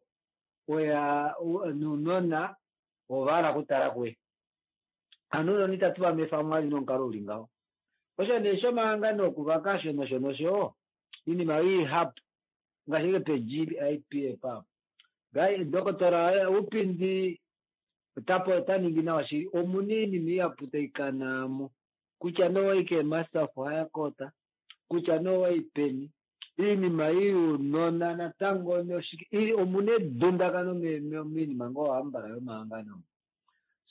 oya nounona ovahala okutala kuye hano ounona itatu va nwefa mwali nomukalo uli ngaho osho nee shomahangano okuvaka osho nosho nosho iinima ihapu ngaashi ike pe G I P F apo Dokotola Upindi otapo ota ningi nawa shili omuna iinima ihapu taikanamo kutya nee owayi keemaster of higher court kutya nee owayi peni iinima ei younona natango omuna edundakano moinima ngoo hambala yomahangano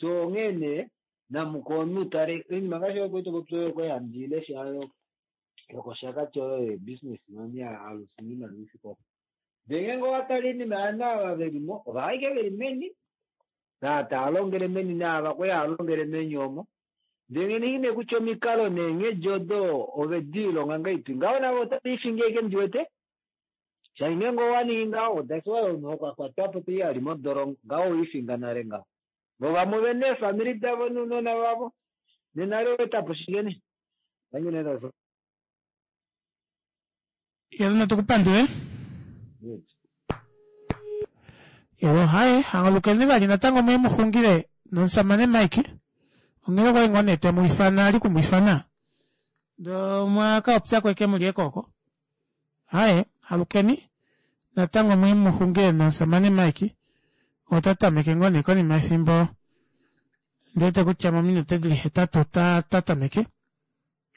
so onghee nee namuka omunhu tale oinima ngaashi oyo kwali topopi oyo kwali handi ilesha yokoshakati oyo yebusiness money alusi iimaliwa ifike opo ndee ngeenge owatale iinima yovanhu ava velimo ova ashike veli meni taa longele meni naava kwali hava longele meni omo ndee nee kutya omikalo neenghedi odo ovediilonga ngahelipi ngaho navo otave ashike ndiwete shaashi ngeenge owaningi ngaho that's why omunhu okwakwatwapo tai ali modolongo ngaho owiifinga nale ngaho vo vamwe ovena eefamili davo nounona vavo nena etapo shike nee Yelo natukupandule. Yelo haye hangalukeni vali natango muye muxungile nomusamane Mike onghee okwali ngoo nee temwiifana ali kumwiifana ndee mwakapopyako ashike muli ekooko haye alukeni natango muye muxungile nomusamane Mike ota tameke ngoo nee konima yefimbo ndiwete kutya mominute dili hetatu ota tameke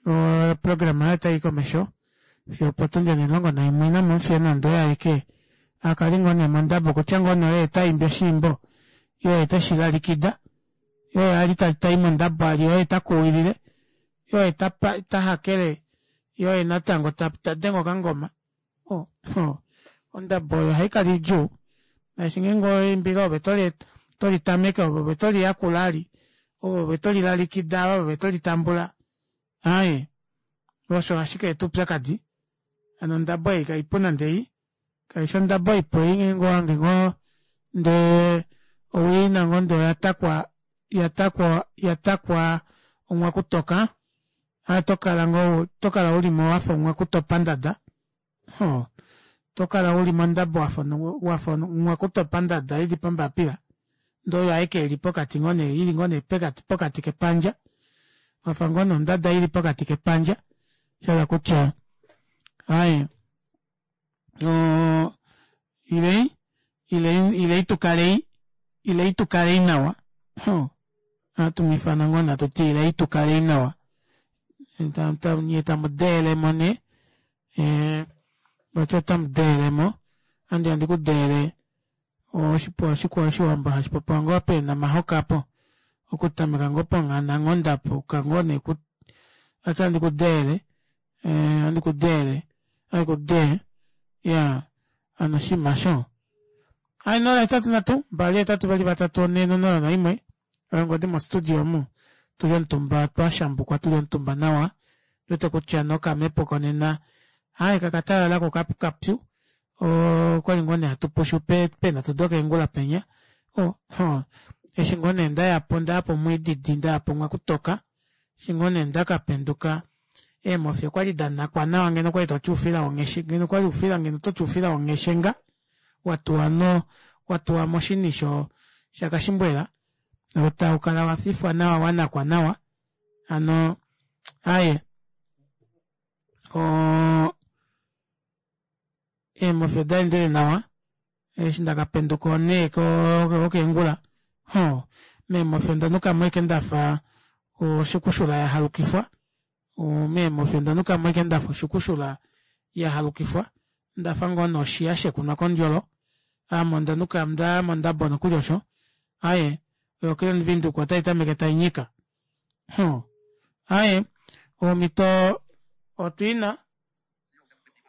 oprograma yaye otayi komesho fiyo opotundi onimulongo naimwe inamufiya nande oye aeke akale ngoo nee mondabo kutya ngoo nee oye taimbi oshiimbo ile oye teshilalikida ile oye ali tai mondabo ali oye takuwilile ile oye tahakele ile oye natango tadenge okangoma oh, oh. Ondabo oyo ohaikala idjuu shaashi ngeenge oimbile ove tolitameke ove ove toliyakula ali ove ove tolilalikida ove ove tolitambula aaye osho ashike eta oupyakadi hano ondabo ei kaipu nande ei kaifi ondabo ipu ei ngeenge owahange ngoo ndee owiina ngoo ndee oyatakwa yatakwa yatakwa omwakutoka aa tokala ngoo tokala ulimo wafa omwakutopa ndada hoo tokala uli mondabo wafa wafa omwakutopa ndada ili pombapila ndee oyo aike ili pokati ngoo nee ili ngoo nee pokati kepandja wafa ngoo nee ondada ili pokati kepandja shahala kutya aaye oo ilei ilei ilei tukalei ilei tukalei nawa ohatumwiifana ngoo nee hatuti ilei tukalei nawa nyee tamudeelemo nee ee vati otamudeelemo andi handi kudeele oshiwambo hashipopiwa ngoo peenamahoka aapo okutameka ngoo ponghananghonda apo yuka ngoo nee vati ohandi kudeele ohandi kudeele ohandi kudee iyaa hano oshinima aasho. Aaye nola hetatu nhatu mbali hetatu veli vatatu onhe nonola naimwe oyo ongodi mo studio omu tuli omutumba twashambukwa tuli omutumba nawa ondiwete kutya nokamepo konena aaye kakatalala ko kapyu okwali ngoo nee hatupushu peenhatu dokeengula penya oh eshi ngoo nee ndayapo ndayapo mwiididi ndayapo mwakutoka eshi ngoo nee ndakapenduka eemofi okwali danakwa nawa ngeno okwali toti oufila wongheshi ngeno okwali oufila ngeno ototi oufila wongheshenga watuwa no watuwa moshini shakashimbwela taukala wafifwa nawa wanakwa nawa hano aaye oo eemofi odaendele nawa eshi ndakapenduka onhee yokeengula hoo meemofi ondanukamo ashike ndafa oshukushula yahalukifwa meemofi ondanukamo ashike ndafa oshukushula yahalukifwa ndafa ngoo nee oshiya shekunwa kondjolo ame ondanuka ndaya mondabo nokuli osho aaye oyo Grand Windhoek otaitameke tainyika hoo aaye omito otwiina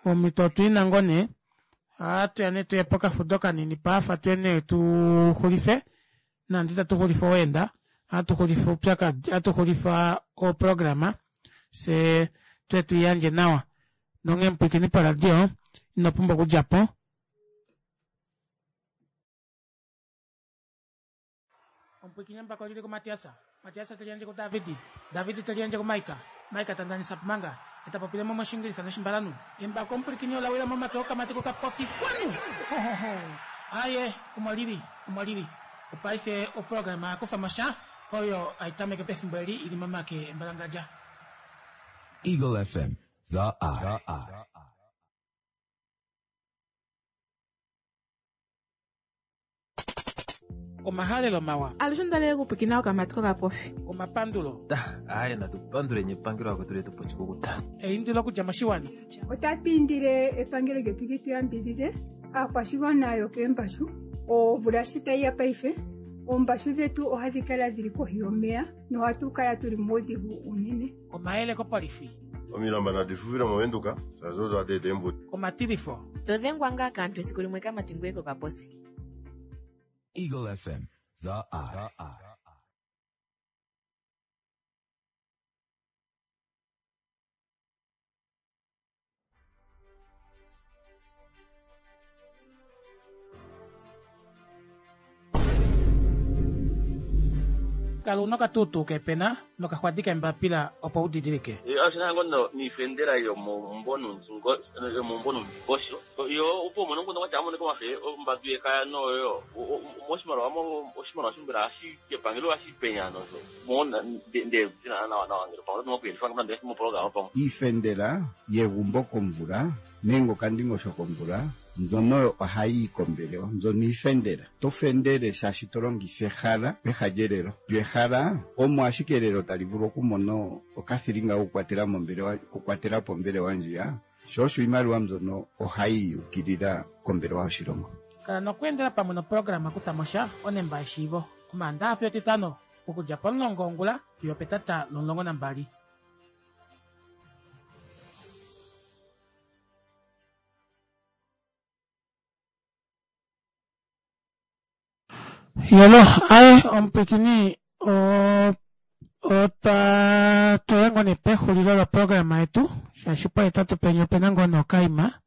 Omhito otwiina ngoo nee ohatuya nee tuye pokafudo kanini paafa tuye nee tuxulife nande itatu xulifa oweenda ohatu xulifa oupyakadi ohatu xulifa oprograma fyee tuye tuiyandje nawa nonghee mupwiikini poradio inopumbwa okudjapo. Omupwiikini embako olili kuMatias, Matias teliyandje kuDavid, David teliyandje kuMaika, Maika tandanisa pumanga etapopile moshingilisa noshimbalanhu. Embako omupwilikini ola wila momake okamati kokapofi kwanu. Aye, omo lili, omo lili. Opaife oprograma yakufa mosha oyo aitameke pefimbo eli ili momake embalangadja. Eagle F M, the eye. Omahalelo mawa. Alushe ndale kupikina okamati kokapofi. Omapandulo. Aye, natupandule epangelo akwetu letu pochikukuta. Eindilo okudja moshiwana. Otatu indile epangelo lyetu li tu yambidhidhe aakwashigwana yokeembashu omvula shi tayi ya paife oombashu dhetu ohadhi kala dhili kohi yomeya nohatu kala tuli muudhigu unene. Omayele kopolifi. Omilamba nadi fufile movenduka shazo twateeta eembuto. Omatilifo. Todhengwa ngaa kaantu esiku limwe kamati ngweye kokaposi. Eagle F M, the eye. Kala una okatutu kepena nokaxwadi kembapila opo udidilike. Oshina ngoo niifendela yomomumbo yomomumbo nomundingosho yo opo umone omukundu kwatya amonike omafe ombadu yekaya noyo moshimaliwa oshimaliwa shombela hashi epangelo hashi penya nosho mona nde nawa nawa ngele pamwe oto kuyelifa nande moprograma pamwe. Iifendela yegumbo komvula nenge okandingosho komvula mbyono ohayi kombelewa mbyono iifendela to fendele shaashi to longitha ehala peha lyelelo lyo ehala omo ashike elelo tali vulu okumona okathilinga kokukwatela mombelewa kukwatela pombelewa ndjiya sho osho iimaliwa mbyono ohayi yukilila kombelewa yoshilongo. Kala nokweendela pamwe noprograma kutha mosha onemba yeshiivo omaandaxa fiyo etitano okudja pomulongo wongula fiyo petata lomulongo nambali. Yolo, aye omupwikini otwa toya ngoo nee pexulilo loprograma yetu shaashi pohetatu penya opena ngoo nokaima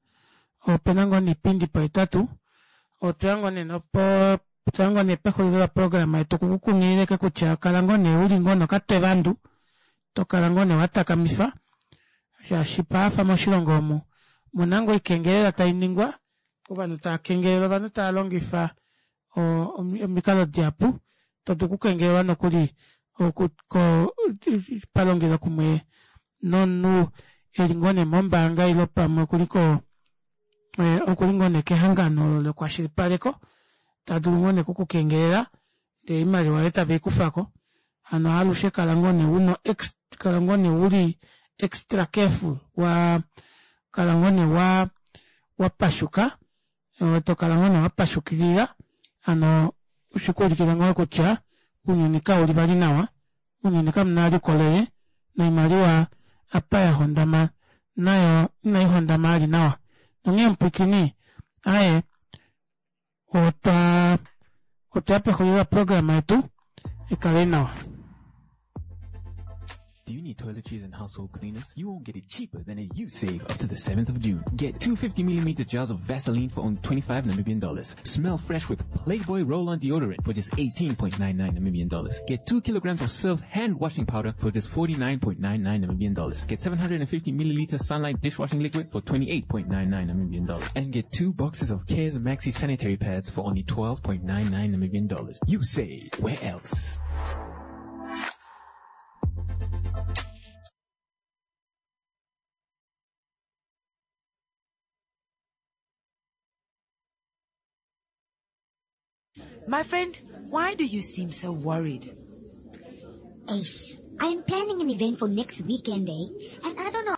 opena ngoo niipindi pohetatu otweya ngoo nee nopo otweya ngoo nee pexulilo loprograma yetu kukukunghilileke kutya kala ngoo nee uli ngoo nokatwevandu tokala ngoo nee watakamifa shaashi paafa moshilongo omu muna ngoo oikengelela tainingwa ovanhu tava kengelele ovanhu tava longifa omikalo dihapu todu okukengelelwa nokuli palongelo kumwe nomunhu eli ngoo nee mombaanga ile pamwe okuli ko okuli ngoo nee kehangano lokwashilipaleko tadulu ngoo nee okukukengelela ndee oimaliwa yoye tave ikufako. Hano alushe kala ngoo nee uno kala ngoo nee uli extra careful wa kala ngoo nee wa wapashuka tokala ngoo nee wapashukilila hano shikuulikile ngoo kutya ounyuni kauli vali nawa ounyuni kamuna vali oukolele noimaliwa apa yahondama nayo inaihondama ali nawa. Nonghee mupwikini aye otwa otwaya pexulilo loprograma yetu ikalei nawa. Do you need toiletries and household cleaners? You won't get it cheaper than at YouSave up to the seventh of June. Get two fifty millimeter jars of Vaseline for only twenty-five Namibian dollars. Smell fresh with Playboy Roll-On Deodorant for just eighteen point nine nine Namibian dollars. Get two kilograms of Surf hand washing powder for just forty-nine point nine nine Namibian dollars. Get seven hundred fifty milliliter Sunlight dishwashing liquid for twenty-eight point nine nine Namibian dollars. And get two boxes of Cares Maxi sanitary pads for only twelve point nine nine Namibian dollars. You say, where else? My friend, why do you seem so worried? Ace, I am planning an event for next weekend, eh? And I don't know